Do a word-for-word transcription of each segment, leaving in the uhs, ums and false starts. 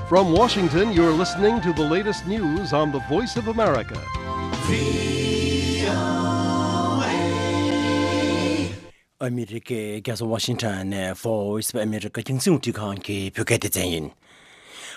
From Washington, you're listening to the latest news on the Voice of America. ཨ་མི་རི་ཀའི་རྒྱལ་ས་ཝ་ཤིང་ཊོན་ནས་Voice of America རྒྱང་སྲིང་རླུང་འཕྲིན་ཁང་གི་བོད་སྐད་སྡེ་ཚན་ཡིན།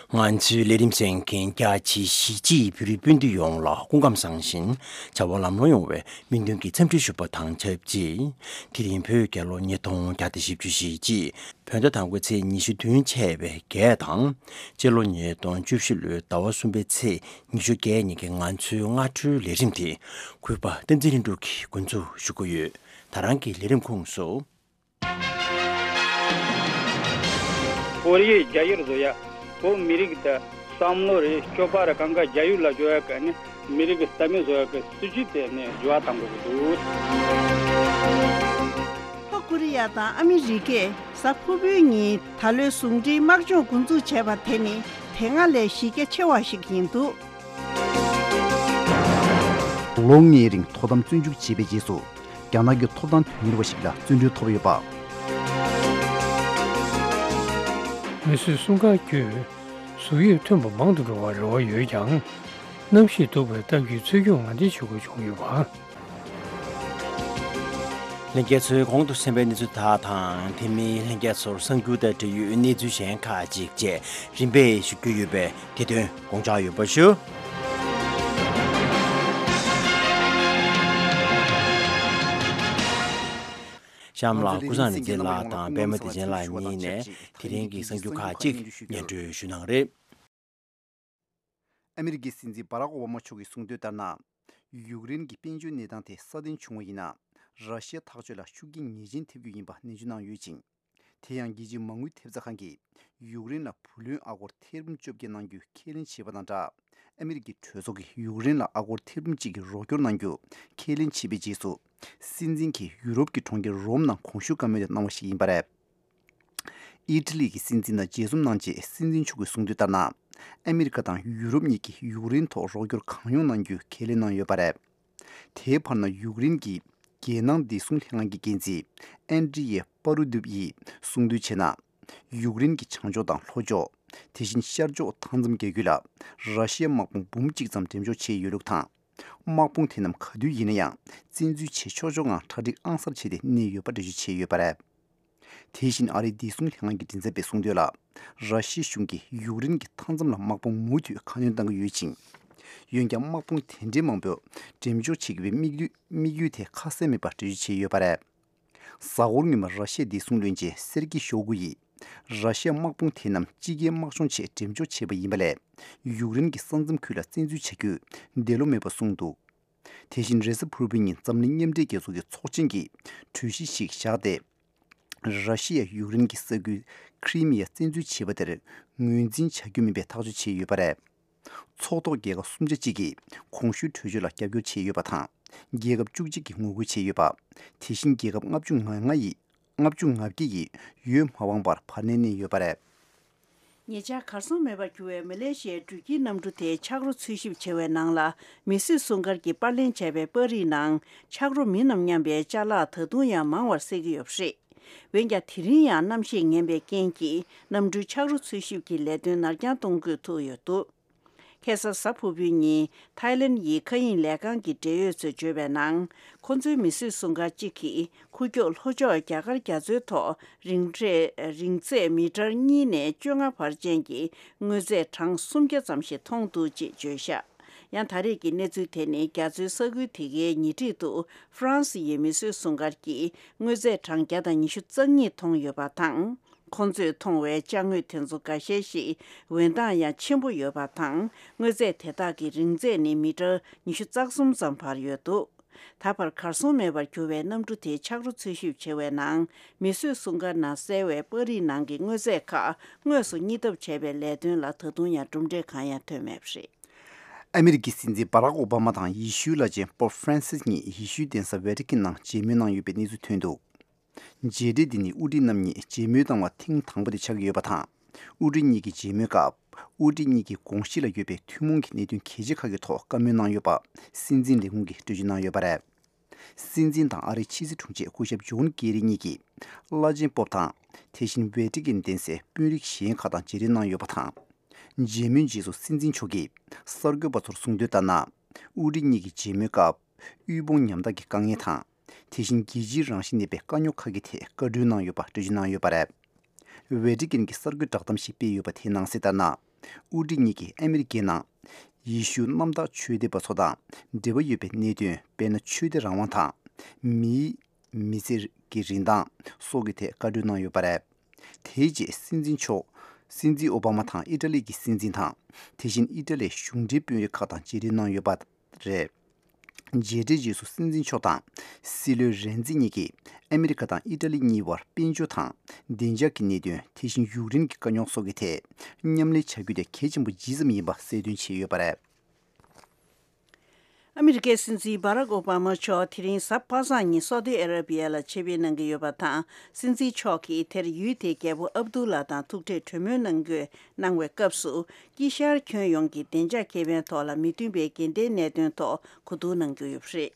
ང་ཚོའི་ལས་རིམ་གསན་མཁན་རྒྱ་ཆེའི་གཞིས་བྱེས་བོད་རིགས་སྤུན་ཟླ་ཡོངས་ལ་སྐུ་ཁམས་བཟང་ཞིང་བྱ་བ་ལམ་ལྷོང་ཡོང་བའི་སྨོན་འདུན་གྱི་འཚམས་འདྲི་ཞུ་བ་དང་ཆབས་ཅིག་དེ་རིང་བོད་རྒྱལ་ལོ་ཉིས་སྟོང་བརྒྱ་དང་བཞི་བཅུ་ཞེ་གཅིག་བོད་ཟླ་དང་པོའི་ཚེས་ཉི་ཤུ་བདུན་ཆད་པའི་བརྒྱད་དང་། སྤྱི་ལོ་ཉིས་སྟོང་བཅུ་བཞི་ལོའི་ཟླ་བ་གསུམ་པའི་ཚེས་ཉི་ཤུ་བརྒྱད་ཉིན་གྱི་ང་ཚོའི་སྔ་དྲོའི་ལས་རིམ་དེ་གུས་པ་བསྟན་འཛིན་ལྷུན་གྲུབ་ཀྱིས་འགོ་འཛུགས་ཞུ་གི་ཡོད། ད་རང་གི་ལས་རིམ་ཁོངས་སུ། ཁོ་རེའི་རྒྱ་ཡུལ་བཟོ་ཡ། བོད་མི་རིགས་དང་བསམ་བློ་རེ་སྤྱོད་པ་རེ་གང་ག་རྒྱ་ཡུལ་ལ་འཇོག་ཡ་ག་ནི་མི་རིགས་ཀྱི་རྩ་མེད་བཟོ་ཡ་གི་སྲིད་ཇུས་དེ་ནི་འགྱུར་བ་གཏང་དགོས་ཀྱི་འདུག་ལྷོ་ཀོ་རི་ཡ་དང་ཨ་མི་རི་ཀས་གཟའ་ཕུར་བུའི་ཉིན་ད་ལོའི་ཟུང་འབྲེལ་དམག་སྦྱོང་འགོ་འཛུགས་བྱས་པ་དེ་ནི་དེ་སྔ་ལས་གཞི་རྒྱ་ཆེ་བ་ཞིག་ཡིན་འདུག་ལོ་ལྔའི་རིང་དོ་དམ་བཙོན་འཇུག་བྱས་པའི་རྗེས་སུ། རྒྱ་ནག་གི་ཐོབ་ཐང་དོན་གཉེར་བ་ཞིག་ལ་བཙོན་གྲོལ་ཐོབ་ཡོད་པ། མི་གསོད་སྲུང་སྐར་བརྒྱུད་གཟུགས་དབྱིབས་ཐོན་པ་མང་དུ་འགྲོ་བར་རེ་བ་ཡོད་ཀྱང་། གནམ་གཤིས་སྡུག་པའི་སྟབས་ཀྱིས་འཚོལ་སྐྱོབ་ངང་འདེད་བྱེད་དགོས་བྱུང་ཡོད་པ། ལྷན་རྒྱས་ཚོས་གོང་དུ་གསན་པའི་གནས་ཚུལ་དག་དང་དེ་མིན་ལྷན་རྒྱས་ཚོར་གསར་འགྱུར་དང་འབྲེལ་ཡོད་གནས་ཚུལ་གཞན་ཁག་ཅིག་བཅས་རིམ་པས་ཞུ་རྒྱུ་ཡོད་པས། དེ་དོན་དགོངས་འཇགས་ཡོད་པ་ཞུ། གཤམ་ལ་ཀུན་བཟང་རིག་འཛིན་ལགས་དང་པད་མ་བདེ་ཆེན་ལགས་གཉིས་ནས་དེ་རིང་གི་གསར་འགྱུར་ཁག་ཅིག་སྙན་སྒྲོན་ཞུ་གནང་རེད། ཨ་མི་རི་ཀའི་སྲིད་འཛིན་བྷ་རག་ཨོ་བྷ་མ་མཆོག་གིས་གསུངས་དོན་ལྟར་ན། ཡུཀ་རེན་གྱི་དཔལ་འབྱོར་གནས་སྟངས་དེ་སྲ་བརྟན་བྱུང་བ་ཡིན་ན། ར་ཤི་ཡ་ཐག་གཅོད་ལ་ཤུགས་རྐྱེན་ངེས་ཅན་ཐེབས་རྒྱུ་ཡིན་པ་ནན་བརྗོད་གནང་ཡོད་ཅིང་། དེ་ཡང་རྒྱལ་སྤྱིའི་མ་དངུལ་ཐེབས་རྩ་ཁང་གིས་ཡུཀ་རེན་ལ་བུ་ལོན་ཨ་སྒོར་ཐེར་འབུམ་བཅོ་བརྒྱད་གནང་རྒྱུ་ཁས་ལེན་བྱས་པ་དང་སྦྲགས། ཨ་མི་རི་ཀའི་གྲོས་ཚོགས་ཀྱིས་ཡུཀ་རེན་ལ་ཨ་སྒོར་ཐེར་འབུམ་གཅིག་གི་རོགས་སྐྱོར་གནང་རྒྱུ་ཁས་ལེན་བྱས་པའི་རྗེས་སུ། སྲིད་འཛིན་གྱིས་ཡུ་རོབ་ཀྱི་གྲོང་ཁྱེར་རོམ་ནང་གོང་ཞུས་བཀའ་མོལ་དེ་གནང་བ་ཞིག་ཡིན་པ་རེད། ཨི་ཊ་ལི་གི་སྲིད་འཛིན་དང་མཇལ་འཛོམས་གནང་རྗེས་སྲིད་འཛིན་མཆོག་གིས་གསུངས་དོན་ལྟར་ན། ཨ་མི་རི་ཀ་དང་ཡུ་རོབ་གཉིས་ཀྱིས་ཡུཀ་རེན་ཐོག་རོགས་སྐྱོར་གང་ཡོང་གནང་རྒྱུའི་ཁས་ལེན་གནང་ཡོད་པ་རེད། དེའི་བར་ན་ཡུཀ་རེན་གྱི་རྒྱལ་ནང་བདེ་སྲུང་ལྷན་ཁང་གི་འགན་འཛིན་ཨན་ཌྲི་ཡེ་པ་རུ་དུབ་ཡིས་གསུངས་དོན་བྱས་ན། ཡུཀ་རེན་གྱི་བྱང་ཕྱོགས་དང་ལྷོ་ཕྱོགས། དེ་བཞིན་ཤར་ཕྱོགས་མཐའ་མཚམས་རྒྱ་ཁུལ་ལ་ར་ཤི་ཡའི་དམག་དཔུང་འབུམ་གཅིག་ཙམ་འགྲེམས་འཇོག་བྱས་ཡོད་ལུགས་དང་། དམག་དཔུང་དེ་རྣམས་ག་དུས་ཡིན་ན་ཡང་བཙན་འཛུལ་བྱེད་ཆོག་ཆོག་ངང་གྲ་སྒྲིག་ཨང་གསར་བྱས་ཏེ་གནས་ཡོད་པ་འགྲེལ་བརྗོད་བྱས་ཡོད་པ་རེད། དེ་བཞིན་ཨ་རིའི་བདེ་སྲུང་ལྷན་ཁང་གི་མགྲིན་ཚབ་པས་གསུངས་དོན་ལ། ར་ཤི་ཡའི་གཞུང་གིས་ཡུཀ་རེན་གྱི་མཐའ་མཚམས་ལ་དམག་དཔུང་མུ་མཐུད་ཁ་སྣོན་གཏང་གི་ཡོད་ཅིང་། འོན་ཀྱང་དམག་དཔུང་དེ་འདྲའི་མང་པོ་འགྲེམས་འཇོག་བྱེད་དགོས་པའི་དམིགས་ཡུལ་དམིགས་ཡུལ་དེ་ཁ་གསལ་མེད་པར་འགྲེལ་བརྗོད་བྱས་ཡོད་པ་རེད། གཟའ་འཁོར་སྔོན་མ་ར་ཤི་ཡའི་བདེ་སྲུང་བློན་ཆེན་སེར་ཀི་ཤོ་གུ་ཡིས། ར་ཤི་ཡའི་དམག་དཔུང་དེ་རྣམས་དཔྱིད་ཀའི་དམག་སྦྱོང་ཆེད་འགྲེམས་འཇོག་བྱས་པ་ཡིན་པ་ལས། ཡུཀ་རེན་གྱི་ས་མཚམས་ཁུལ་ལ་བཙན་འཛུལ་བྱ་རྒྱུ་འདོད་བློ་མེད་པ་གསུངས་འདུག་དེ་བཞིན་རེས་གཟའ་ཕུར་བུའི་ཉིན་འཛམ་གླིང་མཉམ་འབྲེལ་རྒྱལ་ཚོགས་ཀྱི་ཚོགས་ཆེན་གྱིས་གྲོས་གཞི་ཞིག་བཞག་སྟེ། ར་ཤི་ཡས་ཡུཀ་རེན་གྱི་ས་ཁུལ་ཁི་རི་མི་ཡ་བཙན་འཛུལ་བྱས་པ་དེར་ངོས་འཛིན་བྱ་རྒྱུ་མིན་པའི་ཐག་གཅོད་བྱས་ཡོད་པ་རེད། ཚོགས་ཐོག་རྒྱལ་ཁབ་སུམ་ཆ་གཅིག་གིས་གོང་ཞུས་གྲོས་ཆོད་ལ་རྒྱབ་སྐྱོར་བྱས་ཡོད་པ་དང་། རྒྱལ་ཁབ་བཅུ་གཅིག་གིས་ངོ་རྒོལ་བྱས་ཡོད་པ། དེ་བཞིན་རྒྱལ་ཁབ་ལྔ་བཅུ་ང་ལྔ་ཡིས་ལྔ་བཅུ་ང་བརྒྱད་ཡིས་འོས་མ་འཕངས་པར་བར་གནས་གནས་ཡོད་པ་རེད། ཉེ་ཆར་གར་སོང་མེད་པར་གྱུར་བའི་མ་ལེ་ཤི་ཡའི་འགྲུལ་སྐྱེལ་གནམ་གྲུ་དེ་ཆག་རོ་འཚོལ་ཞིབ་བྱེད་པའི་ནང་ལ་མི་གསོད་སྲུང་སྐར་གྱིས་པར་ལེན་བྱས་པའི་པར་རིས་ནང་ཆག་རོ་མིན་ནམ་སྙམ་པའི་ཅ་ལག་ད་དུང་ཡང་མང་བར་གསལ་གྱི་ཡོད་པ་རེད། འོན་ཀྱང་དེ་རིང་ཡང་གནམ་གཤིས་ངན་པའི་རྐྱེན་གྱིས་གནམ་གྲུའི་ཆག་རོ་འཚོལ་ཞིབ་ཀྱི་ལས་དོན་ནར་འགྱངས་གཏོང་དགོས་ཐུག་ཡོད་འདུག་ཁ་སང་གཟའ་ཕུར་བུའི་ཉིན་ཐའི་ལེན་ཡི་མཁའ་དབྱིངས་ལས་ཁང་གི་འབྲེལ་ཡོད་ཚོས་བརྗོད་པའི་ནང་། ཁོ་ཚོའི་མི་གསོད་སྲུང་སྐར་གཅིག་གིས་ཁུག་ཀྱོག་ལྷོ་ཕྱོགས་རྒྱ་གར་རྒྱ་མཚོའི་ཐོག་རིང་ཚད་རིང་ཚད་མི་ཊར་གཉིས་ནས་བཅོ་ལྔ་བར་ཅན་གྱི་དངོས་རྫས་གྲངས་སུམ་བརྒྱ་ཙམ་ཞིག་མཐོང་འདུག་ཅེས་བརྗོད་བཞག་ཡང་ད་རེས་ཀྱི་གནས་ཚུལ་དེ་ནི་རྒྱ་མཚོའི་ས་ཁུལ་དེ་གའི་ཉེ་འཁྲིས་དུ་ཧྥ་རན་སི་ཡི་མི་གསོད་སྲུང་སྐར་གྱིས་དངོས་རྫས་གྲངས་བརྒྱ་དང་ཉི་ཤུ་རྩ་གཉིས་མཐོང་ཡོད་པ་དང་། ཁོང་ཚོས་མཐོང་བའི་ཅ་དངོས་དེ་ཚོ་འགའ་ཤས་ཤིག་འོད་མདངས་ཡང་ཆེན་པོ་ཡོད་པ་དང་། དངོས་རྫས་དེ་དག་གི་རིང་ཚད་ནི་མི་ཊར་ཉི་ཤུ་རྩ་གསུམ་ཙམ་བར་ཡོད་འདུག་ད་བར་གར་སོང་མེད་པར་གྱུར་བའི་གནམ་གྲུ་དེའི་ཆག་རོ་འཚོལ་ཞིབ་བྱེད་པའི་ནང་མི་གསོད་སྲུང་སྐར་ནང་གསལ་བའི་པར་རིས་ནང་གི་དངོས་རྫས་ཁག་དངོས་སུ་རྙེད་ཐབས་བྱས་པའི་ལས་དོན་ལ་ད་དུང་ཡང་གྲུབ་འབྲས་གང་ཡང་ཐོན་མེད་པ་རེད། ཨ་མི་རི་ཀའི་སྲིད་འཛིན་བྷ་རག་ཨོ་བྷ་མ་དང་ཡེ་ཤུའི་བླ་ཆེན་པོབ་ཧྥ་རན་སིས་གཉིས་ཡེ་ཤུའི་གདན་ས་ཝེ་ཏི་ཀན་ནང་མཇལ་མོལ་གནང་ཡོད་པའི་གནས་ཚུལ་ཐོན་འདུག་མཇལ་འཕྲད་འདི་ནི་དབུ་ཁྲིད་རྣམ་གཉིས་མཇལ་མོལ་བཏང་བ་ཐེངས་དང་པོ་དེ་ཆགས་ཀྱི་ཡོད་པ་དང་། དབུ་ཁྲིད་གཉིས་ཀྱི་མཇལ་མོལ་སྐབས། དབུ་ཁྲིད་གཉིས་ཀྱི་དགོངས་གཞི་ལ་ཡོད་པའི་ཐུན་མོང་གི་གནད་དོན་གལ་ཆེ་ཁག་གི་ཐོག་བཀའ་མོལ་གནང་ཡོད་པ། སྲིད་འཛིན་ལས་ཁུངས་ཀྱིས་འགྲེལ་བརྗོད་གནང་ཡོད་པ་རེད། སྲིད་འཛིན་དང་ཨ་རིའི་ཕྱི་སྲིད་དྲུང་ཆེ་སྐུ་ཞབས་ཇོན་ཀེ་རི་གཉིས་ཀྱིས། བླ་ཆེན་པོབ་དང་། དེ་བཞིན་ཝེ་ཏི་ཀན་གདན་སའི་དཔོན་རིགས་གཞན་ཁག་དང་མཇལ་འཕྲད་གནང་ཡོད་པ་དང་། མཇལ་མོལ་རྗེས་སུ་སྲིད་འཛིན་མཆོག་གིས་གསར་འགོད་པ་ཚོར་གསུངས་དོན་ལྟར་ན། དབུ་ཁྲིད་གཉིས་ཀྱི་མཇལ་མོལ་སྐབས། དབུལ་ཕོངས་ཉམ་ཐག་གི་དཀའ་ངལ་དང་། དེ་བཞིན་རྒྱལ་སྤྱིའི་རང་བཞིན་ལྡན་པའི་དཀའ་རྙོག་ཁག་གི་ཐད་བཀའ་འཁྲོལ་གནང་ཡོད་པ་འགྲེལ་བརྗོད་གནང་ཡོད་པ་རེད། ཝེ་ཏི་ཀན་གྱིས་གསར་འགོད་བསྒྲགས་གཏམ་ཞིག་སྤེལ་ཡོད་པ་དེའི་ནང་གསལ་ལྟར་ན། དབུ་ཁྲིད་གཉིས་ཀྱིས་ཨ་མི་རི་ཀའི་ནང་ཡེ་ཤུ་གནམ་བདག་ཆོས་དད་པ་ཚོ་དང་འབྲེལ་བ་ཡོད་པའི་གནད་དོན། དཔེར་ན། ཆོས་དད་རང་དབང་དང་། མིའི་མི་ཚེ་གི་རིན་ཐང་སོགས་ཀྱི་ཐད་བཀའ་འཁྲོལ་གནང་ཡོད་པ་རེད། དེའི་རྗེས་སྲིད་འཛིན་མཆོག་སྲིད་འཛིན་ཨོ་བྷ་མ་དང་ཨི་ཊ་ལི་གི་སྲིད་འཛིན་དང་། དེ་བཞིན་ཨི་ཊ་ལིའི་གཞུང་འབྲེལ་དཔོན་རིགས་ཁག་དང་མཇལ་འཕྲད་གནང་ཡོད་པ་རེད། མཇལ་འཕྲད་རྗེས་སུ་སྲིད་འཛིན་མཆོག་དང་སྲིད་བློན་རེན་ཙི་གཉིས་ཀྱིས་ཨ་མི་རི་ཀ་དང་ཨི་ཊ་ལི་གཉིས་བར་དཔལ་འབྱོར་དང་བདེ་འཇགས་ཀྱི་གནད་དོན། དེ་བཞིན་ཡུཀ་རེན་གྱི་དཀའ་རྙོག་སོགས་ཀྱི་ཐད་མཉམ་ལས་བྱ་རྒྱུ་དེ་གལ་ཆེན་པོ་ཇི་ཙམ་ཡིན་པ་གསལ་སྟོན་བྱས་ཡོད་པ་རེད། ཨ་མི་རི་ཀའི་སྲིད་འཛིན་སྦ་རག་ཨོ་བྷ་མ་མཆོག་དེ་རིང་གཟའ་པ་སངས་ཉིན་སོ་ཏི་ཨ་ར་བི་ཡ་ལ་ཆེད་ཕེབས་གནང་གི་ཡོད་པ་དང་། སྲིད་འཛིན་མཆོག་གིས་དེར་ཡུལ་དེའི་རྒྱལ་པོ་ཨབ་དུ་ལ་དང་ཐུག་འཕྲད་གྲོས་མོལ་གནང་དགོས་གནང་བའི་སྐབས་སུ། དཀྱིལ་ཤར་ཁྱོན་ཡོངས་ཀྱི་བདེ་འཇགས་ཁེ་ཕན་ཐོག་ལ་མི་མཐུན་པའི་འགལ་ཟླའི་གནད་དོན་ཐོག་གོ་བསྡུར་གནང་རྒྱུ་ཡོད་པ་རེད།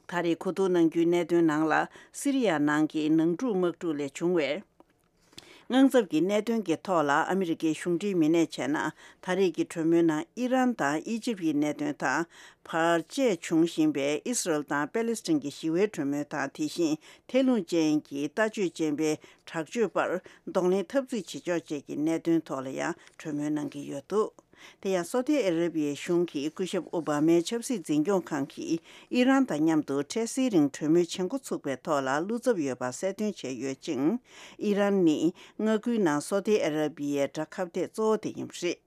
ད་རེས་གོ་བསྡུར་གནང་རྒྱུའི་གནད་དོན་ནང་ལ། སི་རི་ཡ་ནང་གི་ནང་འཁྲུག་དམག་འཁྲུག་ལས་བྱུང་བའི་དངངས་འཚབ་ཀྱི་གནད་དོན་གྱི་ཐོག་ལ་ཨ་མི་རི་ཀའི་གཞུང་འབྲེལ་མི་སྣས་བྱས་ན། ད་རེས་ཀྱི་གྲོས་མོལ་ནང་ཨི་རན་དང་ཨི་ཇིབ་ཀྱི་གནད་དོན་དང་། བར་ཆད་བྱུང་བཞིན་པའི་ཨི་སི་རལ་དང་པེ་ལེ་སི་ཐན་གྱི་ཞི་བའི་གྲོས་མོལ་དང་། དེ་བཞིན་ཐལ་རླུང་ཅན་གྱི་ལྟ་སྤྱོད་ཅན་པའི་དྲག་སྤྱོད་པར་གདོང་ལེན་འཐབ་རྩོད་བྱེད་ཕྱོགས་བཅས་ཀྱི་གནད་དོན་ཐོག་ལ་ཡང་གྲོས་མོལ་གནང་གི་ཡོད་འདུག་དེ་ཡང་སོ་ཏི་ཨ་ར་བི་ཡའི་གཞུང་གིས་སྐུ་ཞབས་ཨོ་བྷ་མའི་ཆབ་སྲིད་འཛིན་སྐྱོང་ཁང་གིས་ཨི་རན་དང་མཉམ་དུ་འཕྲལ་སེལ་རིང་གྲོས་མོལ་བྱེད་འགོ་ཚུགས་པའི་ཐོག་ལ་བློ་འཚབ་ཡོད་པ་གསལ་སྟོན་བྱས་ཡོད་ཅིང་། ཨི་རན་ནི་མངའ་ཁུལ་ནང་སོ་ཏི་ཨ་ར་བི་ཡའི་དགྲ་ཁ་གཏད་གཙོ་བོ་དེ་ཡིན་པ་རེད།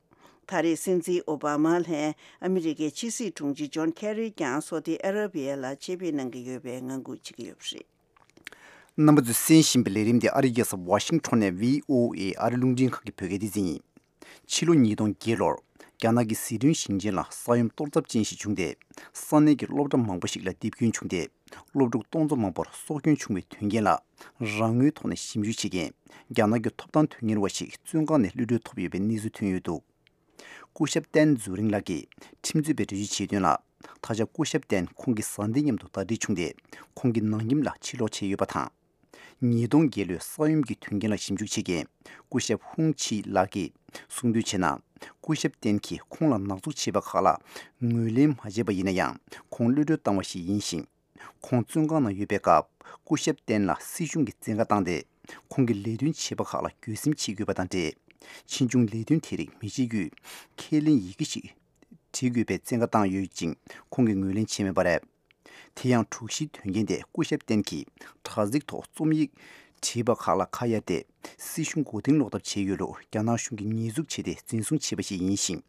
ད་རེས་སྲིད་འཛིན་ཨོ་བྷ་མ་ལྷན་ཨ་མི་རི་ཀའི་ཕྱི་སྲིད་དྲུང་ཆེ་ཇོན་ཁེ་རི་ཀྱང་སོ་ཏི་ཨ་ར་བི་ཡ་ལ་ཆེད་ཕེབས་གནང་གི་ཡོད་པའི་ངང་སྒུག་བྱེད་ཀྱི་ཡོད་པ་རེད། རྣམ་པ་ཚོས་གསན་བཞིན་པའི་ལས་རིམ་དེ་ཨ་རིའི་རྒྱལ་ས་ཝ་ཤིང་ཊོན་ནས་བྷི་ཨོ་ཨེ་ཨ་རི་རླུང་འཕྲིན་ཁང་གི་བོད་སྐད་སྡེ་ཚན་ཡིན། ཕྱི་ལོ་ཉིས་སྟོང་བརྒྱད་ལོར་རྒྱ་ནག་གི་ཟི་ཁྲོན་ཞིང་ཆེན་ལ་ས་ཡོམ་གཏོར་ཚབས་ཅན་ཞིག་བྱུང་སྟེ། ས་གནས་ཀྱི་སློབ་གྲྭ་མང་པོ་ཞིག་ལ་རྡིབ་སྐྱོན་བྱུང་སྟེ། སློབ་ཕྲུག་སྟོང་ཚོ་མང་པོར་སྲོག་སྐྱོན་བྱུང་བའི་དོན་རྐྱེན་ལ། རང་ངོས་ཐོག་ནས་ཞིབ་འཇུག་བྱེད་མཁན་རྒྱ་ནག་གི་ཐོབ་ཐང་དོན་གཉེར་བ་ཞིག་བཙོན་ཁང་ནས་གློད་གྲོལ་ཐོབ་ཡོད་པའི་གནས་ཚུལ་ཐོན་ཡོད་འདུག་སྐུ་ཞབས་ཏན་ཛུ་རིང་ལགས་ཀྱིས་ཁྲིམས་རྩོད་པས་འགྲེལ་བརྗོད་བྱས་དོན་ལ། ད་ཆ་སྐུ་ཞབས་ཏན་ཁོང་གི་བཟའ་ཟླའི་མཉམ་དུ་ཟླ་སྒྲིལ་བྱུང་སྟེ། ཁོང་གིས་ནང་ཁྱིམ་ལ་ཕྱིར་ལོག་བྱས་ཡོད་པ་དང་། ཉིས་སྟོང་བརྒྱད་ལོའི་ས་ཡོམ་གྱི་དོན་རྐྱེན་ལ་ཞིབ་འཇུག་བྱེད་མཁན་སྐུ་ཞབས་ཧུང་ཆི་ལགས་ཀྱིས་གསུངས་དོན་བྱས་ན། སྐུ་ཞབས་ཏན་གྱིས་ཁོང་ལ་ནག་འཛུགས་བྱས་པ་ཁག་ལ་ངོས་ལེན་མ་བྱས་པ་ཡིན་ན་ཡང་། ཁོང་གློད་གྲོལ་བཏང་བ་ཞིག་ཡིན་ཞིང་། ཁོང་བཙོན་ཁང་ནང་ཡོད་པའི་སྐབས། སྐུ་ཞབས་ཏན་ལ་སྲིད་གཞུང་གིས་བཙན་བཀའ་བཏང་སྟེ། ཁོང་གིས་ལས་དོན་བྱས་པ་ཁག་ལ་འགྱོད་སེམས་བྱེད་དགོས་པ་དང་འབྲེལ། ཕྱིས་འབྱུང་ལས་དོན་དེ་རིགས་མི་བྱེད་རྒྱུའི་ཁས་ལེན་ཡི་གེ་ཞིག་བྲི་དགོས་པའི་བཙན་བཀའ་བཏང་ཡོད་ཅིང་། ཁོང་གིས་ངོས་ལེན་བྱས་མེད་པ་རེད། དེ་ཡང་དྲུག་བཞིའི་དོན་རྐྱེན་དེ་སྐུ་ཞབས་ཏན་གྱིས་དྲ་ཚིགས་ཐོག་རྩོམ་ཡིག་བྲིས་པ་ཁག་ལ་ཁ་གཡར་ཏེ། སྲིད་གཞུང་མགོ་རྟིང་སློག་ཐབས་བྱས་ཡོད་ལུགས་རྒྱ་ནག་གཞུང་གིས་ཉེས་འཛུགས་བྱས་ཏེ་འཛིན་བཟུང་བྱས་པ་ཞིག་ཡིན་ཞིང་།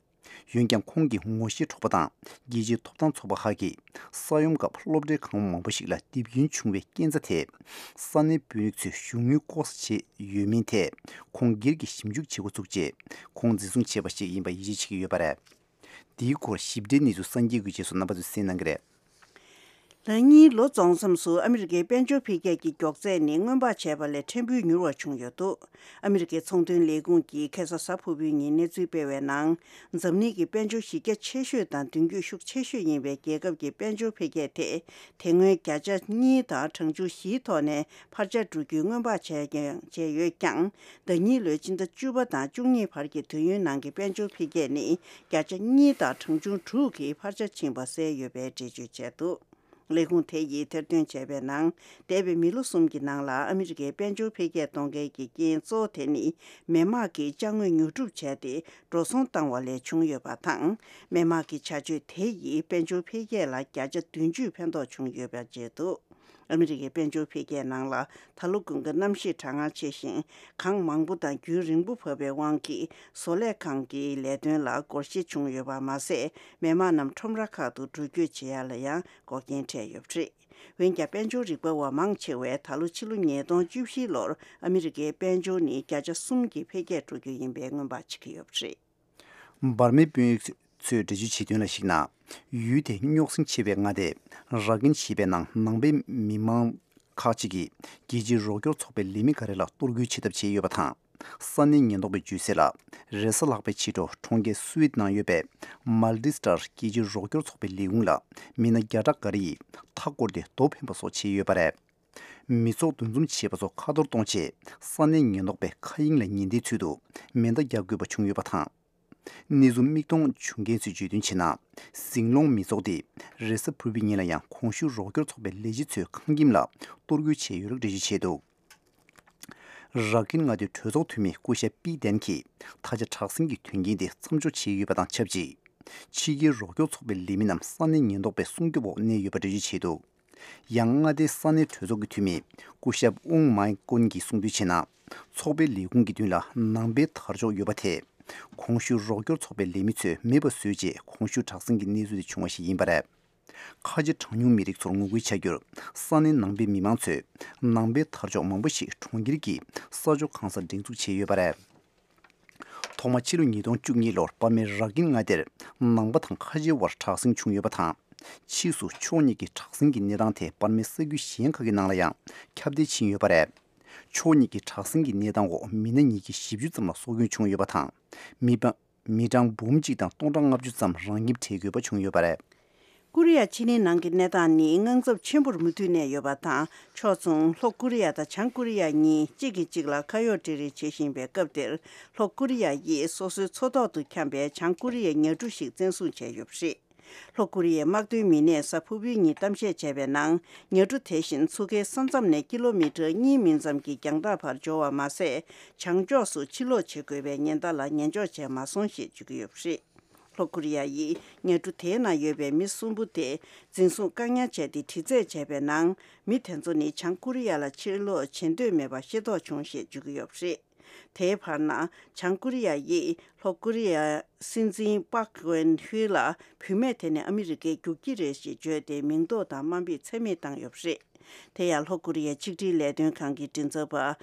འོན་ཀྱང་། ཁོང་གི་ངོ་ཤེས་གྲོགས་པོ་དང་རྒྱལ་སྤྱིའི་ཐོབ་ཐང་ཚོགས་པ་ཁག་གིས། ས་ཡོམ་སྐབས་སློབ་གྲྭའི་ཁང་པ་མང་པོ་ཞིག་ལ་རྡིབ་སྐྱོན་བྱུང་བའི་རྐྱེན་རྩ་དེ། ས་གནས་དཔོན་རིགས་ཚོས་གཞུང་དངུལ་ལྐོག་ཟ་བྱས་ཡོད་མིན་ཐད། ཁོང་སྒེར་གྱིས་ཞིབ་འཇུག་བྱེད་འགོ་ཚུགས་རྗེས། ཁོང་འཛིན་བཟུང་བྱས་པ་ཞིག་ཡིན་པ་ཡིད་ཆེས་བྱེད་ཀྱི་ཡོད་པ་རེད། འདིའི་སྐོར་ཞིབ་ཕྲའི་གནས་ཚུལ་གསར་འགྱུར་གྱི་རྗེས་སུ་རྣམ་པ་ཚོས་གསན་གནང་གི་རེད། ལག་གཉིས་ལོ་རྫོགས་མཚམས་སུ་ཨ་མི་རི་ཀའི་དཔལ་འབྱོར་འཕེལ་རྒྱས་ཀྱི་མགྱོགས་ཚད་ནི་སྔོན་དཔག་བྱས་པ་ལས་ཕྲན་བུ་མྱུར་བ་བྱུང་ཡོད་འདུག་ཨ་མི་རི་ཀའི་ཚོང་དོན་ལས་ཁུངས་ཀྱིས་ཁ་སང་གཟའ་ཕུར་བུའི་ཉིན་གནས་ཚུལ་སྤེལ་བའི་ནང་། འཛམ་གླིང་གི་དཔལ་འབྱོར་གཞི་རྒྱ་ཆེ་ཤོས་དང་མདུན་སྐྱོད་ཤུགས་ཆེ་ཤོས་ཡིན་པའི་རྒྱལ་ཁབ་ཀྱི་དཔལ་འབྱོར་འཕེལ་རྒྱས་དེ། དེ་སྔོན་བརྒྱ་ཆ་གཉིས་དང་གྲངས་ཆུང་བཞིའི་ཐོག་ནས་འཕར་ཆ་འགྲོ་རྒྱུའི་སྔོན་དཔག་བྱས་ཀྱང་བྱས་ཡོད་ཀྱང་། ཟླ་གཉིས་ལོའི་སྤྱི་ཟླ་བཅུ་པ་དང་བཅུ་གཉིས་བར་གྱི་དུས་ཡུན་ནང་གི་དཔལ་འབྱོར་འཕེལ་རྒྱས་ནི་བརྒྱ་ཆ་གཉིས་དང་གྲངས་ཆུང་དྲུག་གིས་འཕར་ཆ་ཕྱིན་པ་གསལ་ཡོད་པའི་འགྲེལ་བརྗོད་བྱས་འདུག་ལས་ཁུངས་དེ་ཡིས་ཐེར་འདོན་བྱས་པའི་ནང་། འདས་པའི་མི་ལོ་གསུམ་གྱི་ནང་ལ་ཨ་མི་རི་ཀའི་དཔལ་འབྱོར་འཕེལ་རྒྱས་གཏོང་མཁན་གྱི་རྐྱེན་གཙོ་བོ་དེ་ནི་མི་དམངས་ཀྱིས་ཅ་དངོས་ཉོ་སྒྲུབ་བྱས་ཏེ་འགྲོ་སོང་བཏང་བ་ལས་བྱུང་ཡོད་པ་དང་། མི་དམངས་ཀྱི་བྱ་སྤྱོད་དེ་ཡིས་དཔལ་འབྱོར་འཕེལ་རྒྱས་ལ་བརྒྱ་ཆ་བདུན་ཅུ་ཕན་ཐོགས་བྱུང་ཡོད་པ་བརྗོད་འདུག་ཨ་མི་རི་ཀའི་དཔལ་འབྱོར་འཕེལ་རྒྱས་ནང་ལ་ད་ལོ་དགུན་ཁ་གནམ་གཤིས་གྲང་ངར་ཆེ་ཞིང་། གངས་མང་པོ་དང་རྒྱུན་རིང་པོ་བབས་པའི་དབང་གིས། བཟོ་ལས་ཁང་གི་ལས་དོན་ལ་སྒོར་གཞས་བྱུང་ཡོད་པ་མ་ཟད། མི་དམངས་རྣམས་ཁྲོམ་ར་ཁག་ཏུ་འགྲུལ་སྐྱོད་བྱེད་ཡ་ལ་ཡང་འགོག་རྐྱེན་འཕྲད་ཡོད་པ་རེད། འོན་ཀྱང་། དཔལ་འབྱོར་རིག་པ་བ་མང་ཆེ་བས། ད་ལོ་ཕྱི་ལོ་ཉིས་སྟོང་བཅུ་བཞི་ལོར་ཨ་མི་རི་ཀའི་དཔལ་འབྱོར་ནི་བརྒྱ་ཆ་གསུམ་གྱི་འཕེལ་རྒྱས་འགྲོ་རྒྱུ་ཡིན་པའི་སྔོན་དཔག་བྱེད་ཀྱི་ཡོད་པ་རེད། འབར་མའི་དཔོན་རིགས་ཚོས་འགྲེལ་བརྗོད་བྱས་དོན་ལ་གཞིགས་ན། ཡུལ་དེའི་རྙོག་ཟིང་ཆེ་བའི་མངའ་སྡེ་ར་ཀིན་ཞེས་པའི་ནང་ནང་པའི་མི་མང་ཁག་ཅིག་གིས་རྒྱལ་སྤྱིའི་རོགས་སྐྱོར་ཚོགས་པའི་ལས་མི་འགའ་རེ་ལ་གཏོར་རྒོལ་བྱེད་ཐབས་བྱས་ཡོད་པ་དང་། ས་གནས་ཉེན་རྟོག་པས་བརྗོད་གསལ་ལ། རེས་གཟའ་ལྷག་པའི་ཕྱི་དྲོ་གྲོང་ཁྱེར་སུའེ་ཏི་ནང་ཡོད་པའི་མལ་ཏི་སི་ཊར་རྒྱལ་སྤྱིའི་རོགས་སྐྱོར་ཚོགས་པའི་ལས་ཁུངས་ལ་མི་སྣ་བརྒྱ་ཕྲག་འགའ་རེ་ཡིས་མཐའ་བསྐོར་ཏེ་རྡོ་འཕེན་པ་སོགས་བྱས་ཡོད་པ་རེད། མི་ཚོགས་འདུ་འཛོམས་བྱེད་པ་ཚོ་ཁ་གཏོར་གཏོང་ཆེད། ས་གནས་ཉེན་རྟོག་པས་མཁའ་དབྱིངས་ལ་ཉེན་བརྡའི་ཚུལ་དུ་མེ་མདའ་རྒྱག་དགོས་པ་བྱུང་ཡོད་པ་དང་། གནས་ཚུལ་མིག་མཐོང་བྱུང་མཁན་ཚོས་བརྗོད་དོན་བྱས་ན། ཟིང་སློང་མི་ཚོགས་དེ་རེས་གཟའ་ཕུར་བུའི་ཉིན་ལ་ཡང་གོང་ཞུས་རོགས་སྐྱོར་ཚོགས་པའི་ལས་བྱེད་ཚོའི་ཁང་ཁྱིམ་ལ་གཏོར་རྒོལ་བྱས་ཡོད་ལུགས་འགྲེལ་བརྗོད་བྱས་འདུག་ར་ཀིན་མངའ་སྡེའི་གྲོས་ཚོགས་འཐུས་མི་སྐུ་ཞབས་པི་ཏན་གྱིས་ད་ཆ་དྲག་ཟིང་གི་དོན་རྐྱེན་དེ་མཚམས་འཇོག་བྱས་ཡོད་པ་དང་ཆབས་ཅིག་ཕྱི་རྒྱལ་རོགས་སྐྱོར་ཚོགས་པའི་ལས་མི་རྣམས་ས་གནས་ཉེན་རྟོག་པའི་སྲུང་སྐྱོབ་འོག་གནས་ཡོད་པ་འགྲེལ་བརྗོད་བྱས་འདུག་ཡང་མངའ་སྡེའི་ས་གནས་གྲོས་ཚོགས་ཀྱི་འཐུས་མི་སྐུ་ཞབས་ཨུང་མའེ་ཀུན་གྱིས་གསུངས་དོན་བྱས་ན། ཚོགས་པའི་ལས་ཁུངས་ཀྱི་མདུན་ལ་ནང་པའི་དར་ལྕོག་ཡོད་པ་དེ། གོང་ཞུས་རོགས་སྐྱོར་ཚོགས་པའི་ལས་མི་ཚོས་མེད་པ་བཟོས་རྗེས་གོང་ཞུས་དྲག་ཟིང་གི་གནས་ཚུལ་དེ་བྱུང་བ་ཞིག་ཡིན་པ་རེད། ཁ་ཆེ་གྲངས་ཉུང་མི་རིགས་ཚོར་ངོ་རྒོལ་བྱ་རྒྱུར་ས་གནས་ནང་པའི་མི་མང་ཚོས་ནང་པའི་དར་ལྕོག་མང་པོ་ཞིག་གྲོང་ཁྱེར་གྱི་ས་ཕྱོགས་གང་སར་སྒྲེང་འཛུགས་བྱས་ཡོད་པ་རེད། ཐོག་མ་ཕྱི་ལོ་ཉིས་སྟོང་བཅུ་གཉིས་ལོར་པར་མའི་ར་ཀིན་མངའ་སྡེར་ནང་པ་དང་ཁ་ཆེའི་དབར་དྲག་ཟིང་བྱུང་ཡོད་པ་དང་། ཕྱིས་སུ་ཕྱོགས་གཉིས་ཀྱི་དྲག་ཟིང་གི་གནས་སྟངས་དེ་པར་མའི་ས་ཁུལ་གཞན་ཁག་གི་ནང་ལ་ཡང་ཁྱབ་གདལ་ཕྱིན་ཡོད་པ་རེད། ཕྱོགས་གཉིས་ཀྱི་དྲག་ཟིང་གི་གནས་སྟངས་འོག་མི་སྣ་ཉིས་བརྒྱ་བཞི་བཅུ་ཙམ་ལ་སྲོག་སྐྱོན་བྱུང་ཡོད་པ་དང་། མི་པ་མི་གྲངས་འབུམ་གཅིག་དང་སྟོང་ཕྲག་ལྔ་བཅུ་ཙམ་རང་ཁྱིམ་བྲལ་དགོས་པ་བྱུང་ཡོད་པ་རེད། ཀོ་རི་ཡ་ཕྱེད་གླིང་ནང་གི་གནས་སྟངས་ནི་དངངས་འཚབ་ཆེན་པོར་མུ་མཐུད་གནས་ཡོད་པ་དང་། ཕྱོགས་མཚུངས་ལྷོ་ཀོ་རི་ཡ་དང་བྱང་ཀོ་རི་ཡ་གཉིས་གཅིག་གིས་གཅིག་ལ་ཁ་གཡོག་སྤྲད་རེས་བྱེད་བཞིན་པའི་སྐབས་དེར། ལྷོ་ཀོ་རི་ཡ་ཡིས་སོ་སོའི་མཚོ་ཐོག་ཏུ་འཁྱམས་པའི་བྱང་ཀོ་རི་ཡའི་ཉ་གྲུ་ཞིག་བཙན་བཟུང་བྱས་ཡོད་པ་རེད། ལྷོ་ཀོ་རི་ཡའི་དམག་དོན་མི་སྣས་གཟའ་ཕུར་བུའི་ཉིན་གཏམ་བཤད་བྱས་པའི་ནང་། ཉ་གྲུ་དེ་བཞིན་མཚོ་ཁའི་ས་མཚམས་ནས་ཀི་ལོ་མི་ཊར་གཉིས་མིན་ཙམ་གྱི་རྒྱང་ཐག་བར་འབྱོར་བ་མ་ཟད། བྱང་ཕྱོགས་སུ་ཕྱིར་ལོག་བྱེད་དགོས་པའི་ཉེན་བརྡ་ལ་ཉན་འཇོག་བྱས་མ་སོང་ཞེས་བརྗོད་ཀྱི་ཡོད་པ་རེད། ལྷོ་ཀོ་རི་ཡ་ཡིས་ཉ་གྲུ་དེའི་ནང་ཡོད་པའི་མི་གསུམ་པོ་དེ་འཛིན་བཟུང་བཀག་ཉར་བྱས་ཏེ་དྲི་རྩད་བྱས་པའི་ནང་། མི་དེ་ཚོ་ནི་བྱང་ཀོ་རི་ཡ་ལ་ཕྱིར་ལོག་བྱེད་འདོད་མེད་པ་ཤེས་རྟོགས་བྱུང་ཞེས་བརྗོད་ཀྱི་ཡོད་པ་རེད། དེའི་བར་ན། བྱང་ཀོ་རི་ཡ་ཡིས་ལྷོ་ཀོ་རི་ཡའི་སྲིད་འཛིན་པཱག་ཝན་ཧུའེ་ལ་བུད་མེད་དེ་ནི་ཨ་མི་རི་ཀའི་རྒྱུག་ཁྱི་རེད་ཅེས་བརྗོད་དེ་མིང་འདོགས་དང་དམའ་འབེབས་ཚད་མེད་བཏང་ཡོད་པ་རེད། དེ་ཡང་ལྷོ་ཀོ་རི་ཡའི་ཆིག་སྒྲིལ་ལས་དོན་ཁང་གི་མགྲིན་ཚབ་པ་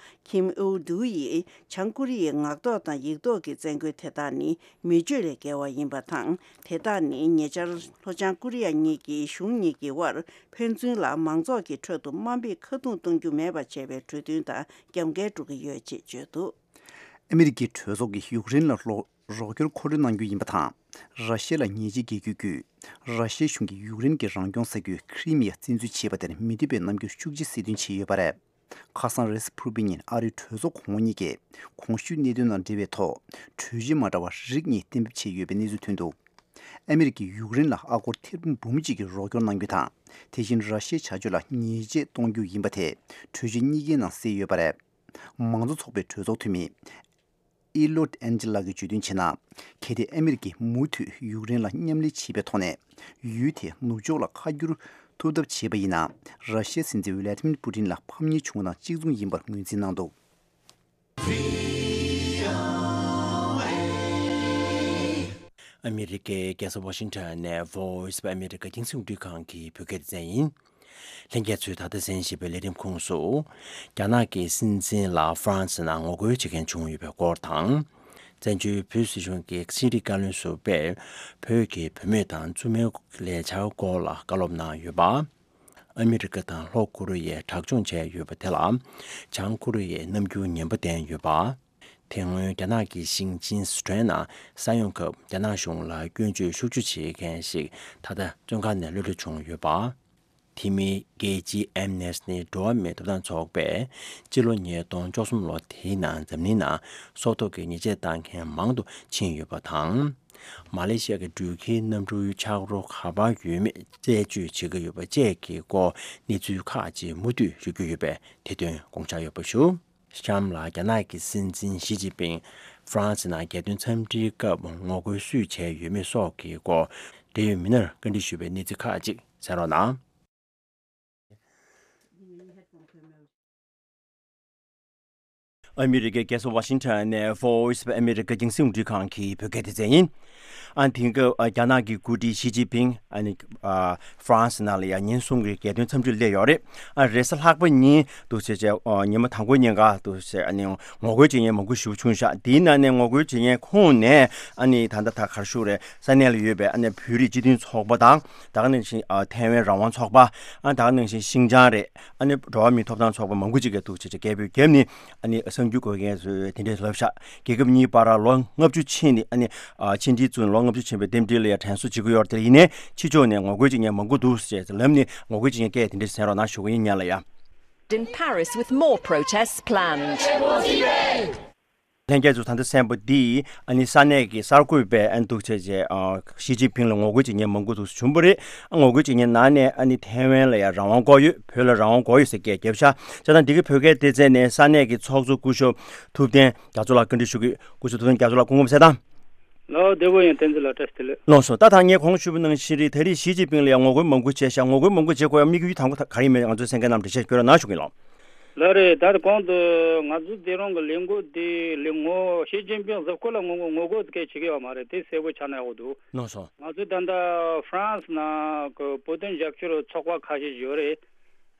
ཁིམ་ཨུ་དུ་ཡིས་བྱང་ཀོ་རི་ཡའི་ངག་ཐོག་དང་ཡིག་ཐོག་གི་བཙན་རྒོལ་དེ་དག་ནི་མི་སྤྱོད་ལས་བརྒལ་བ་ཡིན་པ་དང་། དེ་དག་ནི་ཉེ་ཆར་ལྷོ་བྱང་ཀོ་རི་ཡ་གཉིས་ཀྱི་གཞུང་གཉིས་ཀྱི་དབར་ཕན་ཚུན་ལ་མང་ཚོགས་ཀྱི་ཁྲོད་དུ་དམའ་འབེབས་ཁ་རྡུང་གཏོང་རྒྱུ་མེད་པ་བྱས་པའི་གྲོས་མཐུན་དང་རྒྱབ་འགལ་འགྲོ་གི་ཡོད་ཅེས་བརྗོད་འདུག་ཨ་མི་རི་ཀའི་གྲོས་ཚོགས་ཀྱིས་ཡུཀ་རེན་ལ་ལོ་རོགས་སྐྱོར་མཁོ་སྤྲོད་གནང་རྒྱུ་ཡིན་པ་དང་། ར་ཤི་ཡ་ལ་ཉེས་ཆད་འགེལ་རྒྱུ་བརྒྱུད། ར་ཤི་ཡའི་གཞུང་གིས་ཡུཀ་རེན་གྱི་རང་སྐྱོང་ས་ཁུལ་ཁི་རི་མི་ཡ་བཙན་འཛུལ་བྱས་པ་དེར་མི་འདོད་པའི་རྣམ་འགྱུར་ཤུགས་ཆེ་གསལ་སྟོན་བྱས་ཡོད་པ་རེད། ཁ་སང་རེས་གཟའ་ཕུར་བུའི་ཉིན་ཨ་རིའི་གྲོས་ཚོགས་གོང་འོག་གཉིས་ཀས་གོང་ཞུས་གནད་དོན་དང་འབྲེལ་བའི་ཐོག་གྲོས་ཆོད་མ་འདྲ་བ་རིགས་གཉིས་གཏན་འབེབས་བྱས་ཡོད་པའི་གནས་ཚུལ་ཐོན་འདུག་ཨ་མི་རི་ཀས་ཡུཀ་རེན་ལ་ཨ་སྒོར་ཐེར་འབུམ་གཅིག་གི་རོགས་སྐྱོར་གནང་རྒྱུ་དང་། དེ་བཞིན་ར་ཤི་ཡའི་བྱ་སྤྱོད་ལ་ཉེས་ཆད་གཏོང་རྒྱུ་ཡིན་པ་དེ་གྲོས་ཆོད་གཉིས་ཀའི་ནང་གསལ་ཡོད་པ་རེད། མང་གཙོ་ཚོགས་པའི་གྲོས་ཚོགས་འཐུས་མི་ཨི་ལོད་ཨན་ཇི་ལགས་ཀྱིས་བརྗོད་དོན་བྱས་ན། གལ་ཏེ་ཨ་མི་རི་ཀས་མུ་མཐུད་ཡུཀ་རེན་ལ་མཉམ་ལས་བྱེད་པའི་ཐོག་ནས་ཡུལ་དེ་ནུབ་ཕྱོགས་ལ་ཁ་བསྒྱུར་ཐུབ་ཐབས་བྱས་པ་ཡིན་ན། ར་ཤི་ཡའི་སྲིད་འཛིན་ཝི་ལ་ཏི་མིར་པུ་ཏིན་ལ་ཕམ་ཉེས་བྱུང་བ་དང་གཅིག་མཚུངས་ཡིན་པར་ངོས་འཛིན་གནང་འདུག་ཨ་མི་རི་ཀའི་རྒྱལ་ས་ཝ་ཤིང་ཊོན་ནས་Voice of America་རྒྱང་སྲིང་རླུང་འཕྲིན་ཁང་གི་བོད་སྐད་སྡེ་ཚན་ཡིན། ལྷན་རྒྱས་ཚོས་ད་ལྟ་གསན་བཞིན་པའི་ལས་རིམ་ཁོངས་སུ། རྒྱ་ནག་གི་སྲིད་འཛིན་ལ་ཧྥ་རན་སི་ནང་ངོ་རྒོལ་བྱེད་མཁན་བྱུང་ཡོད་པའི་སྐོར་དང་། བཙན་བྱོལ་བོད་སྲིད་གཞུང་གི་ཕྱི་དྲིལ་བཀའ་བློན་ཟུར་པས་བོད་ཀྱི་བུད་མེད་དང་བཙུན་མའི་ལས་འཆར་སྐོར་ལ་བཀའ་སློབ་གནང་ཡོད་པ། ཨ་མི་རི་ཀ་དང་ལྷོ་ཀོ་རི་ཡས་དྲག་སྦྱོང་བྱས་ཡོད་པ་དེ་ལ་བྱང་ཀོ་རི་ཡས་རྣམ་འགྱུར་ངན་པ་བསྟན་ཡོད་པ། དེ་སྔོན་རྒྱ་ནག་གི་ཞིང་ཆེན་སི་ཁྲོན་ནང་ས་ཡོམ་སྐབས་རྒྱ་ནག་གཞུང་ལ་སྐྱོན་བརྗོད་ཤུགས་ཆེ་བྱེད་མཁན་ཞིག་ད་ལྟ་བཙོན་ཁང་ནས་གློད་གྲོལ་བྱུང་ཡོད་པ། དེ་མིན་རྒྱལ་སྤྱིའི་ཨེམ་ནེ་སི་ཊི་འགྲོ་བ་མིའི་ཐོབ་ཐང་ཚོགས་པས་སྤྱི་ལོ་ཉིས་སྟོང་བཅུ་གསུམ་ལོ་དེའི་ནང་འཛམ་གླིང་ནང་སྲོག་ཐོག་གི་ཉེས་ཆད་བཏང་མཁན་མང་དུ་ཕྱིན་ཡོད་པ་དང་། མ་ལེ་ཤི་ཡ་གི་འགྲུལ་སྐྱེལ་གནམ་གྲུའི་ཆག་རོ་ག་པར་ཡོད་མེད་རྩད་གཅོད་བྱེད་ཀྱི་ཡོད་པ་བཅས་ཀྱི་སྐོར་གནས་ཚུལ་ཁག་ཅིག་མུ་མཐུད་ཞུ་རྒྱུ་ཡོད་པས་དེ་དོན་དགོངས་འཇགས་ཡོད་པ་ཞུ། གཤམ་ལ་རྒྱ་ནག་གི་སྲིད་འཛིན་ཞི་ཅིན་ཕིང་ཧྥ་རན་སི་ནང་རྒྱལ་དོན་འཚམས་འདྲིའི་སྐབས་ངོ་རྒོལ་སུས་བྱས་ཡོད་མེད་སོགས་ཀྱི་སྐོར་འབྲེལ་ཡོད་མི་སྣར་བཀའ་འདྲི་ཞུས་པའི་གནས་ཚུལ་ཁག་ཅིག་གསན་རོགས་གནང་། ཨ་མི་རི་ཀའི་རྒྱལ་ས་ཝ་ཤིང་ཊོན་ནས་Voice of America་རྒྱང་སྲིང་རླུང་འཕྲིན་ཁང་གི་བོད་སྐད་སྡེ་ཚན་ཡིན། ཨ་དེང་སྐབས་ཨ་རྒྱ་ནག་གི་འགོ་ཁྲིད་ཞི་ཅིན་ཕིང་ཨ་ནི་ཨ་ཧྥ་རན་སི་ནང་ལ་ཡང་ཉིན་གསུམ་གྱི་རྒྱལ་དོན་འཚམས་འདྲིར་སླེབས་ཡོད་རེད། ཨ་རེས་གཟའ་ལྷག་པ་ཉིན་འདུག་བྱས་བྱས་ཨ་ཉི་མ་དང་པོའི་ཉིན་ཀ་འདུག་བྱས་ཨ་ནི་ངོ་རྒོལ་བྱེད་མཁན་མང་པོ་ཞིག་བྱུང་ཤག་དེའི་ནང་ནས་ངོ་རྒོལ་བྱེད་མཁན་ཁོངས་ནས་ཨ་ནི་ད་ལྟ་ད་ག་རེ་ཞུ་དགོས་རེད། ས་གནས་ལ་ཡོད་པའི་ཨ་ནི་བོད་རིགས་སྤྱི་མཐུན་ཚོགས་པ་དང་། ད་ག་ནང་བཞིན་ཨ་ཐའེ་ཝན་རང་དབང་ཚོགས་པ། ཨ་ད་ག་ནང་བཞིན་ཤིང་ཅང་རེད། ཨ་ནི་འགྲོ་བ་མིའི་ཐོབ་ཐང་ཚོགས་པ་མང་པོ་ཅིག་གིས་འདུག་བྱས་བྱས་རྒྱལ་པོའི་རྒྱབ་ནས་ཨ་ནི་གསར་འགྱུར་འགོད་མཁན་ཚོས་དེ་འདྲས་ལབ་ཤག་རྒྱལ་ཁབ་གཉིས་བར་ལོ་ལྔ་བཅུ་ཕྱིན་ནས་ཨ་ནི་ཨ་ཕྱི་འབྲེལ་བཙུགས་ནས་ལོ་ལྔ་བཅུ་ཕྱིན་པའི་རྟེན་འབྲེལ་ལ་ཡང་དྲན་གསོ་བྱེད་ཀྱི་ཡོད་རེད། དེ་ཡིན་ནའི་ཕྱི་ཕྱོགས་ནས་ངོ་རྒོལ་བྱེད་མཁན་མང་པོ་འདུག་ཟེར་ལབ་ནས་ངོ་རྒོལ་བྱེད་མཁན་སྐད་དེ་འདྲས་གསན་རོགས་གནང་ཞུ་གི་ཡིན། ཉན་ལ་ཡ། In Paris with more protests planned. ལྷན་རྒྱས་ཚོ། ད་ལྟ་གསན་པ་འདི་ཨ་ནི་ས་གནས་ཀྱི་གསར་འགོད་པས་ཨ་ནི་འདུག་བྱས་རྗེས་ཨ་ཞི་ཅིན་ཕིང་ལ་ངོ་རྒོལ་བྱེད་མཁན་མང་པོ་འདུག་བྱུང་བ་རེད། ཨ་ངོ་རྒོལ་བྱེད་མཁན་ནང་ནས་ཨ་ནི་ཐའེ་ཝན་ལ་ཡང་རང་དབང་དགོས་ཡོད། བོད་ལ་རང་དབང་དགོས་ཡོད་ཟེར་སྐད་བརྒྱབ་ཤག་བྱས་ཙང་འདི་གི་བོད་སྐད་སྡེ་ཚན་ནས་ས་གནས་ཀྱི་ཚོགས་གཙོ་སྐུ་ཞབས་ཐུབ་བསྟན་རྒྱ་མཚོ་ལགས་བཀའ་འདྲི་ཞུ་གི། སྐུ་ཞབས་ཐུབ་བསྟན་རྒྱ་མཚོ་ལགས། སྐུ་ངོ་མ་གསལ་ཐང་། ལགས་བདེ་པོ་ཡིན། བསྟན་འཛིན་ལགས་བཀྲ་ཤིས་བདེ་ལེགས། ལགས་སོ། ད་ད་ངས་གོང་ཞུས་པ་ནང་བཞིན་རེད། ད་རེས་ཞི་ཅིན་ཕིང་ལ་ཡང་ངོ་རྒོལ་མང་པོ་བྱས་ཤག་ངོ་རྒོལ་མང་པོ་བྱེད་དགོས་ཡ་དམིགས་ཡུལ་དང་པོ་ག་རེ་ཡིན་མིན་ང་ཚོའི་གསན་མཁན་རྣམས་འགྲེལ་བཤད་ཞུ་རོགས་གནང་ཞུ་གི་ཡིན་ལགས། ལགས་རེད། ད་གོང་དུ་ང་ཚོ་དེ་རིང་གི་ལས་འགུལ་འདི་ལས་ངོ་ཞི་ཅིན་ཕིང་གཟིགས་སྐོར་ལ་ངོ་ངོ་རྒོལ་སྐད་བྱེད་ཀྱི་ཡོད་མ་རེད། དེ་གསལ་པོ་ཆགས་ན་ཡག་པོ་འདུག་ལགས་སོ། ང་ཚོ་ད་ལྟ་ཧྥ་རན་སི་ནང་གི་བོད་དོན་རྒྱབ་སྐྱོར་ཚོགས་པ་ཁ་ཤས་ཡོད་རེད།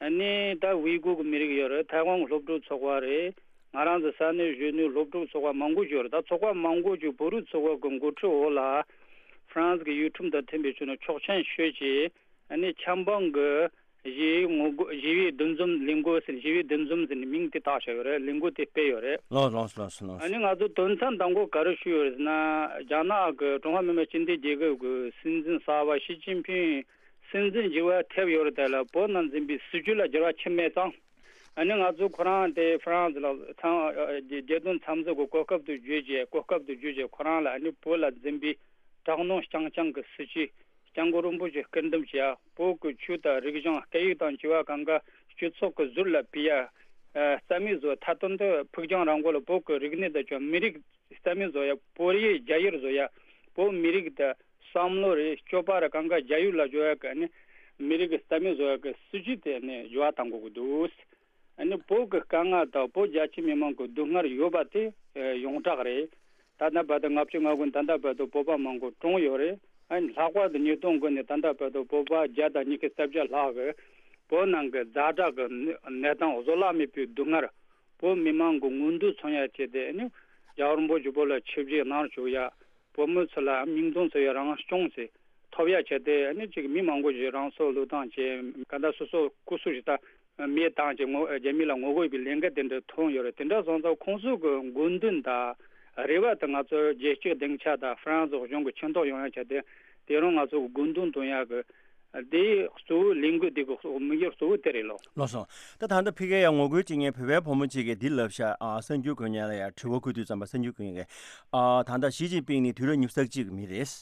ཨ་ནི་ད་ཝི་གུར་གི་མི་རིགས་ཡོད་རེད། ཐའེ་ཝན་གི་སློབ་ཕྲུག་ཚོགས་པ་རེད། ང་རང་ཚོ་ས་གནས་གཞོན་ནུའི་སློབ་ཕྲུག་ཚོགས་པ་མང་པོ་ཞིག་ཡོད་རེད། ད་ཚོགས་པ་མང་པོ་ཞིག་བོད་རིགས་ཚོགས་པ་གི་འགོ་ཁྲིད་འོག་ལ་ཧྥ་རན་སི་གི་ཡུལ་ཁྲིམས་དང་མཐུན་པའི་ཕྱོགས་ནས་ཆོག་མཆན་ཞུས་བྱས། ཨ་ནི་ཆབ་འབངས་ཀྱི་ཞི་བའི་ངོ་རྒོལ། ཞི་བའི་འདུ་འཛོམས་ལས་འགུལ་ཟེར། ཞི་བའི་འདུ་འཛོམས་ཟེར་ནས་མིང་དེ་བཏགས་བཞག་ཡོད་རེད། ལས་འགུལ་དེ་སྤེལ་ཡོད་རེད། ལགས་ལགས་ལགས་ལགས། ཨ་ནི་ང་ཚོ་དོན་ཚན་དང་པོ་ག་རེ་ཞུས་ཡོད་རེད་ཟེར་ན། རྒྱ་ནག་གི་ཀྲུང་ཧྭ་མི་དམངས་སྤྱི་མཐུན་རྒྱལ་ཁབ་ཀྱི་སྲིད་འཛིན་གསར་པ་ཞི་ཅིན་ཕིང་སྲིད་འཛིན་བྱེད་པ་ཐེབས་ཡོད་རེད། དེ་ལ་བོད་ནང་འཛིན་པའི་སྲིད་བྱུས་ལ་འགྱུར་བ་ཕྱིན་མེད་ཙང་། ཨ་ནི་ང་ཚོ་ཁོ་རང་དེ་ཧྥ་རན་སི་ལ་ཚང་རྒྱལ་དོན་འཚམས་གཟིགས་ཀྱི་གོ་སྐབས་དེ་བརྒྱུད་བྱས། གོ་སྐབས་དེ་བརྒྱུད་བྱས་ཁོ་རང་ལ་ཨ་ནི་བོད་ལ་འཛིན་པའི་དྲག་གནོན་རྐྱང་རྐྱང་གི་སྲིད་བྱུས། སྐྱབས་མགོན་རིན་པོ་ཆེ་སྐུ་འདེམས་བྱས་ཡ། བོད་ཀྱི་ཆོས་དང་རིག་གཞུང་སྐད་ཡིག་དང་བཅས་པ་གང་ག་སྤྱི་ཚོགས་ཀྱི་ཟུར་ལ་ཕུད་ཡ། ཨ་རྩ་མེད་བཟོ། མཐའ་དོན་དུ་ཕུགས་རྒྱང་རིང་པོ་ལ་བོད་ཀྱི་རིག་གནས་དང་བཅས་མི་རིགས་རྩ་མེད་བཟོ་ཡ། བོད་ཡིག་རྒྱ་ཡིག་བཟོ་ཡ། བོད་མི་རིགས་དང་བསམ་བློ་རེད། སྤྱོད་པ་རེད། གང་ག་རྒྱ་ཡིག་ལ་བཟོ་ཡ་གི་ནི་མི་རིགས་རྩ་མེད་བཟོ་ཡ་གི་སྲིད་བྱུས་དེ་ནི་འགྱུར་བ་གཏང་དགོས་ཀྱི་འདུག་ཨ་ནི་བོད་ཀྱི་དཀའ་ངལ་དང་བོད་རྒྱ་ཆེ་མི་མང་གི་སྡུག་བསྔལ་ཡོད་པ་དེ་ཡོངས་གྲགས་རེད། ད་ལྟ་བར་དུ་ལྔ་བཅུ་ང་དགུ་ནས་ད་ལྟ་བར་དུ་བོད་པ་མང་པོ་གྲོངས་ཡོད་རེད། ཨ་ནི་ལྷག་པར་དུ་ཉིས་སྟོང་དགུ་ནས་ད་ལྟ་བར་དུ་བོད་པ་བརྒྱ་དང་ཉི་ཤུ་རྩ་བརྒྱད་ལྷག་གིས་བོད་ནང་གི་ཛ་དྲག་གི་གནས་སྟངས་བཟོད་གླགས་མེད་པའི་སྡུག་བསྔལ། བོད་མི་མང་གི་མངོན་འདོད་མཚོན་ཡ་བྱས་ཏེ་ཨ་ནི་རྒྱལ་བ་རིན་པོ་ཆེ་བོད་ལ་ཆིབས་བསྒྱུར་གནང་བཅུག་ཡ། བོད་མི་ཚོ་ལ་མིང་དོན་མཚུངས་པའི་རང་སྐྱོང་ཞིག་ཐོབ་ཡ་བྱས་ཏེ་ཨ་ནི་ཅིག་མི་མང་པོ་ཞིག་རང་སྲོག་བློས་བཏང་བྱས། ག་ད་སོ་སོ་སྐུ་སྲོག་ཞིག་ད་མེ་བཏང་བྱས་ངོ་རྒྱ་མི་ལ་ངོ་རྒོལ་བའི་ལས་འགུལ་དེ་འདྲ་ཐོན་ཡོད་རེད། དེ་འདྲ་སོང་ཙང་ཁོང་ཚོ་གི་དགོས་འདུན་དང་རེ་བ་དེ་ང་ཚོ་རྒྱལ་སྤྱིའི་སྡིངས་ཆ་དང་ཧྥ་རན་སི་གཞུང་གི་མཁྱེན་རྟོགས་ཡོང་ཡ་བྱས་ཏེ། དེ་རིང་ང་ཚོ་གི་དགོས་འདུན་འདོན་ཡ་གི་དེའི་གཙོ་བོ་ལས་འགུལ་དེ་གི་དམིགས་ཡུལ་གཙོ་བོ་དེ་རེད་ལོ། ལགས་སོ། ད་ད་ལྟ་ཕ་གིར་ཡང་ངོ་རྒོལ་བྱེད་མཁན་བོད་པའི་བུ་མོ་གཅིག་གིས་འདི་ལབ་ཤག་ཨ་གསར་འགྱུར་འགོད་མཁན་ལ་ཡང་དྲི་བ་བཀོད་དུས་ཙམ་པ་གསར་འགྱུར་འགོད་མཁན་གྱིས། ཨ་ད་ལྟ་ཞི་ཅིན་ཕིང་ནི་དུས་རབས་ཉི་ཤུ་རྩ་གཅིག་གི་མི་རེད།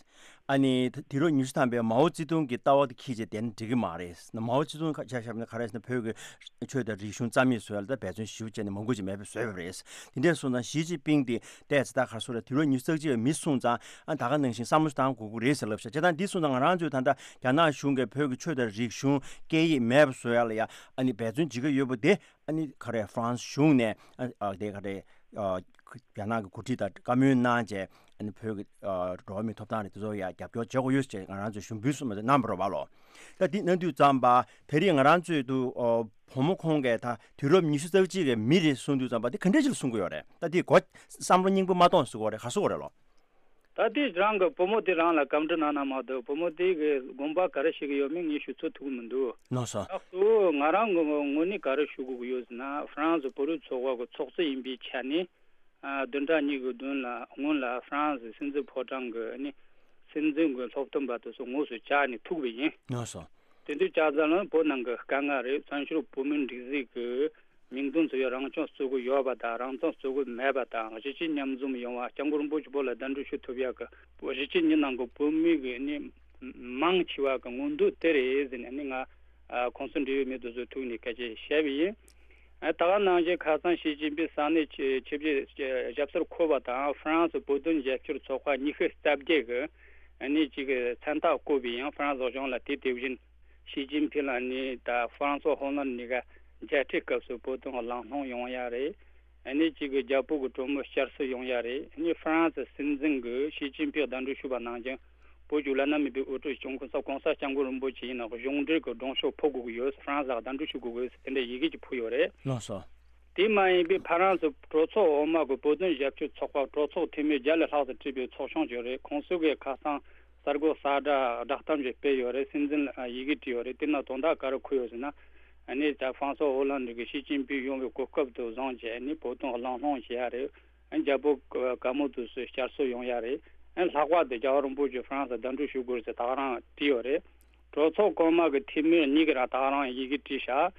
ཨ་ནི་དུས་རབས་ཉི་ཤུ་ཐམ་པའི་མའོ་ཙེ་ཏུང་གི་ལྟ་བ་དེ་འཁྱེར་བྱས་བསྡད་ན་འགྲིག་གི་མ་རེད། མའོ་ཙེ་ཏུང་ཆ་བཞག་ན་ག་རེ་ཟེར་ན་བོད་ཀྱི་ཆོས་དང་རིག་གཞུང་རྩ་མེད་བཟོ་ཡ་ལ་ད་འབད་བརྩོན་ཞེ་པོ་བྱས་ནས་མང་པོ་ཅིག་མེད་པ་བཟོས་པ་རེད། དེ་འདྲ་སོང་ཙང་ཞི་ཅིན་ཕིང་དེ་བལྟས་ཚེ་ད་ག་རེ་ཟེར་རེད། དུས་རབས་ཉི་ཤུ་རྩ་གཅིག་པའི་མི་སོང་ཙང་ཨ་ད་ག་ནང་བཞིན་བསམ་བློ་བཏང་དགོས་ཀྱི་རེད་ཟེར་ལབ་ཤག་བྱས་ཙང་འདི་སོང་ཙང་ང་རང་ཚོས་ད་ལྟ་རྒྱ་ནག་གཞུང་གིས་བོད་ཀྱི་ཆོས་དང་རིག་གཞུང་སྐད་ཡིག་མེད་པ་བཟོ་ཡ་ལ་ཡ་ཨ་ནི་འབད་བརྩོན་བྱེད་ཀྱི་ཡོད་པ་དེ། ཨ་ནི་ག་རེ་ཧྥ་རན་སི་གཞུང་ནས་ཨ་ཨ་དེ་ག་རེ་ཨ་རྒྱ་ནག་གི་འགོ་ཁྲིད་དང་བཀའ་མོལ་གནང་བྱས། ཨ་ནི་བོད་ཀྱི་ཨ་འགྲོ་བ་མིའི་ཐོབ་ཐང་རེད། དེ་ཚོ་ཡ་རྒྱབ་སྐྱོར་བྱེད་དགོས་ཡོད་ཅེས་ང་རང་ཚོས་ཞུ་འབུལ་གསུངས་པ་དེ་གནང་བ་རེད་པ་ལོ། ད་འདི་གནང་དུས་ཙམ་པ་དེ་རིང་ང་རང་ཚོས་དུ་ཨ་བུ་མོ་ཁོང་གིས་ད་དུས་རབས་ཉི་ཤུ་རྩ་གཅིག་གི་མི་རེད་གསུངས་དུས་ཙམ་པ་དེ་ག་འདྲ་ཞིག་ལ་གསུང་གི་ཡོད་རེད། ད་དེ་གོ་བསམ་བློ་རྙིང་པ་མ་གཏོང་ཟེར་གི་ཡོད་རེད། ག་རེ་ཟེར་གི་ཡོད་རེད་ལོ། ད་དེ་རང་གི་བུ་མོ་དེ་རང་ལ་བཀའ་འདྲི་གནང་ན་མ་གཏོགས་བུ་མོ་དེ་གི་དགོངས་པ་ག་རེ་བཞེས་ཀྱི་ཡོད་མེད་ངས་ཞུ་ཚོད་ཐུབ་ཀྱི་མི་འདུག་ལགས་སོ། ད་གཙོ་བོ་ང་རང་གི་ངོས་ནས་ག་རེ་ཞུ་དགོས་ཀྱི་ཡོད་ཟེར་ན། ཧྥ་རན་སི་བོད་རིགས་ཚོགས་པ་གི་ཚོགས་གཙོ་ཡིན་པའི་ཆ་ནས་ཨ་བདུན་ཕྲག་གཉིས་ཀྱི་སྔོན་ལ་སྔོན་ལ་ཧྥ་རན་སི་སྲིད་འཛིན་ཕོ་བྲང་གི་ཨ་ནི་སྲིད་འཛིན་གྱི་སློབ་སྟོན་པ་དེ་ཚོ་དངོས་སུ་བཅར་ནས་ཐུག་པ་ཡིན། ལགས་སོ། དེ་དུས་བཅར་ཙམ་ལ་བོད་ནང་གི་དཀའ་ངལ་རེད། བཙན་བྱོལ་བོད་མིའི་སྒྲིག་འཛུགས་ཀྱི་མིང་དོན་མཚུངས་པའི་རང་སྐྱོང་རྩོད་ཀྱི་ཡོད་པ་དང་། རང་སྐྱོང་རྩོད་ཀྱི་མེད་པ་དང་། གཞིས་བྱེས་མཉམ་འཛོམས་ཡོང་བ། སྐྱབས་མགོན་རིན་པོ་ཆེ་བོད་ལ་གདན་འདྲེན་ཞུ་ཐུབ་ཡག་གི་གཞིས་བྱེས་གཉིས་ནང་གི་བོད་མི་གི་ནི་མང་ཆེ་བ་གི་མངོན་འདོད་དེ་རེད་ཟེར་ནས་ནི་ང་ཁོང་ཚོ་འབྲེལ་ཡོད་མི་དེ་ཚོའི་ཐུག་ནས་སྐད་ཆ་བཤད་པ་ཡིན། ད་ག་ནང་བཞིན་ཁ་སང་ཞི་ཅིན་ཕིང་ས་གནས་ཆིབས་ཞབས་སོར་འཁོད་པ་དང་། ཧྥ་རན་སི་བོད་དོན་རྒྱབ་སྐྱོར་ཚོགས་པ་ཉི་ཤུ་རྩ་བརྒྱད་གི་ནི་གཅིག་གི་མཚན་རྟགས་བཀོད་པ་ཡིན། ཧྥ་རན་སི་གཞུང་ལ་དེ་དེ་བཞིན་ཞི་ཅིན་ཕིང་ལ་ནི་ད་ཧྥ་རན་སི་ཧོ་ལན་ནི་ག་མཇལ་འཕྲད་སྐབས་སུ་བོད་དོན་གླེང་སློང་ཡོང་ཡ་རེད། ཨ་ནི་གཅིག་གི་རྒྱ་བོད་ཀྱི་གྲོས་མོལ་བསྐྱར་གསོ་ཡོང་ཡ་རེད། ཨ་ནི་ཧྥ་རན་སི་སྲིད་འཛིན་གྱིས་ཞི་ཅིན་ཕིང་གདན་འདྲེན་ཞུས་པ་ནང་བཞིན་བོད་ཀྱི་བླ་ན་མེད་པའི་དབུ་ཁྲིད་སྐྱོང་མཁན་ས་གོང་ས་སྐྱབས་མགོན་རིན་པོ་ཆེ་ཡིན་ནོ་གཞུང་འབྲེལ་གྱི་མགྲོན་ཤོག་ཕུལ་དགོས་ཀྱི་ཡོད། ཧྥ་རན་སི་ལ་གདན་འདྲེན་ཞུ་དགོས་ཀྱི་ཡོད་ཟེར་དེ་འདྲའི་ཡི་གེ་ཅིག་ཕུལ་ཡོད་རེད། ལགས་སོ། དེ་མ་ཡིན་པའི་ཧྥ་རན་སི་གྲོས་ཚོགས་འོག་མ་གི་བོད་དོན་རྒྱབ་སྐྱོར་ཚོགས་པ་གྲོས་ཚོགས་འཐུས་མི་བརྒྱ་ལས་ལྷག་ཙམ་བྲིས་པའི་ཚོགས་ཆུང་ཅིག་ཡོད་རེད། ཁོང་ཚོ་གིས་ཁ་སང་གསར་འགོད་གསལ་བསྒྲགས་བསྒྲགས་གཏམ་ཅིག་སྤེལ་ཡོད་རེད། སྲིད་འཛིན་ལ་ཡི་གེ་བྲིས་ཡོད་རེད། དེ་ནང་དོན་དག་ག་རེ་འཁོད་ཡོད་ཟེར་ན། ཨ་ནི་ད་ཧྥ་རན་སི་ཧོ་ལན་གྱིས་ཞི་ཅིན་ཕིང་ཡོང་བའི་གོ་སྐབས་དེ་བཟུང་བྱས་ནས་བོད་དོན་གླེང་སློང་བྱེད་ཡ་རེད། ཨ་ནི་རྒྱ་བོད་བཀའ་མོལ་དེ་ཚོ་བསྐྱར་གསོ་ཡོང་ཡ་རེད། ཨ་ནི་ལྷག་པར་དུ་རྒྱལ་བ་རིན་པོ་ཆེ་ཧྥ་རན་སི་གདན་འདྲེན་ཞུ་དགོས་ཟེར་ད་ག་རང་བྲིས་ཡོད་རེད། གྲོས་ཚོགས་གོང་མ་གི་འཐུས་མི་གཉིས་ཀྱིས་རང་ད་ག་རང་ཡི་གེ་བྲིས་ཤག་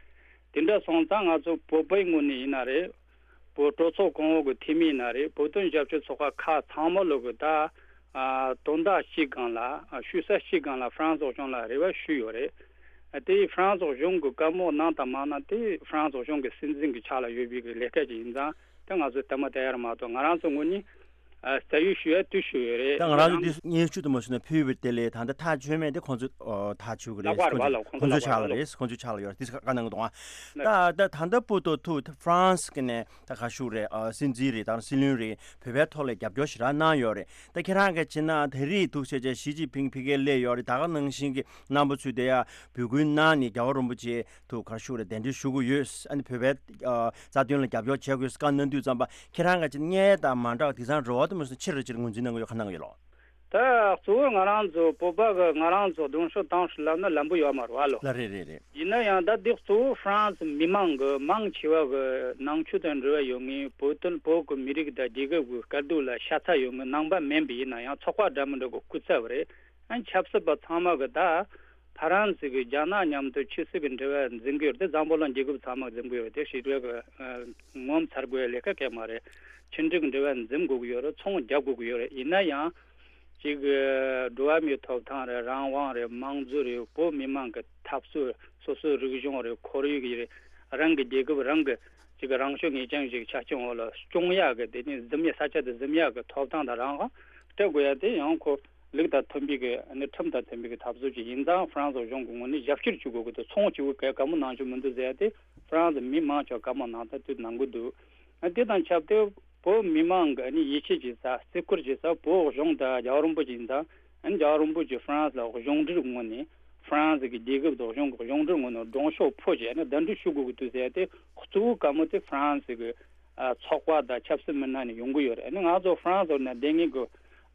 དེ་འདྲ་སོང་ཙང་ང་ཚོ་བོད་པའི་ངོས་ནས་ཡིན་ན་རེད། བོད་གྲོས་ཚོགས་གོང་འོག་གི་འཐུས་མི་ཡིན་ན་རེད། བོད་དོན་རྒྱབ་སྐྱོར་ཚོགས་པ་ཁག་ཚང་མ་ལོག་གི་ད་དོན་དག་གཅིག་སྒང་ལ་ཞུ་ས་གཅིག་སྒང་ལ་ཧྥ་རན་སི་གཞུང་ལ་རེ་བ་ཞུས་ཡོད་རེད། དེ་ཧྥ་རན་སི་གཞུང་གི་བཀའ་མོལ་གནང་དང་མ་གནང་དེ་ཧྥ་རན་སི་གཞུང་གི་སྲིད་འཛིན་གྱི་ཕྱག་ལ་ཡོད་པའི་གི་ལས་ཀ་ཅིག་ཡིན་ཙང་དེ་ང་ཚོས་དེ་མ་བལྟ་ཡ་ར་མ་གཏོགས་ང་རང་ཚོ་ངོས་ནས་ཨ་རྩ་ཡུལ་ཞུ་ཡ་དུས་ཞུ་ཡོད་རེད། ད་ང་རང་ཚོ་འདི་སྙན་ཞུ་དུ་མ་ཞུ་ན་ཕུལ་བའི་དེ་ལས་ད་ལྟ་ཐག་ཆོད་མེད་དེ་ཁོང་ཚོ་ཨོ་ཐག་ཆོད་གི་རེད། ལག་པར་ཁོང་ཚོ་བ་ལ་ཁོང་ཁོང་ཚོ་ཚོ་ལག་པར་ཕྱག་ལ་ལ་རེད། ཁོང་ཚོ་ཕྱག་ལ་ཡོད་རེད། དེ་བཀའ་གནང་གི་འདུག་ཨ། ད་ད་ད་ལྟ་བོད་ཐོག་ཐུག་ཧྥ་རན་སི་གི་ནས་ད་ག་ཞུ་རེད། ཨ་སྲིད་འཛིན་རེད། ད་སྲིད་བློན་རེད། བོད་པའི་ཐོག་ལ་རྒྱབ་སྐྱོར་ཞེ་དྲག་གནང་ཡོད་རེད། ད་ཁྱེད་རང་གི་བྱས་ན་ད་རེས་ཐུག་བྱས་བྱས་ཞི་ཅིན་ཕིང་ཕ་གིར་སླེབས་ཡོད་རེད། ད་ག་ནང་བཞིན་གི་རྣམ་པ་ཚོས་དེ་ཡ་འབོད་སྐུལ་གནང་ནས་རྒྱལ་བ་རིན་པོ་ཆེ་ཐུག་ག་ཞུ་རེད། གདན་འདྲེན་ཞུ་གི་ཡོད། ཨ་ནི་བོད་པའི་ཨ་རྩ་དོན་ལ་རྒྱབ་སྐྱོར་བྱེད་དགོས་བཀའ་གནང་དུས་ཙམ་པ་ཁྱེད་རང་གི་བྱས་ན་སྔོན་དང་མ་འདྲ་བ་དེང་སང་རེ་བ་དུ་མ་སོང་ཆེ་རུ་ཆེ་རུ་ངོས་འཛིན་གནང་གི་ཡོད། ག་གནང་གི་ཡོད་ལོ། ད་གཙོ་བོ་ང་རང་ཚོ་བོད་པ་གི་ང་རང་ཚོ་གདོང་ཤོག་བཏང་ཤོག་ལབ་ན་ལམ་བུ་ཡོད་མ་རེད་བ་ལོ། ལ་རེད་རེད་རེད། ཡིན་ན་ཡང་ད་འདི་གཙོ་བོ་ཧྥ་རན་སི་མི་མང་གི་མང་ཆེ་བ་གི་ནང་ཆོས་དང་འབྲེལ་བ་ཡོད་ངེས། བོད་དོན་བོད་ཀྱི་མི་རིགས་དང་རྒྱལ་ཁབ་ཀྱི་དཀའ་སྡུག་ལ་ཤ་ཚ་ཡོད་ངེས་ནང་པ་མིན་པ་ཡིན་ན་ཡང་ཚོགས་པ་འདྲ་མི་འདྲ་གི་སྐུ་ཚབ་རེད། ཨ་ཆབ་སྲིད་པ་ཚང་མ་གི་ད་ཧྥ་རན་སི་གི་རྒྱ་ནག་མཉམ་དུ་ཕྱི་སྲིད་ཀྱི་འབྲེལ་བ་འཛིན་གི་ཡོད་རེད། དེ་འཛམ་བུ་གླིང་རྒྱལ་ཁབ་ཚང་མ་འཛིན་གི་ཡོད་རེད། དེ་ཞི་འགྲིག་གི་ངོ་མཚར་དགོས་ལས་ཀ་གལ་མ་རེད། ཕྱི་འབྲེལ་གྱི་འབྲེལ་བ་འཛིན་དགོས་ཀྱི་ཡོད་རེད། ཚོང་རྒྱག་དགོས་ཀྱི་ཡོད་རེད། ཡིན་ན་ཡང་ཅིག་འགྲོ་བ་མིའི་ཐོབ་ཐང་རེད། རང་དབང་རེད། དམངས་གཙོ་རེད། བོད་མི་མང་གི་འཐབ་རྩོད་སོ་སོའི་རིག་གཞུང་རེད། ཁོར་ཡུག་རེད། རང་གི་རྒྱལ་ཁབ་རང་གི་ཅིག་རང་སྐྱོང་ངེས་ཅན་ཞིག་ཆ་རྐྱེན་འོག་ལ་སྐྱོང་ཡག་གི་དེ་ནི་འཛིན་ཡག་ས་ཆ་དེ་འཛིན་ཡག་གི་ཐོབ་ཐང་དང་རང་དབང་སྤྲད་དགོས་ཡག་དེ་ཡང་ཁོ་ལུགས་དང་མཐུན་པའི་གི་ནི་ཁྲིམས་དང་མཐུན་པའི་གི་འཐབ་རྩོད་ཅིག་ཡིན་ཙང་ཧྥ་རན་སི་གཞུང་གི་ངོས་ནས་རྒྱབ་སྐྱོར་བྱེད་དགོས་གི་འདུག་ཚོང་བྱེད་དགོས་གི་བཀའ་མོལ་གནང་རྒྱུ་མི་འདུག་ཟེར་ཡག་དེ་ཧྥ་རན་སི་མི་མང་ཆེ་བ་བཀའ་མོལ་གནང་ད་དུས་གནང་གི་འདུག་དེ་དང་ཆབས་ཏེ་བོད་མི་མང་གི་ནི་ཡིད་ཆེས་བྱེད་ས་བརྩི་བཀུར་བྱེད་ས་བོད་གཞུང་དང་རྒྱལ་བ་རིན་པོ་ཆེ་ཡིན་ཙང་རྒྱལ་བ་རིན་པོ་ཆེ་ཧྥ་རན་སི་ལ་གཞུང་འབྲེལ་ངོས་ནས་ཧྥ་རན་སི་གི་རྒྱལ་ཁབ་དང་གཞུང་གི་གཞུང་འབྲེལ་ངོས་ནས་སྒྲོམ་གཞི་ཕུལ་བྱས་ནས་གདན་འདྲེན་ཞུ་དགོས་ཀྱི་འདུག་ཟེར་ཏེ་གཙོ་བོ་བཀའ་མོལ་དེ་ཧྥ་རན་སི་གི་ཚོགས་པ་དང་ཆབ་སྲིད་མི་སྣ་ནས་ཡོང་གི་ཡོད་རེད། ཨ་ནི་ང་ཚོ་ཧྥ་རན་སི་ནང་བསྡད་མཁན་གྱི་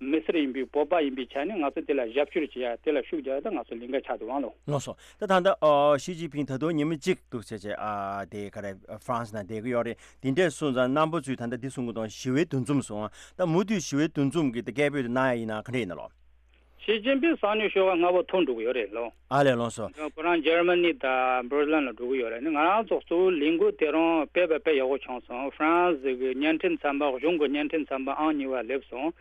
མི་སེར་ཡིན་པའི་བོད་པ་ཡིན་པའི་ཆ་ནས་ང་ཚོ་དེ་ལ་རྒྱབ་སྐྱོར་བྱེད་ཡ་དེ་ལ་ཤུགས་རྒྱག་ཡ་ད་ང་ཚོ་ལས་འགན་ཆགས་འདུག་ཨང་ལོ། ལགས་སོ། ད་ད་ལྟ་ཨ་ཞི་ཅིན་ཕིང་ད་དུང་ཉི་མ་གཅིག་འདུག་བྱས་བྱས་ཨ་དེ་ག་རེ་ཧྥ་རན་སི་ནང་བསྡད་ཀྱི་ཡོད་རེད། དེ་འདྲས་སོང་ཙང་རྣམ་པ་ཚོས་ད་ལྟ་འདི་གསུང་གི་འདུག་ཞི་བའི་འདུ་འཛོམས་སོང་ད་མུ་མཐུད་ཞི་བའི་འདུ་འཛོམས་ཀྱི་ད་སྐད་འབོད་དེ་གནང་ཡ་ཡིན་ན་ག་འདྲས་ཡིན་ན་ལོ། ཞི་ཅིན་ཕིང་སང་ཉིན་ཞོགས་ཀ་སྔ་པོ་ཐོན་འགྲོ་གི་ཡོད་རེད་ལོ། ཨ་ལས་ལགས་སོ། ཁོ་རང་འཇར་མ་ནི་དང་བྷར་ལིན་ལ་འགྲོ་གི་ཡོད་རེད། ནི་ང་རང་ཚོ་གཙོ་བོ་ལས་འགུལ་དེ་རང་སྤེལ་བ་དཔེ་ཡག་པོ་བྱུང་སོང་། ཧྥ་རན་སི་གི་བརྙན་འཕྲིན་ཚན་པ་གཞུང་གི་བརྙན་འཕྲིན་ཚན་པ་ཨང་གཉིས་པ་སླེབས་སོང་།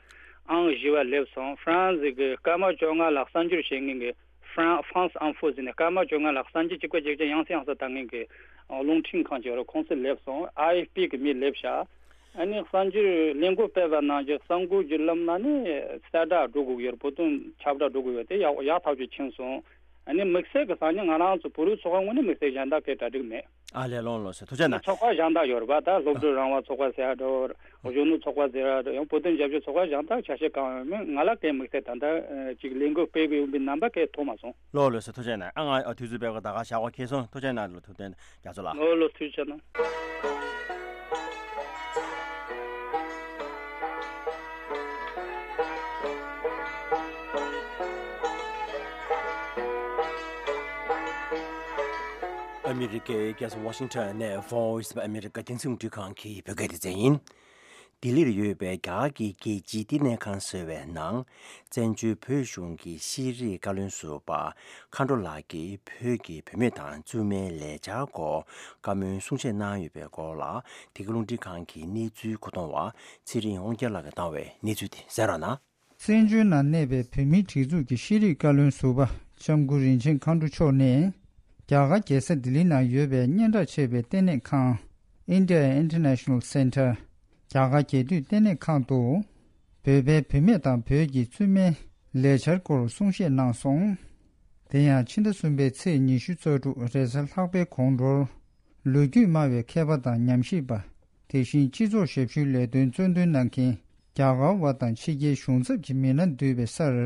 ཨང་བཞི་པ་སླེབས་སོང་། ཧྥ་རན་སི་གི་སྐར་མ་བཅོ་ལྔ་ལ་གསར་འགྱུར་བཤད་མཁན་གྱི་ཧྥ་རན་ཧྥ་རན་སི་ཨིན་ཧྥོ་ཟེར་ནས་སྐར་མ་བཅོ་ལྔ་ལ་གསར་འགྱུར་གཅིག་པ་གཅིག་རྐྱང་ཡང་སེ་ཡང་སེ་བཏང་མཁན་གྱི་རླུང་འཕྲིན་ཁང་ཅིག་ཡོད་རེད། ཁོང་ཚོ་སླེབས་སོང་། ཨའི་ཨེཕ་པི་གི་མི་སླེབས་ཤག་ཨ་ནི་གསར་འགྱུར་ལས་འགུལ་སྤེལ་བ་ནང་བཞིན་གསར་འགོད་བརྒྱུད་ལམ་ནང་ནས་གསལ་བསྒྲགས་འགྲོ་དགོས་ཀྱི་ཡོད་རེད། བོད་དོན་ཁྱབ་བསྒྲགས་འགྲོ་དགོས་ཡོད་དེ་ཡག་ཡག་ཐག་ཆོད་ཕྱིན་སོང་། ཨ་ནི་དམིགས་བསལ་གྱི་སང་ཉིན་ང་རང་ཚོ་བོད་རིགས་ཚོགས་པ་ངོས་ནས་དམིགས་བསལ་གཞན་དག་གི་གྲ་སྒྲིག་མེད། ཨ་ལས་ལོང་ལོ་ཟེར་ཐུགས་རྗེ་གནང་། ཚོགས་པ་གཞན་དག་ཡོད་རེད་པ། ད་སློབ་ཕྲུག་རང་དབང་ཚོགས་པ་ཟེར་ཡ་འགྲོ། གཞོན་ནུ་ཚོགས་པ་ཟེར་ཡ་འགྲོ། ཡང་བོད་དོན་རྒྱབ་སྐྱོར་ཚོགས་པ་གཞན་དག་ཆ་ཤས་གང་ཡོད་མེད་ང་ལ་གའི་དམིགས་བསལ་ད་ལྟ་ཅིག་ལས་འགུལ་སྤེལ་གི་ཡོད་པའི་རྣམ་པ་གའི་ཐོག་མ་སོང་། ལོ་ལོ་ཟེར་ཐུགས་རྗེ་གནང་། ཨ་ང་དུས་ཚོད་སྤེལ་གི་ད་ག་ཞག་གོ་ཁེལ་སོང་། ཐུགས་རྗེ་གནང་ལོ། ཐུགས་རྗེ་གནང་། རྒྱ་མཚོ་ལགས། ལོ་ལོ་ཐུགས་རྗེ་གནང་། ཨ་མི་རི་ཀའི་རྒྱལ་ས་ཝ་ཤིང་ཊོན་ནས་Voice of America་རྒྱང་སྲིང་རླུང་འཕྲིན་ཁང་གི་བོད་སྐད་སྡེ་ཚན་ཡིན། ལྡི་ལིར་ཡོད་པའི་རྒྱ་གར་གྱི་རྒྱལ་སྤྱིའི་བསྟི་གནས་ཁང་ཟེར་བའི་ནང་། བཙན་བྱོལ་བོད་གཞུང་གི་ཤེས་རིག་བཀའ་བློན་ཟུར་པ་མཁའ་འགྲོ་ལགས་ཀྱིས་བོད་ཀྱི་བུད་མེད་དང་བཙུན་མའི་ལས་འཆར་སྐོར་བཀའ་མོལ་གསུང་བཤད་གནང་ཡོད་པའི་སྐོར་ལ། འདི་ག་རླུང་འཕྲིན་ཁང་གི་གནས་ཚུལ་མཁོ་གཏོང་བ་ཚེ་རིང་དབང་རྒྱལ་ལགས་ཀྱིས་བཏང་བའི་གནས་ཚུལ་དེ་གསན་རོགས་གནང་། བཙན་བྱོལ་ནང་གནས་པའི་བོད་མིའི་སྒྲིག་འཛུགས་ཀྱི་ཤེས་རིག་བཀའ་བློན་ཟུར་པ་ལྕམ་སྐུ་རིན་ཆེན་མཁའ་འགྲོ་མཆོག་ནས། རྒྱ་གར་རྒྱལ་ས་ལྡི་ལི་ནང་ཡོད་པའི་སྙན་གྲགས་ཆེ་བའི་ལྟེ་གནས་ཁང་India International Center། རྒྱ་གར་རྒྱལ་དུས་ལྟེ་གནས་ཁང་དུ། བོད་པའི་བུད་མེད་དང་བོད་ཀྱི་བཙུན་མའི་ལས་འཆར་སྐོར་གསུང་བཤད་གནང་སོང་། དེ་ཡང་ཕྱི་ཟླ་གསུམ་པའི་ཚེས་ཉི་ཤུ་རྩ་དྲུག་རེས་གཟའ་ལྷག་པའི་དགོང་དྲོར། ལོ་རྒྱུས་སྨྲ་བའི་མཁས་པ་དང་ཉམས་ཞིབ་པ། དེ་བཞིན་སྤྱི་ཚོགས་ཞབས་ཞུའི་ལས་དོན་གཙོ་འདོན་གནང་མཁན་རྒྱ་གར་བ་དང་ཕྱི་རྒྱལ་གཞུང་ཚབ་ཀྱི་མི་སྣ་འདུས་པའི་སར་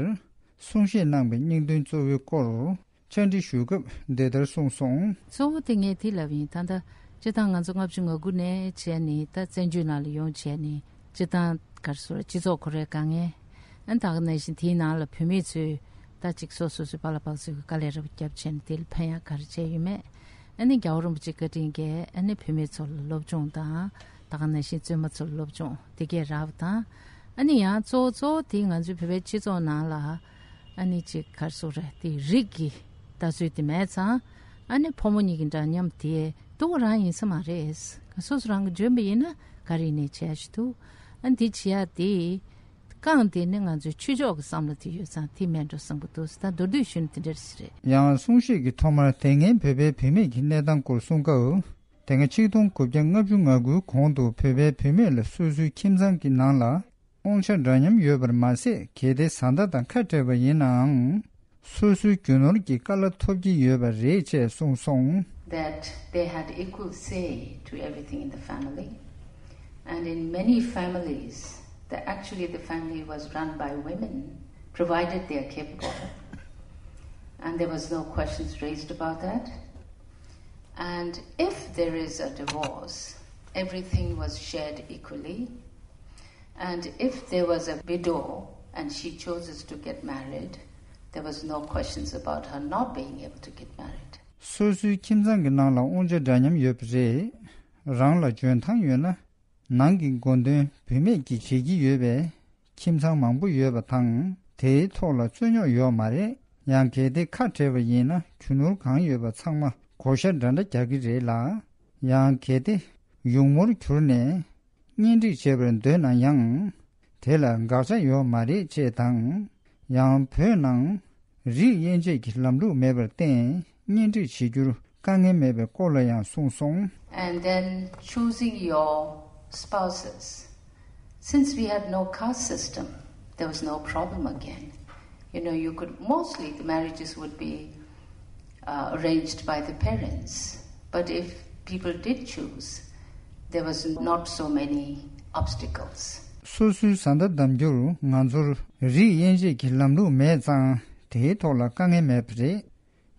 གསུང་བཤད་གནང་བའི་སྙིང་དོན་གཙོ་བོའི་སྐོར་བཅར་འདྲི་ཞུས་སྐབས་འདི་ལྟར་གསུངས་སོང་། གཙོ་བོ་དེ་ངས་དེ་ལབ་ཡིན། ད་ལྟ་སྤྱིར་བཏང་ང་ཚོ་ལྔ་བཅུ་ང་དགུ་ནས་བྱས་ནས་ད་བཙན་བྱོལ་ནང་ལ་ཡོང་བྱས་ནས་སྤྱིར་བཏང་ག་རེ་ཟེར་སྤྱི་ཚོགས་ཁོ་རའི་དཀའ་ངལ་ཨ་ད་ག་ནང་བཞིན་དེའི་ནང་ལ་བུད་མེད་ཚོས་ད་ཅིག་སོ་སོ་སོའི་པཱ་ལགས་པཱ་ལགས་ཚོས་དཀའ་ལས་རབ་བརྒྱབ་བྱས་ནས་དེ་ལ་ཕན་ཡག་ག་རེ་བྱས་ཡོད་མེད། ཨ་ནི་རྒྱལ་བ་རིན་པོ་ཆེ་བཀའ་དྲིན་གྱིས་ཨ་ནི་བུད་མེད་ཚོ་ལ་སློབ་སྦྱོང་དང་ད་ག་ནང་བཞིན་བཙུན་མ་ཚོ་ལ་སློབ་སྦྱོང་དེ་གས་རག་པ་དང་། ཨ་ནི་ཡང་གཙོ་བོ་གཙོ་བོ་དེ་ང་ཚོའི་བོད་པའི་སྤྱི་ཚོགས་ནང་ལ་ཨ་ནི་ཅིག་ག་རེ་ཟེར་དགོས་རེད། དེ་རིགས་ཀྱི་ལྟ་ཚུལ་དེ་མེད་ཙང་ཨ་ནི་ཕོ་མོ་གཉིས་ཀྱི་འདྲ་མཉམ་དེ་སྡུག་རང་ཡིན་ས་མ་རེད། སོ་སོ་རང་གིས་འཇོན་པ་ཡིན་ན་ ག་རེ་ནས་བྱས་ཞིག་འདུག་ཨ་འདི་བྱེད་ཡ་དེ། རྐང་དེ་ནི་ང་ཚོའི་ཆོས་ཕྱོགས་ཀྱི་བསམ་བློ་དེ་ཡོད་ཙང་དེ་མེད་འགྲོ་བསམ་གྱི་འདུག་ད་མདོར་བསྡུས་ཞུས་ན་དེ་འདྲ་ཞིག་རེད། ཡང་གསུང་བཤད་ཀྱི་ཐོག་མར་དེ་སྔའི་བོད་པའི་བུད་མེད་ཀྱི་གནས་སྟངས་སྐོར་གསུང་སྐབས། དེ་སྔ་ཆིག་སྟོང་དགུ་བརྒྱ་ལྔ་བཅུ་ང་དགུའི་གོང་དུ་བོད་པའི་བུད་མེད་ལ་སོ་སོའི་ཁྱིམ་ཚང་གི་ནང་ལ་དབང་ཆ་འདྲ་མཉམ་ཡོད་པར་མ་ཟད། གལ་ཏེ་བཟའ་ཟླ་དང་ཁ་བྲལ་བ་ཡིན་ནའང་། སོ་སོའི་རྒྱུ་ནོར་གྱི་བཀའ་སློབ་ཐོབ་ཀྱི་ཡོད་པ་རེད་ཅེས་གསུངས་སོང་། That they had equal say to everything in the family. And in many families, the, actually the family was run by women, provided they are capable. And there was no questions raised about that. And if there is a divorce, everything was shared equally. And if there was a widow and she chooses to get married, there was no questions about her not being able to get married. སོ་སོའི་ཁྱིམ་ཚང་གི་ནང་ལ་དབང་ཆ་འདྲ་མཉམ་ཡོད་པ་རེད། རང་ལ་འཇོན་ཐང་ཡོད་ན། ནང་གི་འགོ་འདོན་བུད་མེད་ཀྱིས་བྱེད་ཀྱི་ཡོད་པས། ཁྱིམ་ཚང་མང་པོ་ཡོད་པ་དང་། དེའི་ཐོག་ལ་རྩོད་རྙོག་ཡོད་མ་རེད། ཡང་གལ་ཏེ་ཁ་བྲལ་བ་ཡིན་ན། རྒྱུ་ནོར་གང་ཡོད་པ་ཚང་མ་བགོ་བཤའ་འདྲ་འདྲ་རྒྱག་གི་རེད་ལ། ཡང་གལ་ཏེ་ཡུགས་མོར་གྱུར་ནས་གཉེན་སྒྲིག་བྱེད་པར་འདོད་ན་ཡང་། དེ་ལ་དགག་བྱ་ཡོད་མ་རེད་ཅེས་དང་། ཡང་བོད་ནང་རིགས་དབྱེ་འབྱེད་ཀྱི་ལམ་ལུགས་མེད་པར་བརྟེན། གཉེན་སྒྲིག་བྱེད་རྒྱུར་དཀའ་ངལ་མེད་པའི་སྐོར་ལ་ཡང་གསུངས་སོང་། And then choosing your spouses. Since we had no caste system, there was no problem again. You know, you could, mostly the marriages would be uh, arranged by the parents. But if people did choose, there was not so many obstacles. སོ་སོའི་བཟའ་ཟླ་བདམ་རྒྱུར་ང་ཚོར་རིགས་དབྱེ་འབྱེད་ཀྱི་ལམ་ལུགས་མེད་ཙང་། དེའི་ཐོག་ལ་དཀའ་ངལ་མེད་པ་རེད།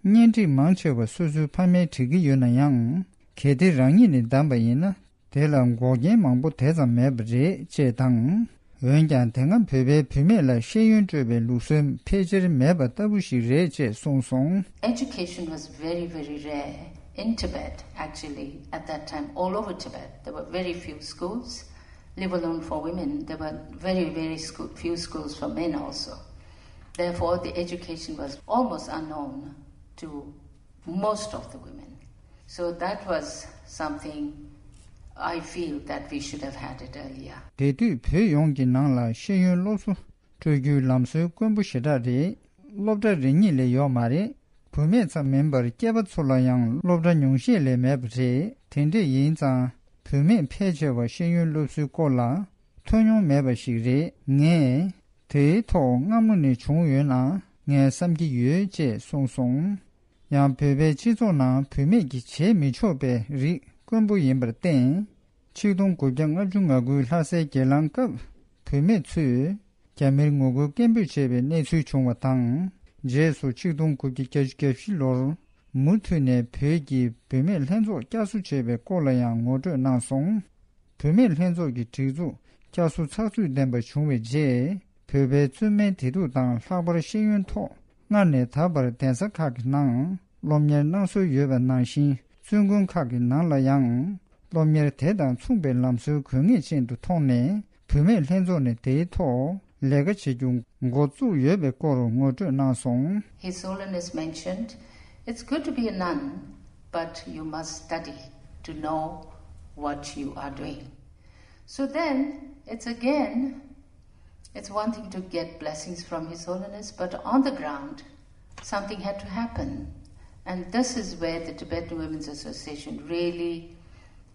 གཉེན་སྒྲིག་མང་ཆེ་བ་སོ་སོའི་ཕ་མས་སྒྲིག་གི་ཡོད་ན་ཡང་། གལ་ཏེ་རང་ཉིད་ནས་བདམས་པ་ཡིན་ན། དེ་ལ་འགོག་རྐྱེན་མང་པོ་དེ་ཙམ་མེད་པ་རེད་ཅེས་དང་། འོན་ཀྱང་དེ་སྔ་བོད་པའི་བུད་མེད་ལ་ཤེས་ཡོན་སྤྲོད་པའི་ལུགས་སྲོལ་ཕལ་ཆེར་མེད་པ་ལྟ་བུ་ཞིག་རེད་ཅེས་གསུངས་སོང་། Education was very, very rare in Tibet, actually, at that time, all over Tibet. There were very few schools, leave alone for women. There were very, very school, few schools for men also. Therefore, the education was almost unknown to most of the women. So that was something I feel that we should have had it earlier. དེ་དུས་བོད་ཡོངས་ཀྱི་ནང་ལ་ཤེས་ཡོན་སློབ་གསོ་སྤྲོད་རྒྱུའི་ལམ་སྲོལ་དཀོན་པོ་ཞེ་དྲག་རེད། སློབ་གྲྭ་རེ་གཉིས་ལས་ཡོད་མ་རེད། བུད་མེད་ཙམ་མིན་པར་སྐྱེས་པ་ཚོ་ལ་ཡང་སློབ་གྲྭ་ཉུང་ཤས་ལས་མེད་པ་རེད། དེ་འདྲས་ཡིན་ཙང་། བུད་མེད་ཕལ་ཆེ་བ་ཤེས་ཡོན་སློབ་གསོའི་སྐོར་ལ་ཐོས་མྱོང་མེད་པ་ཞིག་རེད། ངས་དེའི་ཐོག་སྔ་མོ་ནས་བྱུང་ཡོད་ན་ངས་བསམ་གྱི་ཡོད་ཅེས་གསུངས་སོང་། ཡང་བོད་པའི་སྤྱི་ཚོགས་ནང་བུད་མེད་ཀྱིས་བྱེད་མི་ཆོག་པའི་རིགས་དཀོན་པོ་ཡིན་པར་བརྟེན། ཆིག་སྟོང་དགུ་བརྒྱ་ལྔ་བཅུ་ང་དགུའི་ལྷ་སའི་གྱེན་ལངས་སྐབས་བུད་མེད་ཚོས་རྒྱ་མིར་ངོ་རྒོལ་སྐད་འབོད་བྱས་པའི་གནས་ཚུལ་བྱུང་བ་དང་། རྗེས་སུ་ཆིག་སྟོང་དགུ་བརྒྱ་བརྒྱད་ཅུ་གྱ་བཞི་ལོར་མུ་མཐུད་ནས་བོད་ཀྱི་བུད་མེད་ལྷན་ཚོགས་བསྐྱར་གསོ་བྱས་པའི་སྐོར་ལ་ཡང་ངོ་སྤྲོད་གནང་སོང་། བུད་མེད་ལྷན་ཚོགས་ཀྱི་སྒྲིག་འཛུགས་བསྐྱར་གསོ་ཚགས་ཚུད་ལྡན་པ་བྱུང་བའི་རྗེས། བོད་པའི་བཙུན་མའི་བདེ་སྡུག་དང་ལྷག་པར་ཤེས་ཡོན་ཐོག་སྔར་ནས་ད་བར་གདན་ས་ཁག་གི་ནང་སློབ་གཉེར་གནང་སྲོལ་ཡོད་པ་ནང་བཞིན། བཙུན་དགོན་ཁག་གི་ནང་ལ་ཡང་སློབ་གཉེར་དེ་དང་མཚུངས་པའི་ལམ་སྲོལ་དགོས་ངེས་ཅན་དུ་མཐོང་ནས། བུད་མེད་ལྷན་ཚོགས་ནས་དེའི་ཐོག་ལས་ཀ་བྱེད་རྒྱུ་འགོ་བཙུགས་ཡོད་པའི་སྐོར་ངོ་སྤྲོད་གནང་སོང་། His Holiness mentioned, it's good to be a nun, but you must study to know what you are doing. So then, it's again, it's one thing to get blessings from His Holiness, but on the ground, something had to happen. And this is where the Tibetan Women's Association really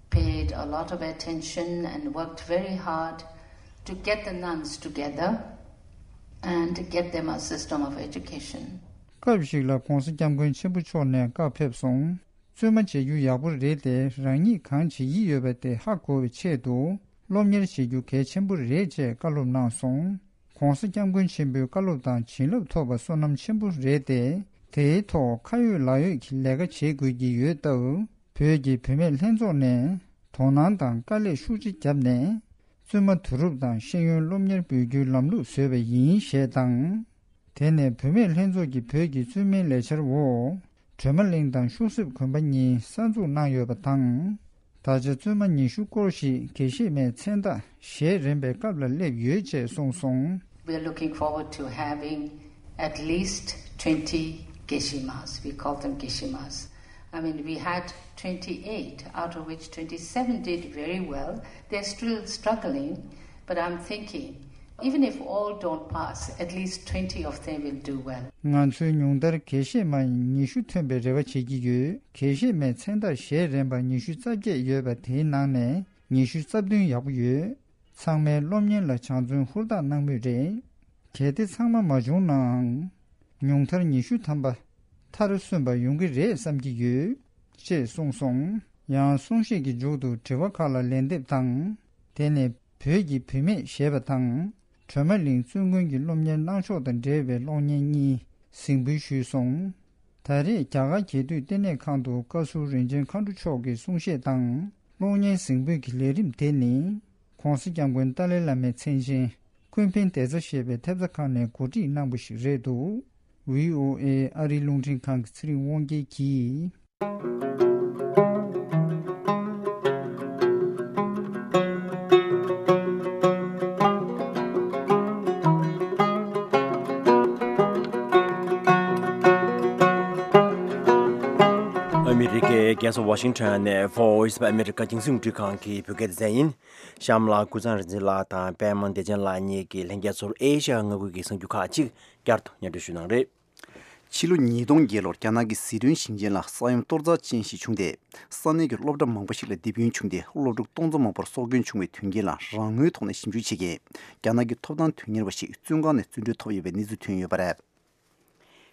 paid a lot of attention and worked very hard to get the nuns together and to get them a system of education. སྐབས་ཤིག་ལ་༧གོང་ས་༧སྐྱབས་མགོན་ཆེན་པོ་མཆོག་ནས་བཀའ་ཕེབས་སོང་། བཙུན་མ་བྱེད་རྒྱུ་ཡག་པོ་རེད་དེ། རང་ཉིད་གང་བྱེད་ཀྱི་ཡོད་པ་དེ་ཧ་གོ་བའི་ཆེད་དུ་སློབ་གཉེར་བྱེད་རྒྱུ་གལ་ཆེན་པོ་རེད་ཅེས་བཀའ་སློབ་གནང་སོང་། ༧གོང་ས་༧སྐྱབས་མགོན་ཆེན་པོའི་བཀའ་སློབ་དང་བྱིན་རླབས་ཐོབ་པ་བསོད་ནམས་ཆེན་པོ་རེད་དེ། དེའི་ཐོག་ཁ་ཡོད་ལག་ཡོད་ཀྱི་ལས་ཀ་བྱེད་དགོས་ཀྱི་ཡོད་སྟབས། བོད་ཀྱི་བུད་མེད་ལྷན་ཚོགས་ནས་དོ་སྣང་དང་དཀའ་ལས་ཤུགས་ཆེ་བརྒྱབ་ནས། བཙུན་མ་བསྡུ་རུབ་དང་ཤེས་ཡོན་སློབ་གཉེར་འབུལ་རྒྱུའི་ལམ་ལུགས་བཟོས་པ་ཡིན་ཞེས་དང་། དེ་ནས་བུད་མེད་ལྷན་ཚོགས་ཀྱིས་བོད་ཀྱི་བཙུན་མའི་ལས་འཆར་འོག་སྒྲོལ་མ་གླིང་དང་ཤུག་གསེབ་དགོན་པ་གཉིས་གསར་འཛུགས་གནང་ཡོད་པ་དང་། ད་ཆ་བཙུན་མ་ཉི་ཤུ་སྐོར་ཞིག་དགེ་བཤེས་མའི་མཚན་རྟགས་བཞེས་རན་པའི་སྐབས་ལ་སླེབས་ཡོད་ཅེས་གསུངས་སོང་། We are looking forward to having at least twenty Geshe-mas. We call them Geshe-mas. I mean, we had twenty-eight, out of which twenty-seven did very well. They're still struggling, but I'm thinking, even if all don't pass, at least twenty of them will do well. ང་ཚོའི་ཉུང་མཐར་དགེ་བཤེས་མ་ཉི་ཤུ་ཐོན་པའི་རེ་བ་བྱེད་ཀྱི་ཡོད། དགེ་བཤེས་མའི་མཚན་རྟགས་བཞེས་རན་པ་ཉི་ཤུ་རྩ་བརྒྱད་ཡོད་པ་དེའི་ནང་ནས་ཉི་ཤུ་རྩ་བདུན་ཡག་པོ་ཡོད། ཚང་མས་སློབ་གཉེར་ལ་སྦྱང་བརྩོན་ཧུར་ཐག་གནང་མུས་རེད། གལ་ཏེ་ཚང་མ་མ་བྱུང་ནའང་། ཉུང་མཐར་ཉི་ཤུ་ཐམ་པ་མཐར་སོན་པ་ཡོང་གི་རེད་བསམ་གྱི་ཡོད། ཅེས་གསུངས་སོང་། ཡང་གསུང་བཤད་ཀྱི་མཇུག་ཏུ་དྲི་བ་ཁག་ལ་ལན་འདེབས་དང་། དེ་ནས་བོད་ཀྱི་བུད་མེད་ཞེས་པ་དང་། སྒྲོལ་མ་གླིང་བཙུན་དགོན་གྱི་སློབ་གཉེར་གནང་ཕྱོགས་དང་འབྲེལ་བའི་གློག་བརྙན་གཉིས་གཟིགས་འབུལ་ཞུས་སོང་། ད་རེས་རྒྱ་གར་རྒྱལ་དུས་ལྟེ་གནས་ཁང་དུ་བཀའ་ཟུར་རིན་ཆེན་མཁའ་འགྲོ་མཆོག་གི་གསུང་བཤད་དང་གློག་བརྙན་གཟིགས་འབུལ་གྱི་ལས་རིམ་དེ་ནི། ༸གོང་ས་༸སྐྱབས་མགོན་ཏཱ་ལའི་བླ་མའི་མཚན་ཅན་ཀུན་ཕན་བདེ་རྩ་ཞེས་པའི་ཐེབས་རྩ་ཁང་ནས་གོ་སྒྲིག་གནང་བ་ཞིག་རེད་འདུག། ཝི་ཨོ་ཨེ་ཨ་རིའི་རླུང་འཕྲིན་ཁང་གི་ཚེ་རིང་དབང་རྒྱལ་གྱིས། ཨ་མི་རི་ཀའི་རྒྱལ་ས་ཝ་ཤིང་ཊོན་ནས་Voice of America་རྒྱང་སྲིང་རླུང་འཕྲིན་ཁང་གི་བོད་སྐད་སྡེ་ཚན་ཡིན། གཤམ་ལ་ཀུན་བཟང་རིག་འཛིན་ལགས་དང་པད་མ་བདེ་ཆེན་ལགས་གཉིས་ཀྱིས་ལྷན་རྒྱས་ཚོར་ཨེ་ཤ་ཡ་མངའ་ཁུལ་གྱི་གསར་འགྱུར་ཁག་ཅིག་བསྐྱར་དུ་སྙན་སྒྲོན་ཞུས་གནང་རེད། ཕྱི་ལོ་ཉིས་སྟོང་བརྒྱད་ལོར་རྒྱ་ནག་གི་ཟི་ཁྲོན་ཞིང་ཆེན་ལ་ས་ཡོམ་གཏོར་རྩ་ཅན་ཞིག་བྱུང་སྟེ། ས་གནས་ཀྱི་སློབ་གྲྭ་མང་པོ་ཞིག་ལ་རྡིབ་སྐྱོན་བྱུང་སྟེ། སློབ་ཕྲུག་སྟོང་ཚོ་མང་པོར་སྲོག་སྐྱོན་བྱུང་བའི་དོན་རྐྱེན་ལ་རང་ངོས་ཐོག་ནས་ཞིབ་འཇུག་བྱེད་མཁན་རྒྱ་ནག་གི་ཐོབ་ཐང་དོན་གཉེར་བ་ཞིག་བཙོན་ཁང་ནས་བཙོན་གྲོལ་ཐོབ་ཡོད་པའི་གནས་ཚུལ་ཐོན་ཡོད་པ་རེད།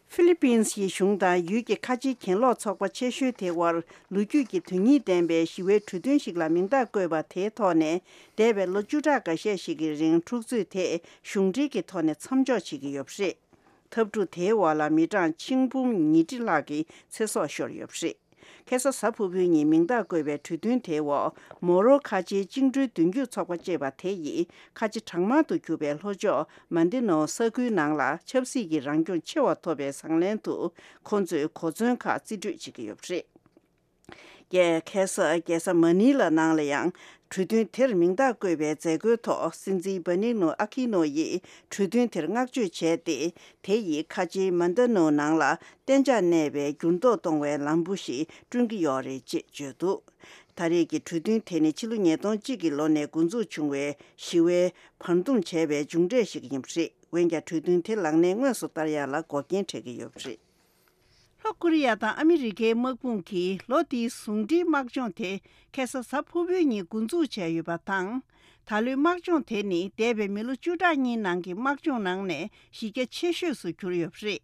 ཧྥི་ལི་པིན་སི་ཡི་གཞུང་དང་ཡུལ་གྱི་ཁ་ཆེའི་གྱེན་ལོག་ཚོགས་པ་ཆེ་ཤོས་དེ་དབར་ལོ་རྒྱུས་ཀྱི་དོན་སྙིང་ལྡན་པའི་ཞི་བའི་གྲོས་མཐུན་ཞིག་ལ་མིང་རྟགས་བཀོད་པ་དེའི་ཐོག་ནས་འདས་པའི་ལོ་བཅུ་ཕྲག་འགའ་ཤས་ཤིག་གི་རིང་འཁྲུག་རྩོད་དེ་གཞུང་འབྲེལ་གྱི་ཐོག་ནས་མཚམས་འཇོག་བྱེད་ཀྱི་ཡོད་པ་རེད། འཐབ་འཁྲུག་དེའི་འོག་ལ་མི་གྲངས་ཆིག་འབུམ་ཉིས་ཁྲི་ལྷག་གི་ཚེ་སྲོག་ཤོར་ཡོད་པ་རེད། ཁ་སང་གཟའ་ཕུར་བུའི་ཉིན་མིང་རྟགས་བཀོད་པའི་གྲོས་མཐུན་དེའི་འོག་མོ་རོ་ཁ་ཆེའི་བཅིངས་འགྲོལ་མདུན་སྐྱོད་ཚོགས་པ་ཅེས་པ་དེ་ཡིས་ཁ་ཆེ་གྲངས་མང་དུ་གྱུར་པའི་ལྷོ་ཕྱོགས་མན་ཏེ་ནོ་ས་ཁུལ་ནང་ལ་ཆབ་སྲིད་ཀྱི་རང་སྐྱོང་ཆེ་བ་ཐོབ་པའི་བཟང་ལན་དུ་ཁོ་ཚོས་གོ་མཚོན་ཁག་རྩིས་སྤྲོད་བྱེད་ཀྱི་ཡོད་པ་རེད། ཀྱེ་ཁ་སང་རྒྱལ་ས་མ་ནི་ལ་ནང་ལ་ཡང་གྲོས་མཐུན་དེར་མིང་རྟགས་བཀོད་པའི་མཛད་སྒོའི་ཐོག་སྲིད་འཛིན་བྷ་ནིག་ནོ་ཨ་ཁི་ནོ་ཡིས་གྲོས་མཐུན་དེར་བསྔགས་བརྗོད་བྱས་ཏེ། དེ་ཡིས་ཁ་ཆེའི་མན་ཏ་ནོ་ནང་ལ་གཏན་འཇགས་གནས་པའི་འགྱུར་ལྡོག་གཏོང་བའི་ལམ་བུ་ཞིག་བསྐྲུན་གྱི་ཡོད་རེད་ཅེས་བརྗོད་འདུག། ད་རེས་ཀྱི་གྲོས་མཐུན་དེ་ནི་ཕྱི་ལོ་ཉིས་སྟོང་གཅིག་གི་ལོ་ནས་འགོ་འཛུགས་བྱུང་བའི་ཞི་བའི་བར་འདུམ་བྱས་པའི་མཇུག་འབྲས་ཤིག་ཡིན་པ་རེད། འོན་ཀྱང་གྲོས་མཐུན་དེ་ལག་ལེན་དངོས་སུ་བསྟར་ཡག་ལ་འགོག་རྐྱེན་འཕྲད་ཀྱི་ཡོད་པ་རེད། ལྷོ་ཀོ་རི་ཡ་དང་ཨ་མི་རི་ཀའི་དམག་དཔུང་གིས་ལོ་འདིའི་ཟུང་འབྲེལ་དམག་སྦྱོང་དེ་ཁ་སང་གཟའ་ཕུར་བུའི་ཉིན་འགོ་འཛུགས་བྱས་ཡོད་པ་དང་། ད་ལོའི་དམག་སྦྱོང་དེ་ནི་འདས་པའི་མི་ལོ་བཅུ་ཕྲག་གཉིས་ནང་གི་དམག་སྦྱོང་ནང་ནས་གཞི་རྒྱ་ཆེ་ཤོས་སུ་གྱུར་ཡོད་པ་རེད།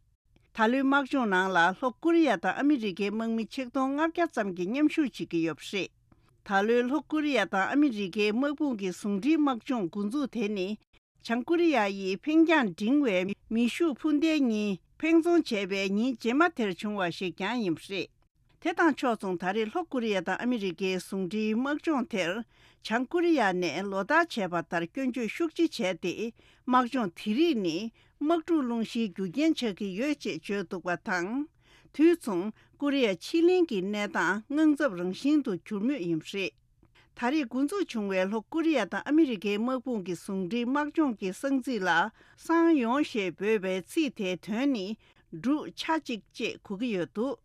ད་ལོའི་དམག་སྦྱོང་ནང་ལ་ལྷོ་ཀོ་རི་ཡ་དང་ཨ་མི་རི་ཀའི་དམག་མི་ཆིག་སྟོང་ལྔ་བརྒྱ་ཙམ་གྱིས་མཉམ་ཞུགས་བྱེད་ཀྱི་ཡོད་པ་རེད། ད་ལོའི་ལྷོ་ཀོ་རི་ཡ་དང་ཨ་མི་རི་ཀའི་དམག་དཔུང་གི་ཟུང་འབྲེལ་དམག་སྦྱོང་འགོ་འཛུགས་དེ་ནི། བྱང་ཀོ་རི་ཡ་ཡིས་འཕེན་རྒྱང་འབྲིང་བའི་མེ་ཤུགས་འཕུར་མདེལ་གཉིས་འཕེན་རྫོང་བྱས་པའི་ཉིན་རྗེས་མ་དེར་བྱུང་བ་ཞིག་ཀྱང་ཡིན་པ་རེད། དེ་དང་ཕྱོགས་མཚུངས་ད་རེས་ལྷོ་ཀོ་རི་ཡ་དང་ཨ་མི་རི་ཀའི་ཟུང་འབྲེལ་དམག་སྦྱོང་དེར་བྱང་ཀོ་རི་ཡ་ནས་ལོ་ལྟར་བྱས་པ་ལྟར་སྐྱོན་བརྗོད་ཤུགས་ཆེ་བྱས་ཏེ། དམག་སྦྱོང་དེ་རིགས་ནི་དམག་འཁྲུག་སློང་གཞིའི་རྒྱུ་རྐྱེན་ཆགས་ཀྱི་ཡོད་ཅེས་བརྗོད་འདུག་པ་དང་། དུས་མཚུངས་ཀོ་རི་ཡ་ཕྱེད་གླིང་གི་གནས་སྟངས་དངངས་འཚབ་རང་བཞིན་དུ་གྱུར་མུས་ཡིན་པ་རེད། ད་རེས་འགོ་འཛུགས་བྱུང་བའི་ལྷོ་ཀོ་རི་ཡ་དང་ཨ་མི་རི་ཀའི་དམག་དཔུང་གི་ཟུང་འབྲེལ་དམག་སྦྱོང་གི་གསང་ཚིག་ལ་སང་ཡོང་ཞེས་འབོད་པའི་ཚིག་དེའི་དོན་ནི་འབྲུག་ཆ་གཅིག་ཅེས་གོ་གི་ཡོད་འདུག།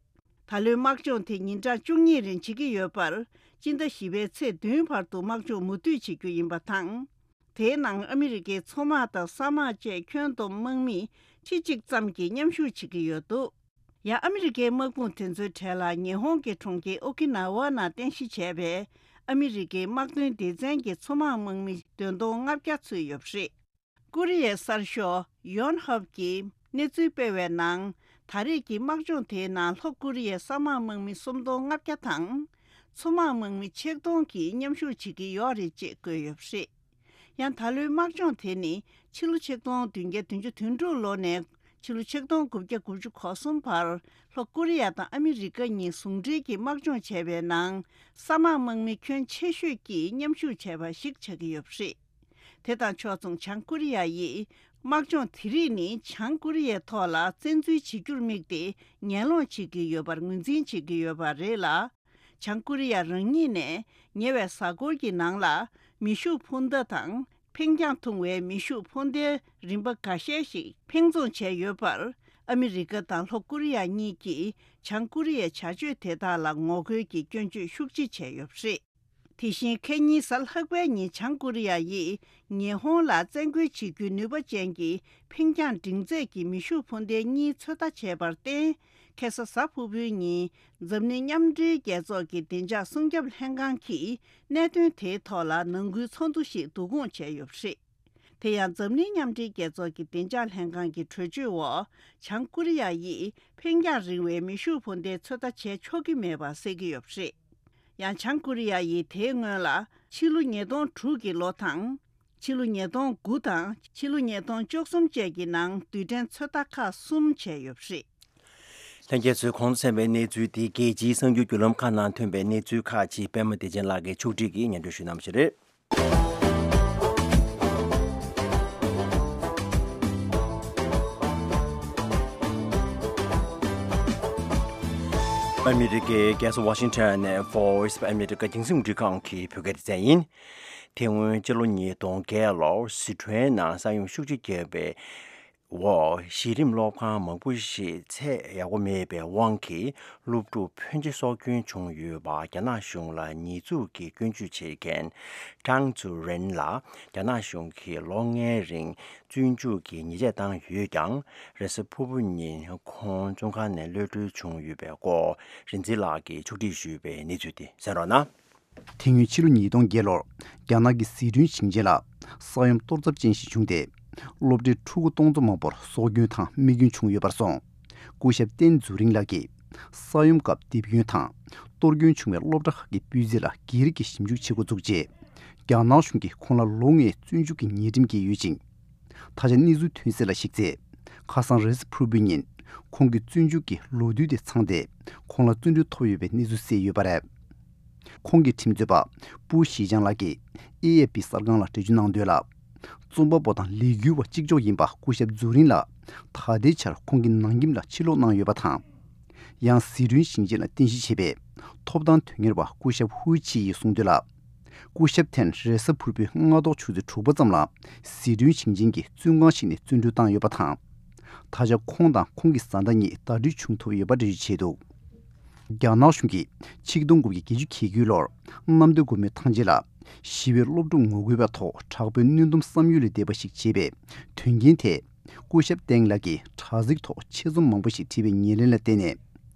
ད་ལོའི་དམག་སྦྱོང་དེ་ཉིན་གྲངས་བཅུ་གཉིས་རིང་བྱེད་ཀྱི་ཡོད་པར། སྤྱི་ཟླ་བཞི་པའི་ཚེས་བདུན་བར་དུ་དམག་སྦྱོང་མུ་མཐུད་བྱེད་རྒྱུ་ཡིན་པ་དང་། དེའི་ནང་ཨ་མི་རི་ཀའི་མཚོ་དམག་དང་ས་དམག་བཅས་ཁྱོན་བསྡོམས་དམག་མི་ཁྲི་གཅིག་ཙམ་གྱིས་མཉམ་ཞུགས་བྱེད་ཀྱི་ཡོད་འདུག། ཡང་ཨ་མི་རི་ཀའི་དམག་དཔུང་དེ་ཚོའི་གྲས་ལ་ཉི་ཧོང་གི་གྲོང་ཁྱེར་ཨོ་ཀི་ན་ཝ་ནང་རྟེན་གཞི་བྱས་པའི་ཨ་མི་རི་ཀའི་དམག་དོན་སྡེ་ཚན་གྱི་མཚོ་དམག་དམག་མི་བདུན་སྟོང་ལྔ་བརྒྱ་ཚུད་ཡོད་པ་རེད། ཀོ་རི་ཡའི་གསར་ཤོག་ཡོན་ཧབ་ཀྱིས་གནས་ཚུལ་སྤེལ་བའི་ནང་། ད་རེས་ཀྱི་དམག་སྦྱོང་དེའི་ནང་ལྷོ་ཀོ་རི་ཡའི་ས་དམག་དམག་མི་སུམ་སྟོང་ལྔ་བརྒྱ་དང་། མཚོ་དམག་དམག་མི་ཆིག་སྟོང་གིས་མཉམ་ཞུགས་བྱེད་ཀྱི་ཡོད་རེད་ཅེས་བཀོད་ཡོད་པ་རེད། ཡང་ད་ལོའི་དམག་སྦྱོང་དེ་ནི་ཕྱི་ལོ་ཆིག་སྟོང་བདུན་བརྒྱ་བདུན་ཅུ་དོན་དྲུག་ལོ་ནས་ཕྱི་ལོ་ཆིག་སྟོང་དགུ་བརྒྱ་དགུ་བཅུ་གོ་གསུམ་བར་ལྷོ་ཀོ་རི་ཡ་དང་ཨ་མི་རི་ཀ་གཉིས་ཟུང་འབྲེལ་གྱིས་དམག་སྦྱོང་བྱས་པའི་ནང་ས་དམག་དམག་མི་ཁྱོན་ཆེ་ཤོས་ཀྱིས་མཉམ་ཞུགས་བྱས་པ་ཞིག་ཆགས་ཀྱི་ཡོད་པ་རེད། དེ་དང་ཕྱོགས་མཚུངས་བྱང་ཀོ་རི་ཡ་ཡིས་དམག་སྦྱོང་དེ་རིགས་ནི་བྱང་ཀོ་རི་ཡའི་ཐོག་ལ་བཙན་འཛུལ་བྱེད་རྒྱུར་དམིགས་ཏེ་ངན་སློང་བྱེད་ཀྱི་ཡོད་པར་ངོས་འཛིན་བྱེད་ཀྱི་ཡོད་པ་རེད་ལ། བྱང་ཀོ་རི་ཡ་རང་ཉིད་ནས་ཉེ་བའི་གཟའ་འཁོར་གྱི་ནང་ལ་མེ་ཤུགས་འཕུར་མདའ་དང་འཕེན་རྒྱང་ཐུང་བའི་མེ་ཤུགས་འཕུར་མདའི་རིམ་པ་འགའ་ཤས་ཤིག་འཕེན་རྫོང་བྱས་ཡོད་པར། ཨ་མི་རི་ཀ་དང་ལྷོ་ཀོ་རི་ཡ་གཉིས་ཀྱིས་བྱང་ཀོ་རི་ཡའི་བྱ་སྤྱོད་དེ་དག་ལ་ངོ་རྒོལ་གྱི་སྐྱོན་བརྗོད་ཤུགས་ཆེ་བྱས་ཡོད་པ་རེད། དེ་བཞིན་ཁེ་ཉིན་གཟའ་ལྷག་པའི་ཉིན་བྱང་ཀོ་རི་ཡ་ཡིས་ཉི་ཧོང་ལ་བཙན་རྒོལ་བྱེད་རྒྱུའི་ནུས་པ་ཅན་གྱི་འཕེན་རྒྱང་འབྲིང་ཚད་ཀྱི་མེ་ཤུགས་འཕུར་མདེལ་གཉིས་ཚོད་ལྟ་བྱས་པར་བརྟེན། ཁ་སང་གཟའ་ཕུར་བུའི་ཉིན་འཛམ་གླིང་མཉམ་འབྲེལ་རྒྱལ་ཚོགས་ཀྱི་བདེ་འཇགས་སྲུང་སྐྱོབ་ལྷན་ཁང་གིས་གནད་དོན་དེའི་ཐོག་ལ་ནང་ཁུལ་ཚོགས་འདུ་ཞིག་བསྡུ་སྐོང་བྱས་ཡོད་པ་རེད། དེ་ཡང་འཛམ་གླིང་མཉམ་འབྲེལ་རྒྱལ་ཚོགས་ཀྱི་བདེ་འཇགས་ལྷན་ཁང་གི་གྲོས་ཆོད་འོག་བྱང་ཀོ་རི་ཡ་ཡིས་འཕེན་རྒྱང་རིང་བའི་མེ་ཤུགས་འཕུར་མདེལ་ཚོད་ལྟ་བྱས་ཆོག་གི་མེད་པ་གསལ་གྱི་ཡོད་པ་རེད། ཡང་བྱང་ཀོ་རི་ཡ་ཡིས་དེའི་སྔོན་ལ་ཕྱི་ལོ་ཉིས་སྟོང་དྲུག་གི་ལོ་དང་། ཕྱི་ལོ་ཉིས་སྟོང་དགུ་དང་ཕྱི་ལོ་ཉིས་སྟོང་བཅུ་གསུམ་བཅས་ཀྱི་ནང་རྡུལ་ཕྲན་ཚོད་ལྟ་ཁག་གསུམ་བྱས་ཡོད་པ་རེད། ལྷན་རྒྱས་ཚོས་གོང་དུ་གསན་པའི་གནས་ཚུལ་དེ་རྒྱལ་སྤྱིའི་གསར་འགྱུར་བརྒྱུད་ལམ་ཁག་ནང་ཐོན་པའི་གནས་ཚུལ་ཁག་ཅིག་པད་མ་བདེ་ཆེན་ལགས་ཀྱིས་ཕྱོགས་སྒྲིག་གིས་སྙན་སྒྲོན་ཞུས་གནང་བ་ཞིག་རེད། ཨ་མི་རི་ཀའི་རྒྱལ་ས་ཝ་ཤིང་ཊོན་ནས་Voice of America་རྒྱང་སྲིང་རླུང་འཕྲིན་ཁང་གི་བོད་སྐད་སྡེ་ཚན་ཡིན། དེ་སྔོན་སྤྱི་ལོ་ཉིས་སྟོང་བརྒྱད་ལོར་སི་ཁྲོན་ནང་ས་ཡོམ་ཤུགས་ཆེ་བརྒྱབ་པའི་འོག་གཞི་རིམ་སློབ་ཁང་མང་པོ་ཞིག་ཚད་ཡག་པོ་མེད་པའི་དབང་གིས་སློབ་ཕྲུག་ཕོན་ཆེ་སྲོག་སྐྱོན་བྱུང་ཡོད་པ་རྒྱ་ནག་གཞུང་ལ་ཉེས་འཛུགས་ཀྱི་སྐྱོན་བརྗོད་བྱེད་མཁན་ཀྲང་ཙུའུ་རེན་ལ་རྒྱ་ནག་གཞུང་གིས་ལོ་ལྔའི་རིང་བཙོན་འཇུག་གི་ཉེས་ཆད་བཏང་ཡོད་ཀྱང་རེས་གཟའ་ཕུར་བུ་ཉིན་ཁོང་བཙོན་ཁང་ནས་གློད་གྲོལ་བྱུང་ཡོད་པའི་སྐོར་རིག་འཛིན་ལགས་ཀྱིས་ཕྱོགས་སྒྲིག་ཞུས་པའི་གནས་ཚུལ་དེ་གསན་རོགས་གནང་། དེ་སྔོན་ཕྱི་ལོ་ཉིས་སྟོང་བརྒྱད་ལོར་རྒྱ་ནག་གི་ཟི་ཁྲོན་ཞིང་ཆེན་ལ་ས་ཡོམ་གཏོར་ཚབས་ཅན་ཞིག་བྱུང་སྟེ། སློབ་གྲྭའི་ཕྲུ་གུ་སྟོང་ཚོ་མང་པོར་སྲོག་སྐྱོན་དང་རྨས་སྐྱོན་བྱུང་ཡོད་པར་སོང་། སྐུ་ཞབས་ཏན་ཛུ་རིང་ལགས་ཀྱིས་ས་ཡོམ་སྐབས་རྡིབ་སྐྱོན་དང་གཏོར་སྐྱོན་བྱུང་བའི་སློབ་གྲྭ་ཁག་གི་སྤུས་ཚད་ལ་སྒེར་གྱི་ཞིབ་འཇུག་བྱེད་འགོ་བཙུགས་རྗེས། རྒྱ་ནག་གཞུང་གིས་ཁོང་ལ་ལོ་ལྔའི་བཙོན་འཇུག་གི་ཉེས་ཁྲིམས་བཀལ་ཡོད་ཅིང་། ད་ཆ་གནས་ཚུལ་ཐོན་གསལ་ལ་གཞིགས་ཚེ། ཁ་སང་རེས་གཟའ་ཕུར་བུའི་ཉིན་ཁོང་གི་བཙོན་འཇུག་གི་ལོ་དུས་དེ་ཚང་སྟེ། ཁོང་ལ་བཙོན་གྲོལ་ཐོབ་ཡོད་པའི་གནས་ཚུལ་གསལ་ཡོད་པ་རེད། ཁོང་གི་ཁྲིམས་རྩོད་པ་པུའུ་ཞི་ཅང་ལགས་ཀྱིས་ཨེ་ཨེ་པི་གསར་ཁང་ལ་འགྲེལ་བརྗོད་གནང་དོན་ལ། རྩོམ་པ་པོ་དང་ལས་འགུལ་བ་གཅིག་ལྕོགས་ཡིན་པ་སྐུ་ཞབས་ཛུ་རིང་ལགས་ད་ལྟའི་ཆར་ཁོང་གི་ནང་ཁྱིམ་ལ་ཕྱིར་ལོག་གནང་ཡོད་པ་དང་། ཡང་ཟི་ཁྲོན་ཞིང་ཆེན་ལ་རྟེན་གཞི་བྱས་པའི་ཐོབ་ཐང་དོན་གཉེར་བ་སྐུ་ཞབས་ཧུའུ་ཆི་ཡིས་གསུངས་དོན་ལ། སྐུ་ཞབས་ཐན་རེས་གཟའ་ཕུར་བུའི་སྔ་དྲོ་ཆུ་ཚོད་དྲུག་པ་ཙམ་ལ་ཟི་ཁྲོན་ཞིང་ཆེན་གྱི་བཙོན་ཁང་ཞིག་ནས་བཙོན་གྲོལ་བཏང་ཡོད་པ་དང་། ད་ཆ་ཁོང་དང་ཁོང་གི་བཟའ་ཟླ་གཉིས་ཟླ་སྒྲིལ་བྱུང་ཐུབ་ཡོད་པ་འགྲེལ་བརྗོད་བྱས་འདུག་རྒྱ་ནག་གཞུང་གིས་ཆིག་སྟོང་དགུ་བརྒྱ་བརྒྱད་ཅུ་གྱ་དགུའི་ལོར་གནམ་བདེ་སྒོ་མོའི་ཐང་ཆེན་ལ་ཞི་བའི་སློབ་ཕྲུག་ངོ་རྒོལ་བའི་ཐོག་དྲག་པོའི་གནོན་སྡོམ་བསམ་ཡུལ་ལས་འདས་པ་ཞིག་བྱས་པའི་དོན་རྐྱེན་དེ། སྐུ་ཞབས་ཏེང་ལགས་ཀྱིས་དྲ་ཚིགས་ཐོག་ཆེད་རྩོམ་མང་པོ་ཞིག་བྲིས་པའི་ཉེར་ལེན་ལ་བརྟེན་ནས།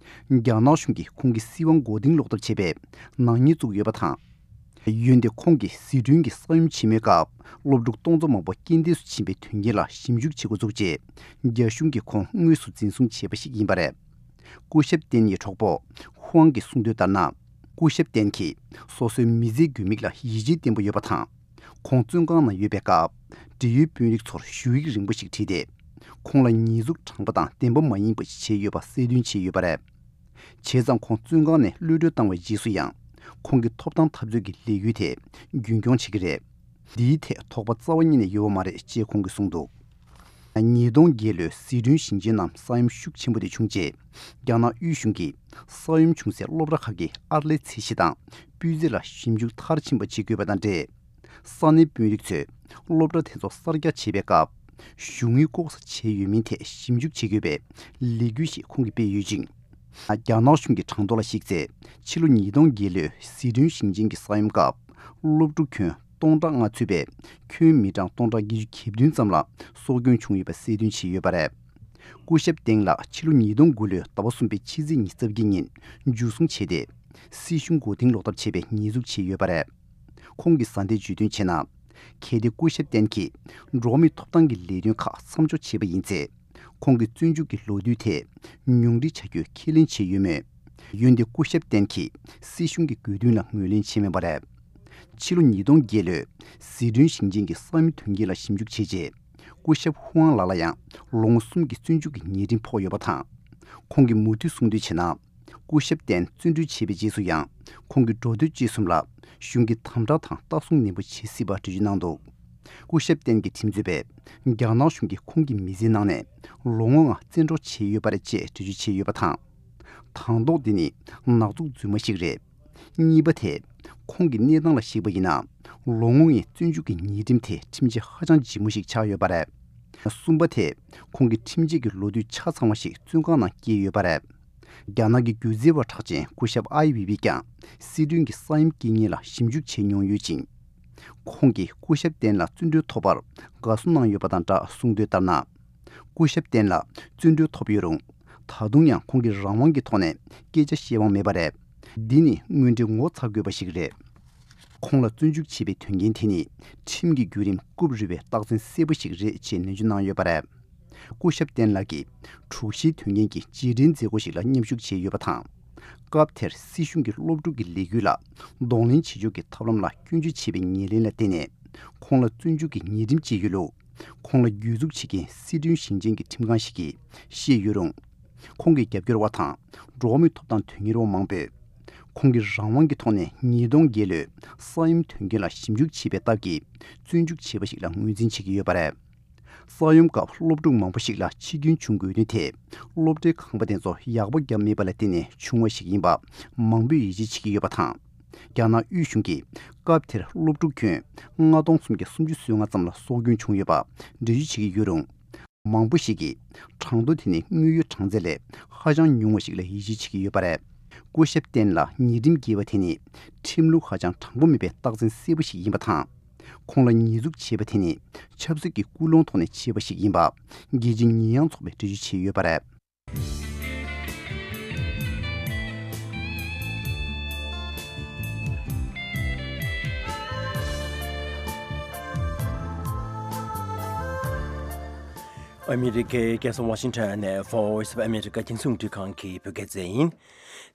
རྒྱ་ནག་གཞུང་གིས་ཁོང་གི་སྲིད་དབང་མགོ་རྟིང་སློག་ཐབས་བྱས་པའི་ནག་ཉེས་བཙུགས་ཡོད་པ་དང་། འོན་ཏེ་ཁོང་གིས་ཟི་ཁྲོན་གྱི་ས་ཡོམ་ཆེན་མོའི་སྐབས་སློབ་ཕྲུག་སྟོང་ཚོ་མང་པོ་རྐྱེན་འདས་སུ་ཕྱིན་པའི་དོན་རྐྱེན་ལ་ཞིབ་འཇུག་བྱེད་འགོ་བཙུགས་རྗེས། རྒྱ་གཞུང་གིས་ཁོང་དངོས་སུ་འཛིན་བཟུང་བྱས་པ་ཞིག་ཡིན་པ་རེད། སྐུ་ཞབས་ཏེན་ཡི་གྲོགས་པོ་ཧུའང་གིས་གསུངས་དོན་ལྟར་ན། སྐུ་ཞབས་ཏེན་གྱིས་སོ་སོའི་མི་ཚེའི་དགོས་དམིགས་ལ་ཡིད་ཆེས་བརྟན་པོ་ཡོད་པ་དང་། ཁོང་བཙོན་ཁང་ནང་ཡོད་པའི་སྐབས། འབྲེལ་ཡོད་དཔོན་རིགས་ཚོར་ཞུ་ཡིག་རིང་པོ་ཞིག་བྲིས་ཏེ། ཁོང་ལ་ཉེས་འཛུགས་དྲང་པོ་དང་བདེན་པ་མ་ཡིན་པ་ཞིག་བྱས་ཡོད་པ་གསལ་སྟོན་བྱས་ཡོད་པ་རེད། བྱས་ཙང་ཁོང་བཙོན་ཁང་ནས་གློད་གྲོལ་བཏང་བའི་རྗེས་སུ་ཡང་། ཁོང་གི་ཐོབ་ཐང་འཐབ་རྩོད་ཀྱི་ལས་འགུལ་དེ་རྒྱུན་སྐྱོང་བྱེད་ཀྱི་རེད། འདིའི་ཐད་དོགས་པ་རྩ་བ་ཉིད་ནས་ཡོད་པ་མ་རེད་ཅེས་ཁོང་གིས་གསུངས་འདུག་ཉིས་སྟོང་བརྒྱད་ལོའི་ཟི་ཁྲོན་ཞིང་ཆེན་ནང་ས་ཡོམ་ཤུགས་ཆེན་པོ་དེ་བྱུང་རྗེས། རྒྱ་ནག་དབུས་གཞུང་གིས་ས་ཡོམ་བྱུང་སའི་སློབ་གྲྭ་ཁག་གི་ཨར་ལས་ཚད་གཞི་དང་སྤུས་ཚད་ལ་ཞིབ་འཇུག་མཐར་ཕྱིན་པ་བྱེད་དགོས་པ་དང་འབྲེལ། ས་གནས་དཔོན་རིགས་ཚོས་སློབ་གྲྭ་དེ་ཚོ་གསར་རྒྱག་བྱེད་པའི་སྐབས། གཞུང་དངུལ་ལྐོག་ཟ་བྱས་ཡོད་མིན་ཐད་ཞིབ་འཇུག་བྱེད་དགོས་པའི་ལས་འགུལ་ཞིག་ཁོང་གིས་སྤེལ་ཡོད་ཅིང་། རྒྱ་ནག་གཞུང་གི་གྲངས་ཐོ་ལ་གཞིགས་ཚེ། ཕྱི་ལོ་ཉིས་སྟོང་བརྒྱད་ལོའི་ཟི་ཁྲོན་ཞིང་ཆེན་གྱི་ས་ཡོམ་སྐབས། སློབ་ཕྲུག་ཁྱོན་སྟོང་ཕྲག་ལྔ་ཚུད་པའི་ཁྱོན་མི་གྲངས་སྟོང་ཕྲག་བརྒྱད་ཅུ་གྱ་བདུན་ཙམ་ལ་སྲོག་སྐྱོན་བྱུང་ཡོད་པ་གསལ་སྟོན་བྱས་ཡོད་པ་རེད། སྐུ་ཞབས་ཏེང་ལགས་ཕྱི་ལོ་ཉིས་སྟོང་དགུ་ལོའི་ཟླ་བ་གསུམ་པའི་ཕྱི་ཚེས་ཉི་ཤུ་རྩ་བརྒྱད་ཉིན་འཇུ་བཟུང་བྱས་ཏེ། སྲིད་གཞུང་མགོ་རྟིང་སློག་ཐབས་བྱས་པའི་ཉེས་འཛུགས་བྱས་ཡོད་པ་རེད། ཁོང་གི་བཟའ་ཟླས་བརྗོད་དོན་བྱས་ན། གལ་ཏེ་སྐུ་ཞབས་ཏེན་གྱིས་འགྲོ་བ་མིའི་ཐོབ་ཐང་གི་ལས་དོན་ཁག་མཚམས་འཇོག་བྱས་པ་ཡིན་ཚེ། ཁོང་གི་བཙོན་འཇུག་གི་ལོ་དུས་དེ་ཉུང་འཕྲི་བྱ་རྒྱུའི་ཁས་ལེན་བྱས་ཡོད་མོད། འོན་ཏེ་སྐུ་ཞབས་ཏེན་གྱིས་སྲིད་གཞུང་གི་དགོས་འདུན་ལ་ངོས་ལེན་བྱས་མེད་པ་རེད། ཕྱི་ལོ་ཉིས་སྟོང་བརྒྱད་ལོའི་ཟི་ཁྲོན་ཞིང་ཆེན་གྱི་ས་ཡོམ་དོན་རྐྱེན་ལ་ཞིབ་འཇུག་བྱས་རྗེས། སྐུ་ཞབས་ཧུའང་ལགས་ལ་ཡང་ལོ་ངོ་གསུམ་གྱི་བཙོན་འཇུག་གི་ཉེས་ཁྲིམས་ཕོག་ཡོད་པ་དང་། ཁོང་གིས་མུ་མཐུད་གསུངས་དོན་བྱས་ན། སྐུ་ཞབས་ཏེན་བཙོན་གྲོལ་བྱས་པའི་རྗེས་སུ་ཡང་ཁོང་གི་འགྲོ་སྡོད་སྤྱོད་གསུམ་ལ་གཞུང་གིས་དམ་དྲག་དང་ལྟ་སྲུང་ནན་པོ་བྱེད་སྲིད་པ་འགྲེལ་བརྗོད་གནང་འདུག་སྐུ་ཞབས་ཏེན་གྱི་ཁྲིམས་རྩོད་པས་རྒྱ་ནག་གཞུང་གིས་ཁོང་གི་མི་ཚེའི་ནང་ནས་ལོ་ངོ་ལྔ་བཙན་འཕྲོག་བྱས་ཡོད་པ་རེད་ཅེས་འགྲེལ་བརྗོད་བྱས་ཡོད་པ་དང་། དང་ཐོག་འདི་ནི་ནག་འཛུགས་རྫུན་མ་ཞིག་རེད། གཉིས་པ་དེ། ཁོང་གི་གནས་སྟངས་ལ་གཞིགས་པ་ཡིན་ན། ལོ་ངོ་ལྔའི་བཙོན་འཇུག་གི་ཉེས་ཁྲིམས་དེ་ཁྲིམས་ཆད་ཧ་ཅང་ལྗིད་མོ་ཞིག་ཆགས་ཡོད་པ་རེད། གསུམ་པ་དེས་ཁོང་གི་ཁྲིམས་བཅད་ཀྱི་ལོ་དུས་ཆ་ཚང་བ་ཞིག་བཙོན་ཁང་ནང་བསྐྱལ་ཡོད་པ་རེད། རྒྱ་ནག་གི་སྒྱུ་རྩལ་བ་གྲགས་ཅན་སྐུ་ཞབས་ཨའི་ཝེ་ཝེ་ཀྱང་སི་ཁྲོན་གྱི་ས་ཡོམ་རྐྱེན་ངན་ལ་ཞིབ་འཇུག་བྱས་མྱོང་ཡོད་ཅིང་། ཁོང་གིས་སྐུ་ཞབས་ཏེན་ལ་བཙོན་གྲོལ་ཐོབ་པར་དགའ་བསུ་གནང་ཡོད་པ་དང་སྦྲགས་གསུངས་དོན་ལྟར་ན། སྐུ་ཞབས་ཏེན་ལ་བཙོན་གྲོལ་ཐོབ་ཡོད་རུང་། ད་དུང་ཡང་ཁོང་གིས་རང་དབང་གི་ཐོག་ནས་སྐད་ཆ་བཤད་དབང་མེད་པ་རེད། འདི་ནི་དངོས་འབྲེལ་ངོ་ཚ་དགོས་པ་ཞིག་རེད། ཁོང་ལ་བཙོན་འཇུག་བྱས་པའི་དོན་རྐྱེན་དེ་ནི་ཁྲིམས་ཀྱི་བརྒྱུད་རིམ་རྐུབ་རུལ་བའི་རྟགས་མཚན་གསལ་པོ་ཞིག་རེད་ཅེས་ནན་བརྗོད་གནང་ཡོད་པ་རེད། སྐུ་ཞབས་ཏེན་ལགས་ཀྱིས་དྲུག་བཞིའི་དོན་རྐྱེན་གྱི་རྗེས་དྲན་མཛད་སྒོ་ཞིག་ལ་མཉམ་ཞུགས་བྱས་ཡོད་པ་དང་། སྐབས་དེར་སྲིད་གཞུང་གི་སློབ་ཕྲུག་གི་ལས་འགུལ་ལ་གདོང་ལེན་བྱེད་ཕྱོགས་ཀྱི་ཐབས་ལམ་ལ་སྐྱོན་བརྗོད་བྱས་པའི་ཉེར་ལེན་ལ་བརྟེན་ནས། ཁོང་ལ་བཙོན་འཇུག་གི་ཉེས་ཁྲིམས་བཅད་ཡོད་ལུགས། ཁོང་ལ་གྱོད་འཛུགས་བྱེད་མཁན་སི་ཁྲོན་ཞིང་ཆེན་གྱི་ཁྲིམས་ཁང་ཞིག་གིས་བཤད་ཡོད་རུང་། ཁོང་གི་རྒྱབ་སྐྱོར་བ་དང་འགྲོ་བ་མིའི་ཐོབ་ཐང་དོན་གཉེར་བ་མང་པོས། ཁོང་གིས་རང་དབང་གི་ཐོག་ནས་ཉིས་སྟོང་བརྒྱད་ལོའི་ས་ཡོམ་དོན་རྐྱེན་ལ་ཞིབ་འཇུག་བྱས་པའི་སྟབས་ཀྱིས་བཙོན་འཇུག་བྱས་པ་ཞིག་ལ་ངོས་འཛིན་བྱེད་ཀྱི་ཡོད་པ་རེད། ས་ཡོམ་སྐབས་སློབ་ཕྲུག་མང་པོ་ཞིག་ལ་འཆི་སྐྱོན་བྱུང་དགོས་དོན་དེ། སློབ་གྲྭའི་ཁང་པ་དེ་ཚོ་ཡག་པོ་བརྒྱབ་མེད་པ་ལ་བརྟེན་ནས་བྱུང་བ་ཞིག་ཡིན་པ་མང་པོས་ཡིད་ཆེས་བྱེད་ཀྱི་ཡོད་པ་དང་། རྒྱ་ནག་དབུས་གཞུང་གིས་སྐབས་དེར་སློབ་ཕྲུག་ཁྱོན་ལྔ་སྟོང་སུམ་བརྒྱ་སུམ་ཅུ་སོ་ལྔ་ཙམ་ལ་སྲོག་སྐྱོན་བྱུང་ཡོད་པ་འགྲེལ་བརྗོད་བྱེད་ཀྱི་ཡོད་རུང་། མང་པོ་ཞིག་གིས་གྲངས་ཐོ་དེ་ནི་དངོས་ཡོད་གྲངས་ཚད་ལས་ཧ་ཅང་ཉུང་བ་ཞིག་ལ་ཡིད་ཆེས་བྱེད་ཀྱི་ཡོད་པ་རེད། སྐུ་ཞབས་ཏེན་ལ་ཉེས་ཁྲིམས་བཀལ་བ་དེ་ནི་ཁྲིམས་ལུགས་ཧ་ཅང་དྲང་པོ་མེད་པའི་རྟགས་མཚན་གསལ་པོ་ཞིག་ཡིན་པ་དང་། ཁོང་ལ་ཉེས་འཛུགས་བྱས་པ་དེ་ནི་ཆབ་སྲིད་ཀྱི་ཀུན་སློང་ཐོག་ནས་བྱས་པ་ཞིག་ཡིན་པ་རྒྱལ་སྤྱིའི་ཉེས་ཡངས་ཚོགས་པས་འགྲེལ་བརྗོད་བྱས་ཡོད་པ་རེད། ཨ་མི་རི་ཀའི་རྒྱལ་ས་ཝ་ཤིང་ཊོན་ནས་Voice of America རྒྱང་སྲིང་རླུང་འཕྲིན་ཁང་གི་བོད་སྐད་སྡེ་ཚན་ཡིན།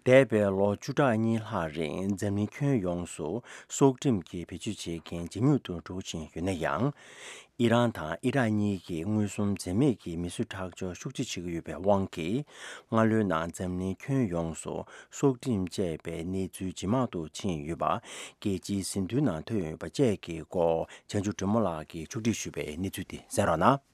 འདས་པའི་ལོ་བཅུ་ཕྲག་གཉིས་ལྷག་རིང་འཛམ་གླིང་ཁྱོན་ཡོངས་སུ་སྲོག་ཁྲིམས་ཀྱི་བེད་སྤྱོད་བྱེད་མཁན་ཇེ་ཉུང་དུ་འགྲོ་བཞིན་ཡོད་ན་ཡང་། ཨི་རན་དང་ཨི་རག་གཉིས་ཀྱིས་མངོན་སུམ་འཛེམ་མེད་ཀྱིས་མི་གསོད་ཁྲག་སྦྱོར་ཤུགས་ཆེ་བྱེད་ཀྱི་ཡོད་པའི་དབང་གིས། སྔ་ལོའི་ནང་འཛམ་གླིང་ཁྱོན་ཡོངས་སུ་སྲོག་ཁྲིམས་བཅད་པའི་གནས་ཚུལ་ཇེ་མང་དུ་ཕྱིན་ཡོད་པ། རྒྱལ་སྤྱིའི་ཟིན་ཐོའི་ནང་ཐོན་ཡོད་པ་བཅས་ཀྱི་སྐོར་བྱང་ཆུབ་སྒྲོལ་མ་ལགས་ཀྱིས་ཕྱོགས་སྒྲིག་ཞུས་པའི་གནས་ཚུལ་དེ་གསན་རོགས་གནང་།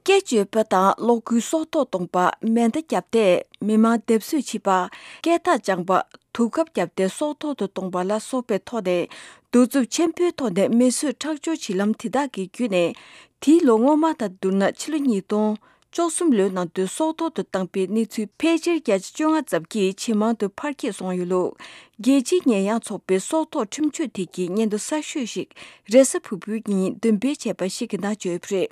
སྐད་བརྗོད་པ་དང་གློག་སྒུལ་སྲོག་ཐོག་གཏོང་པ། མེ་མདའ་བརྒྱབ་སྟེ་མི་མང་སྡེབ་གསོད་བྱེད་པ། སྐད་ཐག་བཅངས་པ། དུག་ཁབ་བརྒྱབ་སྟེ་སྲོག་ཐོག་ཏུ་གཏོང་པ་ལ་སོགས་པའི་ཐོག་ནས་གདུག་རྩུབ་ཆེན་པོའི་ཐོག་ནས་མི་གསོད་ཁྲག་སྦྱོར་བྱེད་ལམ་དེ་དག་གི་བརྒྱུད་ནས། དེའི་ལོ་སྔོན་མ་དང་བསྡུར་ན་ཕྱི་ལོ་ཉིས་སྟོང་བཅུ་གསུམ་ལོའི་ནང་དུ་སྲོག་ཐོག་ཏུ་བཏང་པའི་གནས་ཚུལ་ཕལ་ཆེར་བརྒྱ་ཆ་བཅོ་ལྔ་ཙམ་གྱིས་ཇེ་མང་དུ་འཕར་སྐྱེད་སོང་ཡོད་ལུགས། རྒྱལ་སྤྱིའི་ཉེས་ཡངས་ཚོགས་པའི་སྲོག་ཐོག་ཁྲིམས་གཅོད་ཐད་ཀྱི་སྙན་ཐོ་གསར་ཤོས་ཤིག་རེས་གཟའ་ཕུར་བུའི་ཉིན་འདོན་སྤེལ་བྱས་པ་ཞིག་གི་ནང་བརྗོད་ཡོད་པ་རེད།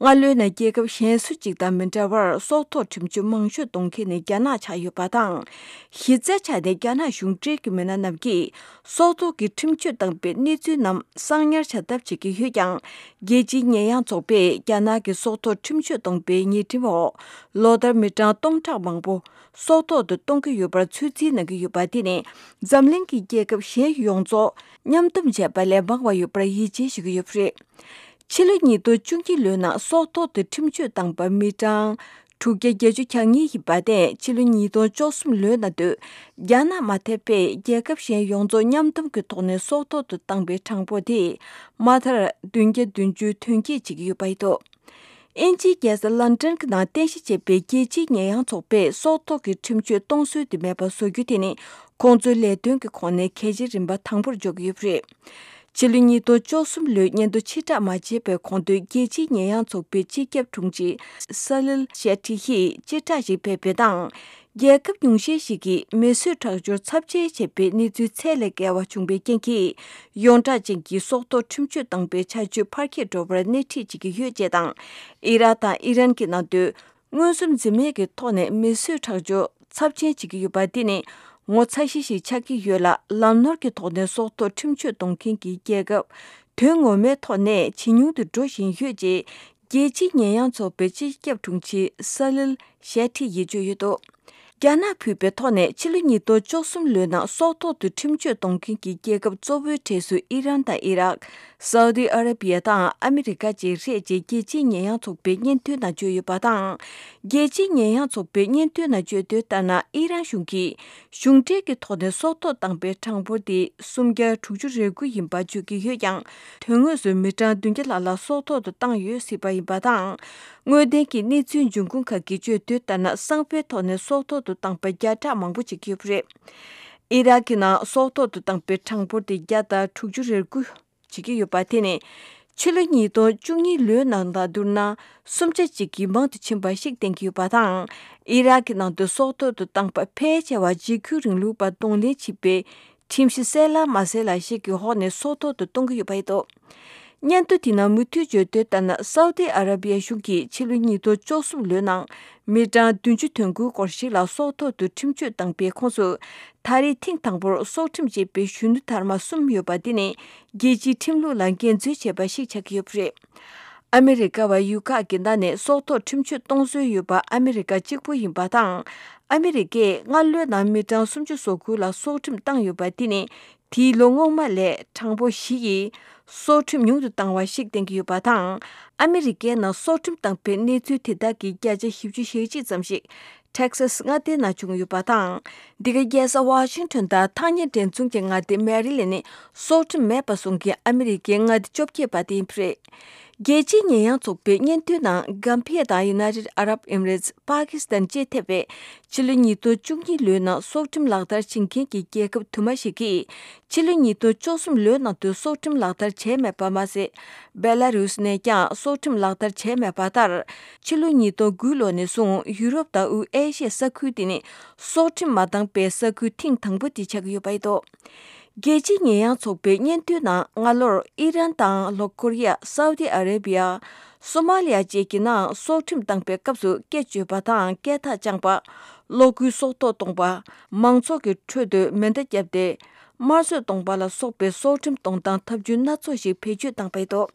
སྔ་ལོའི་ནང་རྒྱལ་ཁབ་གཞན་སུ་གཅིག་དང་མི་འདྲ་བར་སྲོག་ཐོག་ཁྲིམས་གཅོད་མང་ཤོས་གཏོང་མཁན་ནི་རྒྱ་ནག་ཆགས་ཡོད་པ་དང་། གཞི་རྩའི་ཆ་ནས་རྒྱ་ནག་གཞུང་འབྲེལ་གྱི་མི་སྣ་རྣམས་ཀྱིས་སྲོག་ཐོག་གི་ཁྲིམས་གཅོད་བཏང་པའི་གནས་ཚུལ་རྣམས་གསང་ཉར་བྱ་ཐབས་བྱེད་ཀྱི་ཡོད་ཀྱང་། རྒྱལ་སྤྱིའི་ཉེས་ཡངས་ཚོགས་པས་རྒྱ་ནག་གི་སྲོག་ཐོག་ཁྲིམས་གཅོད་གཏོང་པའི་ཉེས་ཁྲིམས་འོག་ལོ་ལྟར་མི་གྲངས་སྟོང་ཕྲག་མང་པོ་སྲོག་ཐོག་ཏུ་གཏོང་གི་ཡོད་པར་ཚོད་འཛིན་གནང་གི་ཡོད་པ། དེ་ནི་འཛམ་གླིང་གི་རྒྱལ་ཁབ་གཞན་ཡོངས་རྫོགས་མཉམ་འདོམས་བྱས་པ་ལས་མང་བ་ཡོད་པར་ཡིད་ཆེས་བྱེད་ཀྱི་ཡོད་པ་རེད། ཕྱི་ལོ་ཉིས་སྟོང་བཅུ་གཉིས་ལོའི་ནང་སྲོག་ཐོག་ཏུ་ཁྲིམས་གཅོད་བཏང་པ་མི་གྲངས་དྲུག་བརྒྱ་བརྒྱད་ཅུ་གྱ་གཉིས་ཡིན་པ་དེ་ཕྱི་ལོ་ཉིས་སྟོང་བཅུ་གསུམ་ལོའི་ནང་དུ་རྒྱ་ནག་མ་ཐེ་པས་རྒྱལ་ཁབ་གཞན་ཡོངས་རྫོགས་མཉམ་འདོམས་ཀྱི་ཐོག་ནས་སྲོག་ཐོག་ཏུ་བཏང་པའི་གྲངས་འབོར་དེ་མ་མཐར་བདུན་བརྒྱ་བདུན་ཅུ་དོན་བསྐྱེད་བྱེད་ཀྱི་ཡོད་པ་ཡིན་འདུག་དབྱིན་ཇིའི་རྒྱལ་ས་ལན་ཀྲན་གྱི་ནང་རྟེན་གཞི་བྱས་པའི་རྒྱལ་སྤྱིའི་ཉེས་ཡངས་ཚོགས་པས་སྲོག་ཐོག་གི་ཁྲིམས་གཅོད་གཏོང་སྲོལ་དེ་མེད་པ་བཟོ་རྒྱུ་དེ་ནི་ཁོང་ཚོའི་ལས་དོན་གྱི་ཁོངས་ནས་གལ་ཆེའི་རིམ་པ་དང་པོར་འཇོག་གི་ཡོད་པ་རེད། ཕྱི་ལོ་ཉིས་སྟོང་བཅུ་གསུམ་ལོའི་སྙན་ཐོ་ཕྱིར་བསྒྲགས་མ་བྱས་པའི་གོང་དུ་རྒྱལ་སྤྱིའི་ཉེས་ཡངས་ཚོགས་པའི་སྤྱི་ཁྱབ་དྲུང་ཆེ་ས་ལིལ་ཤེ་ཁྲི་ཡིས་སྤྱི་བསྒྲགས་ཤིག་སྤེལ་བའི་ནང་། རྒྱལ་ཁབ་ཉུང་ཤས་ཤིག་གིས་མི་གསོད་ཁྲག་སྦྱོར་ཚབས་ཆེན་བྱས་པའི་གནས་ཚུལ་ཚད་ལས་བརྒལ་བ་བྱུང་བའི་རྐྱེན་གྱིས། ཡོངས་གྲགས་ཅན་གྱི་སྲོག་ཐོག་ཁྲིམས་གཅོད་བཏང་པའི་བྱ་སྤྱོད་འཕར་སྐྱེད་འགྲོ་བར་སྣེ་ཁྲིད་བྱེད་ཀྱི་ཡོད་ཅེས་དང་། ཨི་རག་དང་ཨི་རན་གྱི་ནང་དུ་མངོན་སུམ་འཛེམ་མེད་ཀྱི་ཐོག་ནས་མི་གསོད་ཁྲག་སྦྱོར་ཚབས་ཆེན་བྱེད་ཀྱི་ཡོད་པ་འདི་ནི་ངོ་ཚ་ཤས་ཤིག་ཆགས་ཀྱི་ཡོད་ལ། ལམ་ནོར་གྱི་ཐོག་ནས་སྲོག་ཐོག་ཁྲིམས་གཅོད་གཏོང་མཁན་གྱི་རྒྱལ་ཁབ་དོན་ངོ་མའི་ཐོག་ནས་ཇེ་ཉུང་དུ་འགྲོ་བཞིན་ཡོད་ཅེས། རྒྱལ་སྤྱིའི་ཉེས་ཡངས་ཚོགས་པའི་སྤྱི་ཁྱབ་དྲུང་ཆེ་ས་ལིལ་ཤེ་ཁྲི་ཡིས་བརྗོད་ཡོད་འདུག་རྒྱ་ནག་ཕུད་པའི་ཐོག་ནས་ཕྱི་ལོ་ཉིས་སྟོང་བཅུ་གསུམ་ལོའི་ནང་སྲོག་ཐོག་ཏུ་ཁྲིམས་གཅོད་གཏོང་མཁན་གྱི་རྒྱལ་ཁབ་གཙོ་བོའི་གྲས་སུ་ཨི་རན་དང་ཨི་རག་སའུ་ཏི་ཨ་ར་པི་ཡ་དང་ཨ་མི་རི་ཀ་བཅས་རེད་ཅེས་རྒྱལ་སྤྱིའི་ཉེས་ཡངས་ཚོགས་པའི་སྙན་ཐོའི་ནང་བརྗོད་ཡོད་པ་དང་། རྒྱལ་སྤྱིའི་ཉེས་ཡངས་ཚོགས་པའི་སྙན་ཐོའི་ནང་བརྗོད་དོན་ལྟར་ན། ཨི་རན་གཞུང་གིས་གཞུང་འབྲེལ་གྱི་ཐོག་ནས་སྲོག་ཐོག་བཏང་པའི་གྲངས་འབོར་དེ་སུམ་བརྒྱ་དྲུག་ཅུ་རེ་དགུ་ཡིན་པ་བརྗོད་ཀྱི་ཡོད་ཀྱང་། དོན་དངོས་སུ་མི་གྲངས་བདུན་བརྒྱ་ལྷག་ལ་སྲོག་ཐོག་ཏུ་བཏང་ཡོད་སྲིད་པ་ཡིན་པ་དང་། དངོས་བདེན་གྱི་གནས་ཚུལ་འབྱུང་ཁུངས་ཁག་གིས་བརྗོད་དོན་ལྟར་ན། གསང་བའི་ཐོག་ནས་སྲོག་ཐོག་ཏུ་བཏང་པ་བརྒྱ་ཕྲག་མང་པོ་ཅིག་ཡོད་པ་རེད། ཨི་རག་གི་ནང་སྲོག་ཐོག་ཏུ་བཏང་པའི་གྲངས་འབོར་དེ་བརྒྱ་དང་དྲུག་ཅུ་རེ་དགུ་བྱེད་ཀྱི་ཡོད་པ། དེ་ནི་ ཕྱི་ལོ་ཉིས་སྟོང་བཅུ་གཉིས་ལོའི་ནང་དང་བསྡུར་ན། སུམ་ཆ་གཅིག་གིས་མང་དུ་ཕྱིན་པ་ཞིག་བསྟན་གྱི་ཡོད་པ་དང་། ཨི་རག་གི་ནང་དུ་སྲོག་ཐོག་ཏུ་བཏང་པ་ཕལ་ཆེ་བ་འཇིགས་སྐུལ་རིང་ལུགས་པ་གདོང་ལེན་བྱེད་པའི་ཁྲིམས་གཞི་གསལ་ལ་མ་གསལ་ལ་ཞིག་གི་འོག་ནས་སྲོག་ཐོག་ཏུ་གཏོང་གི་ཡོད་པ་རེད་འདུག་སྙན་ཐོ་དེ་ནང་མུ་མཐུད་བརྗོད་དོན་ལྟར་ན། སའུ་ཏི་ཨ་ར་བི་ཡ་གཞུང་གིས་ཕྱི་ལོ་ཉིས་སྟོང་བཅུ་གསུམ་ལོའི་ནང་མི་གྲངས་བདུན་ཅུ་དོན་དགུ་སྐོར་ཞིག་ལ་སྲོག་ཐོག་ཏུ་ཁྲིམས་གཅོད་བཏང་པའི་ཁོངས་སུ། ད་རེས་ཐེངས་དང་པོར་སྲོག་ཁྲིམས་བཅད་པའི་གཞོན་ནུ་དར་མ་གསུམ་ཡོད་པ་འདི་ནི། རྒྱལ་སྤྱིའི་ཁྲིམས་ལུགས་ལ་འགལ་འཛོལ་བྱས་པ་ཞིག་ཆགས་ཀྱི་ཡོད་པ་རེད། ཨ་མི་རི་ཀ་བ་ཡུལ་ཁག་གི་ནང་ནས་སྲོག་ཐོག་ཁྲིམས་གཅོད་གཏོང་སྲོལ་ཡོད་པ་ཨ་མི་རི་ཀ་གཅིག་པུ་ཡིན་པ་དང་། ཨ་མི་རི་ཀས་སྔ་ལོའི་ནང་མི་གྲངས་སུམ་ཅུ་སོ་དགུ་ལ་སྲོག་ཁྲིམས་བཏང་ཡོད་པ་འདི་ནི། དེའི་ལོ་སྔོན་མ་ལས་གྲངས་འབོར་བཞི་ཡིས་སྲོག་ཁྲིམས་ཉུང་དུ་བཏང་བ་ཞིག་བསྟན་གྱི་ཡོད་པ་དང་། ཨ་མི་རི་ཀའི་ནང་སྲོག་ཁྲིམས་བཏང་པའི་གནས་ཚུལ་དེ་དག་གི་བརྒྱ་ཆ་བཞི་བཅུ་ཞེ་གཅིག་ཙམ་ཞིག་ཊེག་སཱ་སི་མངའ་སྡེའི་ནང་བྱུང་ཡོད་པ་དང་། འདི་ག་རྒྱལ་ས་ཝ་ཤིང་ཊོན་དང་ཐག་ཉེ་འབྲེལ་མཚུངས་ཀྱི་མངའ་སྡེ་མེ་རི་ལེན་ནི་སྲོག་ཁྲིམས་མེད་པ་བཟོ་མཁན་ཨ་མི་རི་ཀའི་མངའ་སྡེ་བཅོ་བརྒྱད་པ་དེ་ཡིན་པ་རེད། རྒྱལ་སྤྱིའི་ཉེས་ཡངས་ཚོགས་པའི་སྙན་ཐོའི་ནང་། གྷམ་བྷི་ཡ་དང་ཡུ་ནའི་ཊེཌ་ཨ་རབ་ཨེ་མི་རེ་ཊི། པ་ཀི་སི་ཐན་བཅས་ཐེ་བའི་ཕྱི་ལོ་ཉིས་སྟོང་བཅུ་གཉིས་ལོའི་ནང་སྲོག་ཁྲིམས་ལག་བསྟར་བྱེད་མཁན་གྱི་རྒྱལ་ཁབ་དུ་མ་ཞིག་གིས། ཕྱི་ལོ་ཉིས་སྟོང་བཅུ་གསུམ་ལོའི་ནང་དུ་སྲོག་ཁྲིམས་ལག་བསྟར་བྱས་མེད་པ་མ་ཟད། སྦེ་ལ་རུས་ནས་ཀྱང་སྲོག་ཁྲིམས་ལག་བསྟར་བྱས་མེད་པ་ལྟར། ཕྱི་ལོ་ཉིས་སྟོང་དགུ་ལོ་ནས་བཟུང་ཡུ་རོབ་དང་དབུས་ཨེ་ཤི་ཡའི་ས་ཁུལ་དེ་ནི་སྲོག་ཁྲིམས་མ་བཏང་པའི་ས་ཁུལ་ཐེངས་དང་པོ་དེ་ཆགས་ཀྱི་ཡོད་པ་རེད་འདུག་རྒྱལ་སྤྱིའི་ཉེས་ཡངས་ཚོགས་པའི་སྙན་ཐོའི་ནང་། སྔ་ལོར་ཨི་རན་དང་ལྷོ་ཀོ་རི་ཡ། སའུ་ཏི་ཨ་རེ་བི་ཡ། སོ་མ་ལི་ཡ་བཅས་ཀྱི་ནང་སྲོག་ཁྲིམས་བཏང་པའི་སྐབས་སུ་སྐེ་གཅོད་པ་དང་སྐེ་ཐག་བཅངས་པ། གློག་སྒུལ་སྲོག་ཐོག་གཏོང་པ། མང་ཚོགས་ཀྱི་ཁྲོད་དུ་མེ་མདའ་བརྒྱབ་སྟེ། དམར་གསོད་གཏོང་པ་ལ་སོགས་པའི་སྲོག་ཁྲིམས་གཏོང་སྟངས་ཐབས་ཇུས་སྣ་ཚོགས་ཤིག་བེད་སྤྱོད་བཏང་པ་རེད་འདུག་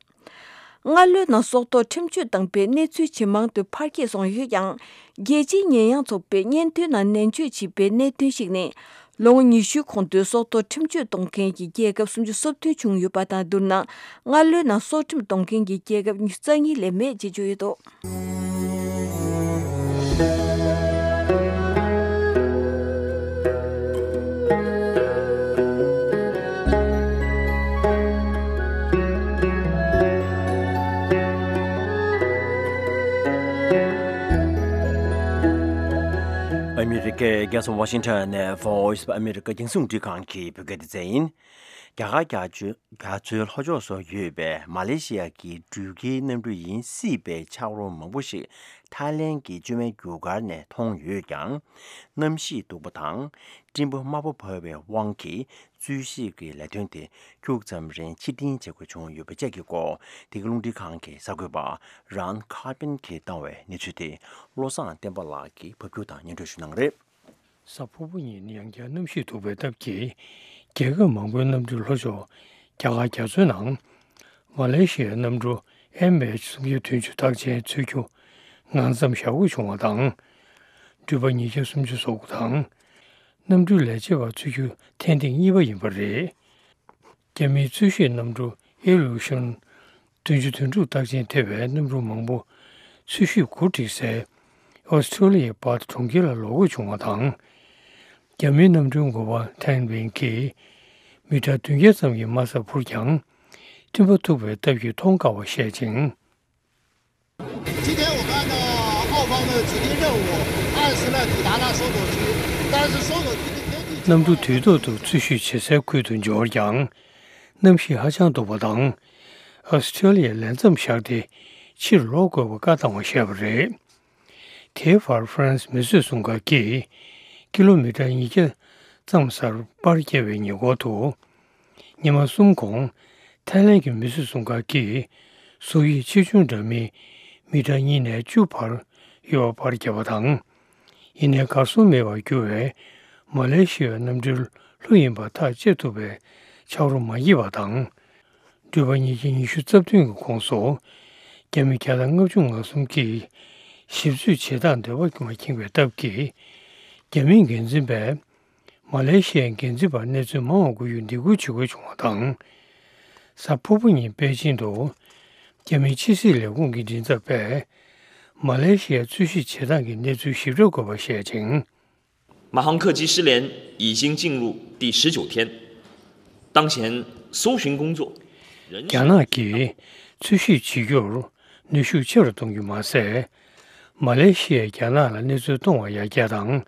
སྔ་ལོའི་ནང་སྲོག་ཐོག་ཁྲིམས་གཅོད་བཏང་པའི་གནས་ཚུལ་ཇེ་མང་དུ་འཕར་སྐྱེད་སོང་ཡོད་ཀྱང་། རྒྱལ་སྤྱིའི་ཉེས་ཡངས་ཚོགས་པས་སྙན་ཐོའི་ནང་ནན་བརྗོད་བྱས་པའི་གནད་དོན་ཞིག་ནི། ལོ་ངོ་ཉི་ཤུའི་གོང་དུ་སྲོག་ཐོག་ཁྲིམས་གཅོད་གཏོང་མཁན་གྱི་རྒྱལ་ཁབ་སུམ་ཅུ་སོ་བདུན་བྱུང་ཡོད་པ་དང་བསྡུར་ན། སྔ་ལོའི་ནང་སྲོག་ཁྲིམས་གཏོང་མཁན་གྱི་རྒྱལ་ཁབ་ཉི་ཤུ་རྩ་གཉིས་ལས་མེད་ཅེས་བརྗོད་ཡོད་འདུག་ཨ་མི་རི་ཀའི་རྒྱལ་ས་ཝ་ཤིང་ཊོན་ནས་Voice of America རྒྱང་སྲིང་རླུང་འཕྲིན་ཁང་གི་བོད་སྐད་སྡེ་ཚན་ཡིན། རྒྱ་གར་རྒྱ་མཚོའི་རྒྱ་མཚོའི་ལྷོ་ཕྱོགས་སུ་ཡོད་པའི་མ་ལེ་ཤི་ཡ་གི་འགྲུལ་སྐྱེལ་གནམ་གྲུ་ཡིན་སྲིད་པའི་ཆག་རོ་མང་པོ་ཞིག་ཐའི་ལེན་གྱི་བཅོས་མའི་རྒྱུ་སྐར་ནས་མཐོང་ཡོད་ཀྱང་། གནམ་གཤིས་སྡུག་པ་དང་སྤྲིན་པ་དམའ་པོ་བབས་པའི་དབང་གིས་འཚོལ་ཞིབ་ཀྱི་ལས་དོན་དེ་ཁྱུག་ཙམ་རིང་ཕྱིར་འཐེན་བྱེད་དགོས་བྱུང་ཡོད་པ་བཅས་ཀྱི་སྐོར། འདི་ག་རླུང་འཕྲིན་ཁང་གི་གསར་འགོད་པ་རཱན་ཁ་པིན་གྱིས་བཏང་བའི་གནས་ཚུལ་དེ་བློ་བཟང་བསྟན་པ་ལགས་ཀྱིས་ཕབ་སྒྱུར་དང་སྙན་སྒྲོན་ཞུ་གནང་གི་རེད། གཟའ་ཕུར་བུ་ཉིན་ཡང་བསྐྱར་གནམ་གཤིས་སྡུག་པའི་སྟབས་ཀྱིས། རྒྱལ་ཁབ་མང་པོའི་གནམ་གྲུའི་ལྷོ་ཕྱོགས་རྒྱ་གར་རྒྱ་མཚོའི་ནང་། མ་ལེ་ཤི་ཡའི་གནམ་གྲུ་ཨེམ་ཨེཆ་སུམ་བརྒྱ་བདུན་ཅུ་རྟགས་ཅན་འཚོལ་རྒྱུ་ངང་ཙམ་བཞག་དགོས་བྱུང་བ་དང་། འགྲུལ་པ་ཉིས་བརྒྱ་སུམ་ཅུ་སོ་དགུ་དང་། གནམ་གྲུའི་ལས་བྱེད་པ་འཚོལ་རྒྱུ་ཐེངས་གཉིས་པ་ཡིན་པ་རེད། རྒྱ་མིའི་འཚོལ་ཞིབ་གནམ་གྲུ་ཨི་ལུ་ཤན་བདུན་ཅུ་དོན་དྲུག་རྟགས་ཅན་ཐེ་བའི་གནམ་གྲུ་མང་པོ་འཚོལ་ཞིབ་འགོ་ཁྲིད་སའི་ཨོ་སི་ཁྲུ་ལི་ཡའི་པར་ཐི་གྲོང་ཁྱེར་ལ་ལོག་དགོས་བྱུང་བ་དང་། རྒྱ་མིའི་གནམ་གྲུའི་འགོ་པ་ཐན་ཝིན་གྱིས་མི་ཊར་བདུན་བརྒྱ་ཙམ་གྱི་དམའ་སར་འཕུར་ཀྱང་། མཐུན་པ་ཐུག་པའི་སྟབས་ཀྱིས་མཐོང་དཀའ་བ་བཤད་ཅིང་། 今天我们的澳方的指定任务，二十呢抵达了搜索区，但是搜索区的天气情况 གནམ་གྲུ་དུས་ཐོག་ཏུ་འཚོལ་ཞིབ་བྱེད་སའི་ཁུལ་དུ་འབྱོར་ཀྱང་། གནམ་གཤིས་ཧ་ཅང་སྡུག་པ་དང་། ཨོ་སི་ཁྲུ་ལི་ཡར་ལན་མཚམས་བཞག་སྟེ་ཕྱིར་ལོག་དགོས་པ་བཀའ་བཏང་བ་བཤད་པ་རེད། དེའི་བར་ཧྥ་རན་སི་མི་བཟོས་སྲུང་སྐར་གྱིས་ཀི་ལོ་མི་ཊར་ཉིས་བརྒྱ་ཙམ་སར་པར་བརྒྱབ་པའི་ཉེ་འཁོར་དུ། ཉི་མ་གསུམ་གོང་། ཐའི་ལེན་གྱི་མི་བཟོས་སྲུང་སྐར་གྱིས་གཟུགས་དབྱིབས་ཆེ་ཆུང་འདྲ་མིན་མི་ཊར་གཉིས་ནས་བཅུ་བར་ཡོད་པ་པར་བརྒྱབ་པ་དང་། ཡིན་ནའི་གར་སོང་མེད་པར་གྱུར་བའི་མ་ལེ་ཤི་ཡའི་གནམ་གྲུའི་ལྷུ་ཡིན་པ་ཐག་བཅད་ཐུབ་པའི་ཆག་རོ་མ་རྙེད་པ་དང་། འགྲུལ་པ་ཉིས་བརྒྱ་ཉི་ཤུ་རྩ་བདུན་གྱི་ཁོངས་སུ་རྒྱ་མི་བརྒྱ་དང་ལྔ་བཅུ་ང་གསུམ་གྱིས་ཞིབ་འཚོལ་བྱེད་སྟངས་འདོད་པ་མ་ཁེངས་པའི་སྟབས་ཀྱིས། རྒྱ་མིའི་འགན་འཛིན་པས་མ་ལེ་ཤི་ཡའི་འགན་འཛིན་པར་གནས་ཚུལ་མང་བ་དགོས་རྒྱུར་འདེད་སྐུལ་བྱེད་དགོས་བྱུང་བ་དང་། གཟའ་ཕུར་བུ་ཉིན་པེ་ཅིང་དུ་རྒྱ་མིའི་ཕྱི་སྲིད་ལས་ཁུངས་ཀྱི་མགྲིན་ཚབ་པས་མ་ལེ་ཤི་ཡའི་འཚོལ་ཞིབ་བྱེད་སྟངས་ཀྱི་གནས་ཚུལ་ཞིབ་ཕྲ་དགོས་པ་བཤད་ཅིང་། 马航客机失联已经进入第十九天，当前搜寻工作仍 རྒྱ་ནག་གིས་འཚོལ་ཞིབ་བྱེད་རྒྱུར་ནུས་ཤུགས་ཆེ་རུ་གཏོང་རྒྱུ་མ་ཟད། མ་ལེ་ཤི་ཡས་རྒྱ་ནག་ལ་གནས་ཚུལ་གཏོང་བ་ཡར་རྒྱས་དང་།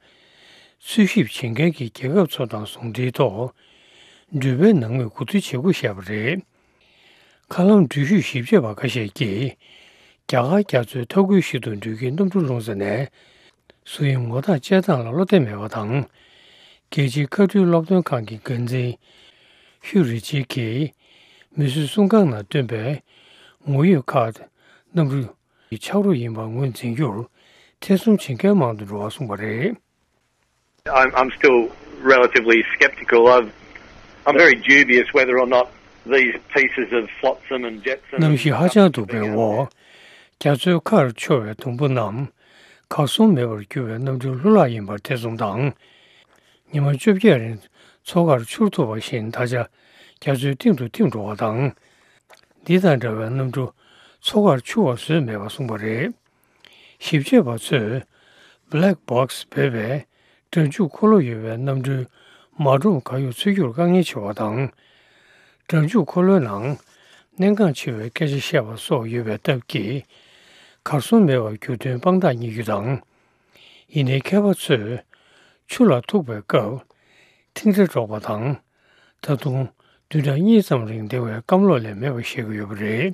འཚོལ་ཞིབ་བྱེད་མཁན་གྱི་རྒྱལ་ཁབ་ཚོ་དང་ཟུང་འབྲེལ་ཐོག་འགྲུལ་པའི་ནང་མིར་གོ་བསྡུར་བྱེད་དགོས་བཤད་པ་རེད། མཁའ་ལམ་འགྲུལ་བཞུད་ཞིབ་དཔྱད་པ་ཁ་ཤས་ཀྱིས། རྒྱ་གར་རྒྱ་མཚོའི་མཐའ་ཁུལ་ཞིག་ཏུ་འགྲུལ་སྐྱེལ་གནམ་གྲུ་ལྷུང་ས་ནས། སུ་ཡིན་ངོ་ཐག་བཅད་སྟངས་ལ་བློ་གཏད་མེད་པ་དང་། རྒྱལ་སྤྱིའི་མཁའ་འགྲུལ་སློབ་སྟོན་ཁང་གི་འགན་འཛིན་ཧུ་རི་ཅི་གིས། མིས་བཟོས་སྲུང་ཁང་ནང་བཏོན་པའི་ངོ་ཡོད་ཁཱརྡ་གནམ་གྲུ་ཆག་རོ་ཡིན་པར་ངོས་འཛིན་རྒྱུར་ཐེ་ཚོམ་བྱེད་མཁན་མང་དུ་འགྲོ་བ་གསུངས་པ་རེད། I'm, I'm still relatively sceptical. I've, I'm very dubious whether or not these pieces of flotsam and jetsam གནམ་གཤིས་ཧ་ཅང་སྡུག་པའི་འོག་རྒྱ་མཚོའི་ཁར་འཕྱོ་བའི་དུམ་བུ་རྣམས་གར་སོང་མེད་པར་གྱུར་བའི་གནམ་གྲུའི་ལྷུ་ལག་ཡིན་པར་ཐེ་ཚོམ་དང་། ཉི་མ་བཅོ་བརྒྱད་རིང་མཚོ་ཁར་འཕྱུར་ཐུབ་པ་བཞིན་ད་ཆ་རྒྱ་མཚོའི་གཏིང་དུ་ཐིམ་འགྲོ་བ་དང་། འདི་དང་འདྲ་བའི་གནམ་གྲུ་མཚོ་ཁར་འཕྱུར་བ་བཟོས་མེད་པ་གསུངས་པ་རེད། ཞིབ་དཔྱད་པ་ཚོས་Black Box་འབོད་པའི་སྒྲ་འཇུག་འཁོར་ལོ་ཡོད་པའི་གནམ་གྲུའི་མ་སྒྲོམ་གར་གཡོག་འཚོལ་རྒྱུར་དཀའ་ངལ་ཆེ་བ་དང་། སྒྲ་འཇུག་འཁོར་ལོའི་ནང་གནད་འགག་ཆེ་བའི་སྐད་ཆ་བཤད་པ་སོགས་ཡོད་པའི་སྟབས་ཀྱིས། གར་སོང་མེད་པར་གྱུར་དོན་དཔང་རྟགས་རྙེད་རྒྱུ་དང་། ཡིན་ནའི་མཁས་པ་ཚོས་ཆུ་ལ་ཐུག་པའི་སྐབས་ཐིང་སྒྲ་སྒྲོག་པ་དང་། ད་དུང་བདུན་ཕྲག་གཉིས་ཙམ་རིང་བདེ་བའི་སྐམ་ལོག་ལས་མེད་པ་བཤད་ཀྱི་ཡོད་པ་རེད།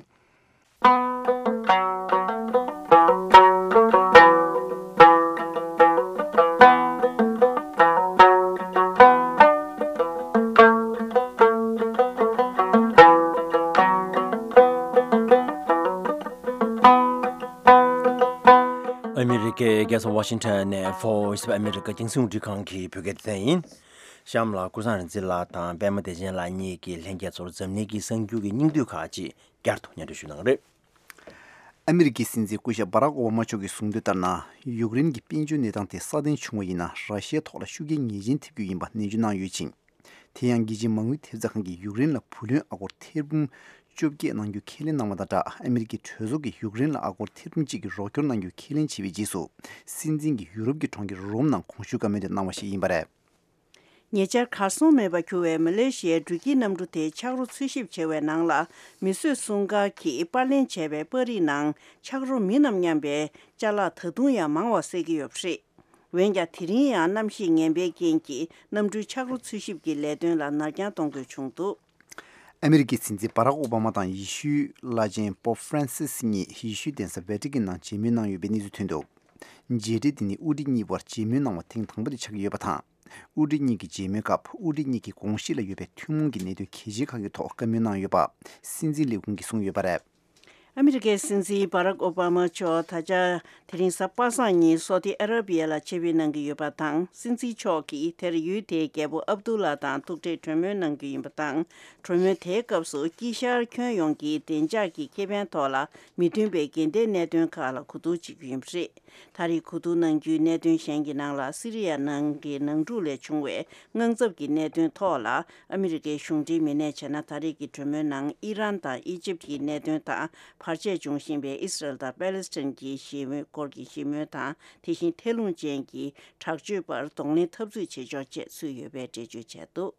ཨ་མི་རི་ཀའི་རྒྱལ་ས་ཝ་ཤིང་ཊོན་ནས་Voice of America་རྒྱང་སྲིང་རླུང་འཕྲིན་ཁང་གི་བོད་སྐད་སྡེ་ཚན་ཡིན། གཤམ་ལ་ཀུན་བཟང་རིག་འཛིན་ལགས་དང་པད་མ་བདེ་ཆེན་ལགས་གཉིས་ཀྱིས་ལྷན་རྒྱས་ཚོར་འཛམ་གླིང་གི་གསར་འགྱུར་གྱི་སྙིང་བསྡུས་ཁག་ཅིག་བསྐྱར་དུ་སྙན་སྒྲོན་ཞུ་གནང་གི་རེད། ཨ་མི་རི་ཀའི་སྲིད་འཛིན་སྐུ་ཞབས་སྦ་རག་ཨོ་བྷ་མ་མཆོག་གིས་གསུངས་དོན་ལྟར་ན། ཡུཀ་རེན་གྱི་དཔལ་འབྱོར་གནས་སྟངས་དེ་སྲ་བརྟན་བྱུང་བ་ཡིན་ན། ར་ཤི་ཡའི་ཐོག་ལ་ཤུགས་རྐྱེན་ངེས་ཅན་ཐེབས་རྒྱུ་ཡིན་པ་ནན་བརྗོད་གནང་ཡོད་ཅིང་། དེ་ཡང་རྒྱལ་སྤྱིའི་མ་དངུལ་ཐེབས་རྩ་ཁང་གིས་ཡུཀ་རེན་ལ་བུ་ལོན་ཨ་སྒོར་ཐེར་འབུམ་བཅོ་བརྒྱད་གནང་རྒྱུ་ཁས་ལེན་གནང་བ་དང་སྦྲགས། ཨ་མི་རི་ཀའི་གྲོས་ཚོགས་ཀྱིས་ཡུཀ་རེན་ལ་ཨ་སྒོར་ཐེར་འབུམ་གཅིག་གི་རོགས་སྐྱོར་གནང་རྒྱུ་ཁས་ལེན་བྱས་པའི་རྗེས་སུ། སྲིད་འཛིན་གྱིས་ཡུ་རོབ་ཀྱི་གྲོང་ཁྱེར་རོམ་ནང་གོང་ཞུས་བཀའ་མོལ་དེ་གནང་བ་ཞིག་ཡིན་པ་རེད། ཉེ་ཆར་གར་སོང་མེད་པར་གྱུར་བའི་མ་ལེ་ཤི་ཡའི་འགྲུལ་སྐྱེལ་གནམ་གྲུ་དེ་ཆག་རོ་འཚོལ་ཞིབ་བྱས་པའི་ནང་ལ། མིས་བཟོས་སྲུང་སྐར་གྱིས་པར་ལེན་བྱས་པའི་པར་རིས་ནང་ཆག་རོ་མིན་ནམ་སྙམ་པའི་ཅ་ལག་ད་དུང་ཡང་མང་བ་གསལ་གྱི་ཡོད་པ་རེད། འོན་ཀྱང་། དེ་རིང་ཡང་གནམ་གཤིས་ངན་པའི་རྐྱེན་གྱིས་གནམ་གྲུའི་ཆག་རོ་འཚོལ་ཞིབ་ཀྱི་ལས་དོན་ལ་ནར་འགྱངས་གཏོང་དགོས་བྱུང་འདུག་ཨ་མི་རི་ཀའི་སྲིད་འཛིན་སྦ་རག་ཨོ་བྷ་མ་དང་ཡེ་ཤུའི་བླ་ཆེན་པོབ་ཧྥ་རན་སིས་གཉིས་ཡེ་ཤུའི་གདན་ས་ཝེ་ཏི་ཀན་ནང་མཇལ་མོལ་གནང་ཡོད་པའི་གནས་ཚུལ་ཐོན་འདུག་མཇལ་འཕྲད་དེ་ནི་དབུ་ཁྲིད་གཉིས་བར་མཇལ་མོལ་གནང་བ་ཐེངས་དང་པོ་དེ་ཆགས་ཀྱི་ཡོད་པ་དང་། དབུ་ཁྲིད་གཉིས་ཀྱི་མཇལ་མོལ་སྐབས། དབུ་ཁྲིད་གཉིས་ཀྱིས་དགོངས་གཞི་ལ་ཡོད་པའི་ཐུན་མོང་གི་གནད་དོན་གལ་ཆེ་ཁག་གི་ཐོག་བཀའ་མོལ་གནང་ཡོད་པ། སྲིད་འཛིན་ལས་ཁུངས་ཀྱིས་གསུངས་ཡོད་པ་རེད། ཨ་མི་རི་ཀའི་སྲིད་འཛིན་སྦ་རག་ཨོ་བྷ་མ་མཆོག་ད་ཆ་དེ་རིང་གཟའ་པ་སངས་ཉིན་སོ་ཏི་ཨ་ར་བི་ཡ་ལ་ཆེད་ཕེབས་གནང་གི་ཡོད་པ་དང་། སྲིད་འཛིན་མཆོག་གིས་དེར་ཡུལ་དེའི་རྒྱལ་པོ་ཨབ་དུ་ལ་དང་ཐུག་འཕྲད་གྲོས་མོལ་གནང་རྒྱུ་ཡིན་པ་དང་། གྲོས་མོལ་དེའི་སྐབས་སུ་དཀྱིལ་ཤར་ཁྱོན་ཡོངས་ཀྱི་བདེ་འཇགས་ཀྱི་ཁེ་ཕན་ཐོག་ལ་མི་མཐུན་པའི་འགལ་ཟླའི་གནད་དོན་ཁག་ལ་གོ་བསྡུར་བྱེད་རྒྱུ་ཡིན་པ་རེད། ད་རེས་གོ་བསྡུར་གནང་རྒྱུའི་གནད་དོན་གཞན་གྱི་ནང་ལ། སི་རི་ཡ་ནང་གི་ནང་འཁྲུག་ལས་བྱུང་བའི་དངངས་འཚབ་ཀྱི་གནད་དོན་ཐོག་ལ། ཨ་མི་རི་ཀའི་གཞུང་འབྲེལ་མི་སྣས་བྱས་ན། ད་རེས་ཀྱི་གྲོས་མོལ་ནང་ཨི་རན་དང་ཨི་ཇིབ་ཀྱི་གནད་དོན་དང་། བར་ཆད་འབྱུང་བཞིན་པའི་ཨི་སི་རལ་དང་པེ་ལེ་སི་ཐན་གྱི་ཞི་མོལ་སྐོར་གྱི་ཞི་མོལ་དང་། དེ་བཞིན་ཐལ་རླུང་ཅན་གྱི་དྲག་སྤྱོད་པར་གདོང་ལེན་འཐབ་རྩོད་བྱེད་ཕྱོགས་བཅས་ཚུད་ཡོད་པའི་འགྲེལ་བརྗོད་བྱས་འདུག་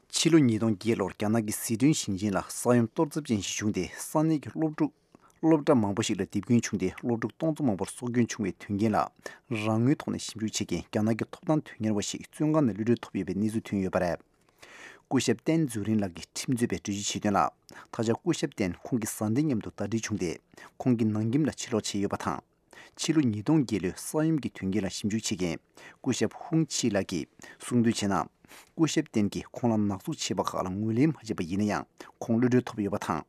ཕྱི་ལོ་ཉིས་སྟོང་བརྒྱད་ལོར་རྒྱ་ནག་གི་ཟི་ཁྲོན་ཞིང་ཆེན་ལ་ས་ཡོམ་གཏོར་ཚབས་ཅན་ཞིག་བྱུང་སྟེ། ས་གནས་ཀྱི་སློབ་ཕྲུག་སློབ་གྲྭ་མང་པོ་ཞིག་ལ་རྡིབ་སྐྱོན་བྱུང་སྟེ། སློབ་ཕྲུག་སྟོང་ཚོ་མང་པོར་སྲོག་སྐྱོན་བྱུང་བའི་དོན་རྐྱེན་ལ། རང་ངོས་ཐོག་ནས་ཞིབ་འཇུག་བྱེད་མཁན་རྒྱ་ནག་གི་ཐོབ་ཐང་དོན་གཉེར་བ་ཞིག་བཙོན་ཁང་ནས་གློད་གྲོལ་ཐོབ་ཡོད་པའི་གནས་ཚུལ་ཐོན་ཡོད་པ་རེད། སྐུ་ཞབས་ཏན་ཛུ་རིན་ལགས་ཀྱི་ཁྲིམས་རྩོད་པས་འགྲེལ་བརྗོད་བྱས་དོན་ལ། ད་ཆ་སྐུ་ཞབས་ཏན་ཁོང་གི་བཟའ་ཟླའི་མཉམ་དུ་ཟླ་སྒྲིལ་བྱུང་སྟེ། ཁོང་གིས་ནང་ཁྱིམ་ལ་ཕྱིར་ལོག་བྱས་ཡོད་པ་དང་། ཕྱི་ལོ་ཉིས་སྟོང་བརྒྱད་ལོའི་ས་ཡོམ་གྱི་དོན་རྐྱེན་ལ་ཞིབ་འཇུག་བྱེད་མཁན་སྐུ་ཞབས་ཧུང་ཆི་ལགས་ཀྱིས་གསུངས་དོན་བྱས་ན། སྐུ་ཞབས་ཏན་གྱིས་ཁོང་ལ་ནག་འཛུགས་བྱས་པ་ཁག་ལ་ངོས་ལེན་མ་བྱས་པ་ཡིན་ན་ཡང་། ཁོང་གློད་གྲོལ་ཐོབ་ཡོད་པ་དང་།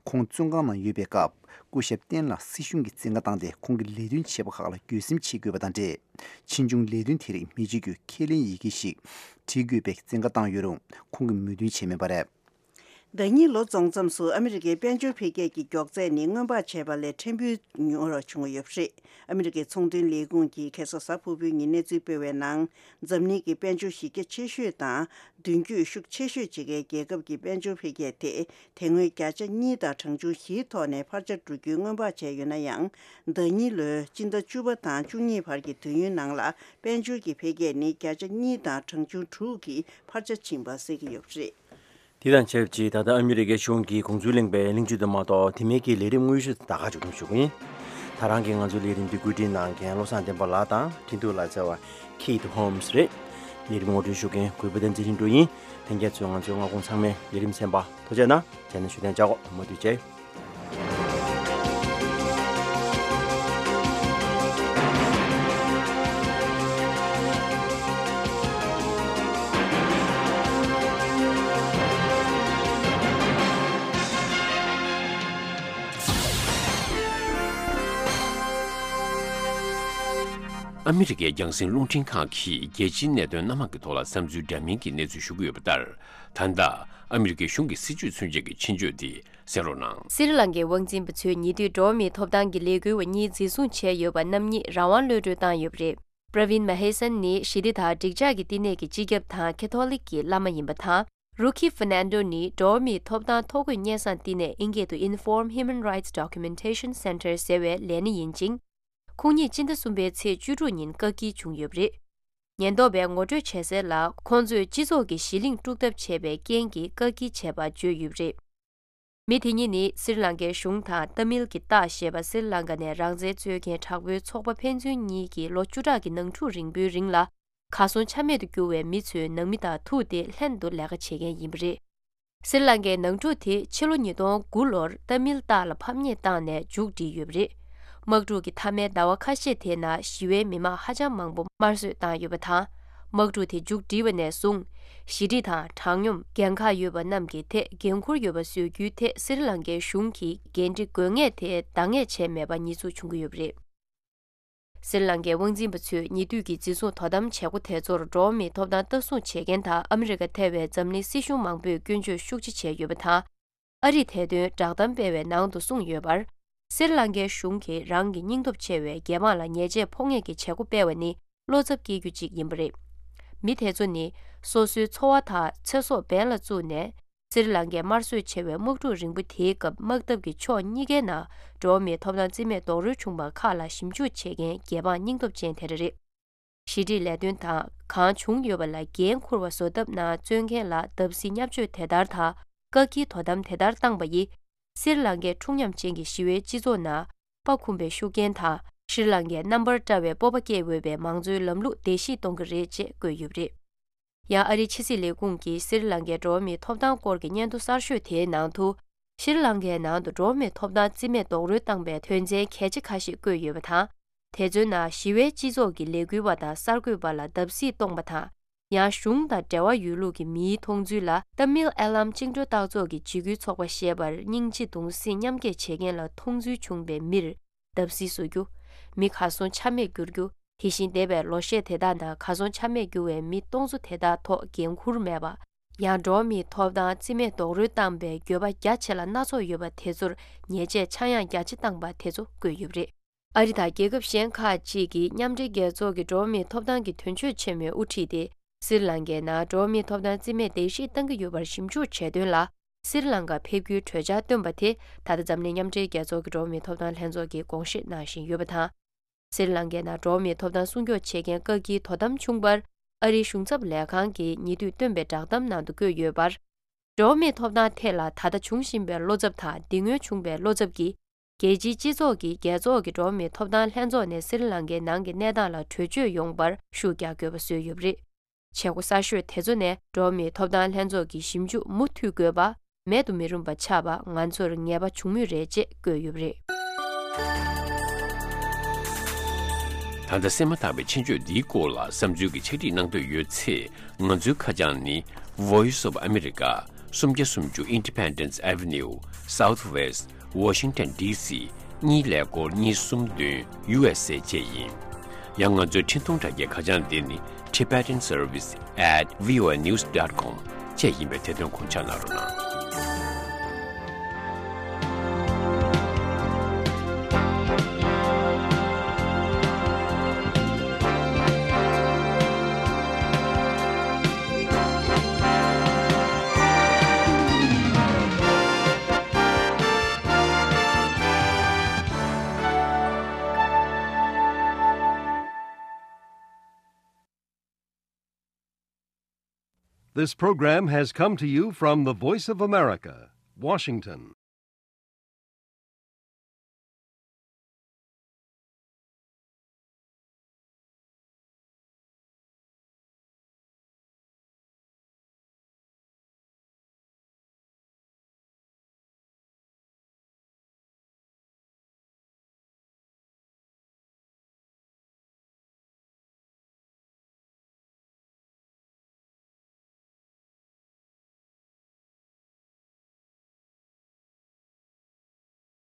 ཁོང་བཙོན་ཁང་ནང་ཡོད་པའི་སྐབས། སྐུ་ཞབས་ཏན་ལ་སྲིད་གཞུང་གིས་བཙན་བཀའ་བཏང་སྟེ། ཁོང་གིས་ལས་དོན་བྱས་པ་ཁག་ལ་འགྱོད་སེམས་བྱེད་དགོས་པ་དང་འབྲེལ། ཕྱིས་འབྱུང་ལས་དོན་དེ་རིགས་མི་བྱེད་རྒྱུའི་ཁས་ལེན་ཡི་གེ་ཞིག་བྲིས་དགོས་པའི་བཙན་བཀའ་བཏང་ཡོད་རུང་། ཁོང་གིས་མོས་མཐུན་བྱས་མེད་པ་རེད། ཟླ་ཉིན་ལོ་རྫོགས་མཚམས་སུ་ཨ་མི་རི་ཀའི་དཔལ་འབྱོར་འཕེལ་རྒྱས་ཀྱི་མགྱོགས་ཚད་ནི་སྔོན་དཔག་བྱས་པ་ལས་ཕྲན་བུ་ཉུང་རུ་བྱུང་ཡོད་པ་རེད། ཨ་མི་རི་ཀའི་ཚོང་དོན་ལས་ཁུངས་ཀྱིས་ཁ་སང་གཟའ་ཕུར་བུའི་ཉིན་གནས་ཚུལ་སྤེལ་བའི་ནང་། འཛམ་གླིང་གི་དཔལ་འབྱོར་གཞི་རྒྱ་ཆེ་ཤོས་དང་། མདུན་སྐྱོད་ཤུགས་ཆེ་ཤོས་བྱེད་མཁན་རྒྱལ་ཁབ་ཀྱི་དཔལ་འབྱོར་འཕེལ་རྒྱས་དེ། དེ་སྔོན་བརྒྱ་ཆ་གཉིས་དང་གྲངས་ཆུང་བཞིའི་ཐོག་ནས་འཕར་ཆ་འགྲོ་རྒྱུའི་སྔོན་དཔག་བྱས་ཡོད་ན་ཡང་། ཟླ་ཉིན་ལོའི་སྤྱི་ཟླ་བཅུ་པ་དང་བཅུ་གཉིས་བར་གྱི་དུས་ཡུན་ནང་ལ། དཔལ་འབྱོར་གྱི་འཕེལ་རྒྱས་ནི་བརྒྱ་ཆ་གཉིས་དང་གྲངས་ཆུང་དྲུག་གི་འཕར་ཆ་ཕྱིན་པ་གསལ་གྱི་ཡོད་པ་རེད། དེ་དང་ཆབས་ཅིག་ད་ལྟ་ཨ་མི་རི་ཀའི་གཞུང་གིས་དགོངས་ཚུལ་གླེང་བའི་གླེང་བརྗོད་དུ་མ་གཏོགས། དེ་མིན་གྱི་ལས་རིམ་དངོས་གཞི་ད་ག་མཇུག་སྡོམ་ཞུ་གི་ཡིན། ད་རང་གི་ང་ཚོའི་ལས་རིམ་འདི་བཀོད་སྒྲིག་གནང་མཁན་བློ་བཟང་བསྟན་པ་ལགས་དང་འཕྲིན་ཐུང་ལ་རྩེ་བ་Keith Holmes་རེད། ལས་རིམ་ངོ་སྤྲོད་ཞུ་མཁན་གུས་པ་བསྟན་འཛིན་ལྷུན་གྲུབ་ཡིན། ལྷན་རྒྱས་ཚོས་ང་ཚོའི་སྔ་དགོང་ཚང་མའི་ལས་རིམ་གསན་པ་ཐུགས་རྗེ་གནང་། རྗེས་ནས་ཞུ་གཏན་འཇགས། མུ་མཐུད་བྱེད། ཨ་མི་རི་ཀའི་རྒྱང་སྲིང་རླུང་འཕྲིན་ཁང་གིས་རྒྱལ་སྤྱིའི་གནད་དོན་སྣ་མང་གི་ཐོག་ལ་བསམ་ཚུལ་འདྲ་མིན་གྱི་གནས་ཚུལ་ཞུ་གི་ཡོད་པ་ལྟར། ད་ལྟ་ཨ་མི་རི་ཀའི་གཞུང་གི་སྲིད་བྱུས་མཚོན་བྱེད་ཀྱི་ཆེད་བརྗོད་དེ་གསན་རོགས་གནང་། སྲི་ལང་ཀའི་དབང་འཛིན་པ་ཚོས་ཉེ་དུས་འགྲོ་བ་མིའི་ཐོབ་ཐང་གི་ལས་འགུལ་བ་གཉིས་འཛིན་བཟུང་བྱས་ཡོད་པ་རྣམ་གཉིས་རང་དབང་གློད་གྲོལ་བཏང་ཡོད་པ་རེད། པྲ་ཝིན་མ་ཧེ་སན་ནི་ཞི་བདེ་དང་འགྲིག་འཇགས་ཀྱི་བསྟི་གནས་ཀྱི་སྤྱི་ཁྱབ་དང་ཁེ་ཐོ་ལིག་གི་བླ་མ་ཡིན་པ་དང་། རུ་ཁི་ཧྥ་ནན་ཌོ་ནི་འགྲོ་བ་མིའི་ཐོབ་ཐང་ཐོ་འགོད་སྙན་སེང་བསྟི་གནས། ཨིན་སྐད་དུ་Inform Human Rights Documentation Center ཟེར་བའི་ལས་སྣེ་ཡིན་ཅིང་། ཁོང་ཉིད་སྤྱི་ཟླ་གསུམ་པའི་ཚེས་བཅུ་དྲུག་ཉིན་བཀག་སྐྱིལ་བྱུང་ཡོད་པ་རེད། ཉེན་རྟོག་པས་ངོ་སྤྲོད་བྱས་གསལ་ལ། ཁོང་ཚོས་སྤྱི་ཚོགས་ཀྱི་གཞི་གླིང་དཀྲུག་ཐབས་བྱས་པའི་རྐྱེན་གྱིས་བཀག་སྐྱིལ་བྱས་པ་བརྗོད་ཡོད་པ་རེད། མི་དེ་གཉིས་ནི་སྲི་ལང་ཀའི་གཞུང་དང་ཏཱ་མིལ་གྱི་སྟག་ཞེས་པ་སྲི་ལང་ཀ་ནས་རང་བཙན་རྩོད་མཁན་དྲག་པོའི་ཚོགས་པ་ཕན་ཚུན་གཉིས་ཀྱིས་ལོ་བཅུ་ཕྲག་གི་ནང་འཁྲུག་རིང་པོའི་རིང་ལ། གར་སོང་ཆ་མེད་དུ་གྱུར་བའི་མི་ཚོའི་ནང་མི་དང་ཐུག་སྟེ་ལྷན་དུ་ལས་ཀ་བྱེད་མཁན་ཡིན་པ་རེད། སྲི་ལང་ཀའི་ནང་འཁྲུག་དེ་ཕྱི་ལོ་ཉིས་སྟོང་དགུ་ལོར་ཏཱ་མིལ་སྟག་ལ་ཕམ་ཉེས་བཏང་ནས་མཇུག་བསྒྲིལ་ཡོད་པ་རེད། དམག་འཁྲུག་གི་མཐའ་མའི་ཟླ་བ་ཁ་ཤས་དེའི་ནང་ཞི་བའི་མི་མང་ཧ་ཅང་མང་པོ་དམར་གསོད་བཏང་ཡོད་པ་དང་། དམག་འཁྲུག་དེ་མཇུག་བསྒྲིལ་བ་ནས་བཟུང་། ཞི་འགྲིག་དང་དྲང་སྙོམས། འགན་ཁག་ཡོད་པ་རྣམས་ཀྱི་ཐད་འགན་འཁུར་ཡོད་པ་བཟོ་རྒྱུའི་ཐད་སྲི་ལང་ཀའི་གཞུང་གིས་འགན་འཁྲི་དགོས་ངེས་དེ་འདང་ངེས་བྱས་མེད་པ་ཉེས་འཛུགས་བྱུང་གི་ཡོད་པ་རེད། སྲི་ལང་ཀའི་དབང་འཛིན་པ་ཚོས་ཉེ་དུས་ཀྱི་འཛིན་བཟུང་དོ་དམ་བྱེད་སྒོ་དེ་ཚོར་འགྲོ་བ་མིའི་ཐོབ་ཐང་ལྟ་སྲུང་བྱེད་མཁན་དང་ཨ་མི་རི་ཀ་ཐེ་བའི་འཛམ་གླིང་སྲིད་གཞུང་མང་པོས་སྐྱོན་བརྗོད་ཤུགས་ཆེ་བྱས་ཡོད་པ་དང་། ཨ་རིས་དེ་དོན་བསྒྲགས་གཏམ་སྤེལ་བའི་ནང་དུ་གསུངས་ཡོད་པར། སྲི་ལང་ཀའི་གཞུང་གིས་རང་གི་སྙིང་སྟོབས་ཆེ་བའི་རྒྱལ་འབངས་ལ་ཉེས་ཆད་ཕོག་ངེས་ཀྱི་བྱེད་སྒོ་སྤེལ་བ་ནི་བློ་འཚབ་སྐྱེ་རྒྱུ་གཅིག་ཡིན་པ་རེད། མི་དེ་ཚོ་ནི་སོ་སོའི་འཚོ་བ་དང་ཚེ་སྲོག་འབེན་ལ་བཙུགས་ནས། སྲི་ལང་ཀའི་དམར་གསོད་ཆེ་བའི་དམག་འཁྲུག་རིང་པོ་དེའི་སྐབས་དམག་འཐབ་ཀྱི་ཕྱོགས་གཉིས་ཀའི་ནང་འགྲོ་བ་མིའི་ཐོབ་ཐང་རྩིས་མེད་རྡོག་རོལ་བྱུང་བ་ཁག་ལ་ཞིབ་འཇུག་བྱེད་མཁན་རྒྱལ་འབངས་སྙིང་སྟོབས་ཅན་དེ་འདྲ་རེད། ཞི་འགྲིག་ལས་དོན་དང་གང་བྱུང་ཡོད་པ་ལ་འགན་འཁུར་བ་བཟོ་ཐབས་ནང་བརྩོན་མཁན་ལ་བརྡབ་གསིག་བརྙས་བཅོས་དེ་ལྟར་དང་། བཀག་སྐྱིལ་དོ་དམ་དེ་ལྟར་བཏང་པ་ཡིས། སྲི་ལང་ཀའི་འཁྲུག་ཉམས་ཅན་གྱི་ཞི་བའི་སྤྱི་ཚོགས་ནང་། དཔའ་འཁུམས་པའི་ཤུགས་རྐྱེན་དང་། ཤྲི་ལང་ཀའི་རྣམ་པར་བཀྲ་བའི་སྤོབས་པ་སྐྱེ་འོས་པའི་མང་གཙོའི་ལམ་ལུགས་བརྡལ་བཤིག་གཏོང་གི་རེད་ཅེས་བཀོད་ཡོད་པ་རེད། ཡང་ཨ་རིའི་ཕྱི་སྲིད་ལས་ཁུངས་ཀྱིས་སྲི་ལང་ཀའི་འགྲོ་བ་མིའི་ཐོབ་ཐང་སྐོར་གྱི་སྙན་ཐོ་གསར་ཤོས་དེའི་ནང་དུ། ཤྲི་ལང་ཀའི་ནང་དུ་འགྲོ་བ་མིའི་ཐོབ་ཐང་རྩིས་མེད་རྡོག་རོལ་བཏང་པའི་དོན་ཚན་གལ་ཆེ་ཁ་ཤས་བཀོད་ཡོད་པ་དང་། དེ་ཚོའི་ནང་ཞི་བའི་སྤྱི་ཚོགས་ཀྱི་ལས་འགུལ་བ་དང་གསར་འགོད་པ་ལ་བརྡབ་གསིག་གཏོང་པ་དང་། ཡང་གཞུང་དང་འབྲེལ་བ་ཡོད་ལུགས་ཀྱི་མིའི་མཐོང་ཚུལ་ལ། ཏཱ་མིལ་ཨེ་ལམ་བཅིངས་འགྲོལ་བཏགས་ཚོགས་ཀྱི་འཇིགས་སྐུལ་ཚོགས་པ་ཞེས་པར་སྙིང་རྗེ་གདུང་སེམས་མཉམ་སྐྱེད་བྱེད་མཁན་ལ་མཐོང་ཚུལ་བྱུང་བའི་མིར། བརྡབ་གསིག་བཟོ་རྒྱུ། མི་གར་སོང་ཆ་མེད་བསྒྱུར་རྒྱུ། དེ་བཞིན་འདས་པའི་ལོ་ཤས་དེ་དག་ནང་གར་སོང་ཆ་མེད་གྱུར་བའི་མི་སྟོང་ཚོ་དེ་དག་ཐོག་འགན་འཁུར་མེད་པ། ཡང་འགྲོ་བ་མིའི་ཐོབ་ཐང་རྩིས་མེད་རྡོག་རོལ་བཏང་པའི་འགྱོད་པ་རྒྱ་ཆེ་ལ་སྣ་ཚོགས་ཡོད་པ་དེ་ཚོར་ཉེས་ཆད་ཆག་ཡང་རྒྱ་ཆེ་བཏང་པ་དེ་ཚོ་བཀོད་ཡོད་པ་རེད། ཨ་རི་དང་རྒྱལ་ཁབ་གཞན་ཁག་ཅིག་གིས་མཉམ་འབྲེལ་རྒྱལ་ཚོགས་ཀྱི་འགྲོ་བ་མིའི་ཐོབ་ཐང་གི་དོན་གཅོད་ཆེན་མོས་དབུ་ཁྲིད་དེ། སྲི་ལང་ཀའི་ནང་འགྲོ་བ་མིའི་ཐོབ་ཐང་རྩིས་མེད་བརྡལ་བཤིག་བཏང་གི་ཡོད་པར་ཞིབ་འཇུག་བྱས་དོན་ལ། སྲི་ལང་ཀ་ཕེབས་རྒྱུའི་གྲོས་འཆར་བཏོན་པ་དེ་ད་ལྟ་འཛམ་གླིང་མཉམ་འབྲེལ་རྒྱལ་ཚོགས་ཀྱི་འགྲོ་བ་མིའི་ཐོབ་ཐང་ལྷན་ཚོགས་ཀྱིས་དགོངས་བཞེས་གནང་བཞིན་ཡོད་པ་དང་། སྲི་ལང་ཀའི་ནང་འགྲོ་བ་མིའི་ཐོབ་ཐང་སྲུང་སྐྱོབ་བྱེད་མཁན་བཀག་སྐྱིལ་དོ་དམ་བྱུང་བར། ཨ་རིའི་གཞུང་ཚབ་ལས་ཁང་གིས་ཉེ་དུས་བཏོན་པའི་བསྒྲགས་གཏམ་ནང་དུ་བཀོད་ཡོད་པར། འགྲོ་བ་མིའི་ཐོབ་ཐང་ཐད་ལ་ད་ལྟ་འབྱུང་བཞིན་པའི་བློ་འཚབ་དང་འདི་སྔོན་བྱུང་བའི་བློ་འཚབ་ཀྱིས། རྒྱལ་སྤྱིའི་སྤྱི་ཚོགས་ཀྱིས་རྒྱལ་ཚོགས་ཀྱི་འགྲོ་བ་མིའི་ཐོབ་ཐང་ལྷན་ཚོགས་ནས་སྲི་ལང་ཀའི་ནང་གི་གནས་སྟངས་ལ་གྲོས་ཆོད་ཡོང་བར་ཤུགས་རྒྱག་དགོས་པ་བཟོས་ཡོད་པ་རེད། བྱེད་སྒོ་གསར་ཤོས་དེ་ཚོ་ནས་འགྲོ་བ་མིའི་ཐོབ་ཐང་ལྷན་ཚོགས་ཀྱི་ཞིབ་འཇུག་མུ་མཐུད་དགོས་པ། མེད་དུ་མི་རུང་པ་ཆགས་པ་ང་ཚོར་ངེས་པ་བྱུང་མུས་རེད་ཅེས་བཀོད་ཡོད་པ་རེད། ད་ལྟ་གསན་མ་ཐག་པའི་ཆེད་བརྗོད་འདིའི་སྐོར་ལ་བསམ་ཚུལ་གྱི་ཕྱག་བྲིས་གནང་འདོད་ཡོད་ཚེ། ང་ཚོའི་ཁ་བྱང་ནི། Voice of America། སུམ་བརྒྱ་སུམ་ཅུ་Independence Avenue Southwest Washington D C གཉིས་ཀླད་ཀོར་གཉིས་གསུམ་བདུན། U S A བཅས་ཡིན། ཡང་ང་ཚོའི་འཕྲིན་ཐུང་དྲ་རྒྱའི་ཁ་བྱང་འདི་ནི། Tibetan Service at V O A news dot com བཅས་ཡིན་པས་དེ་དོན་ཁུངས་ཆགས་གནང་རོགས་གནང་། This program has come to you from the Voice of America, Washington.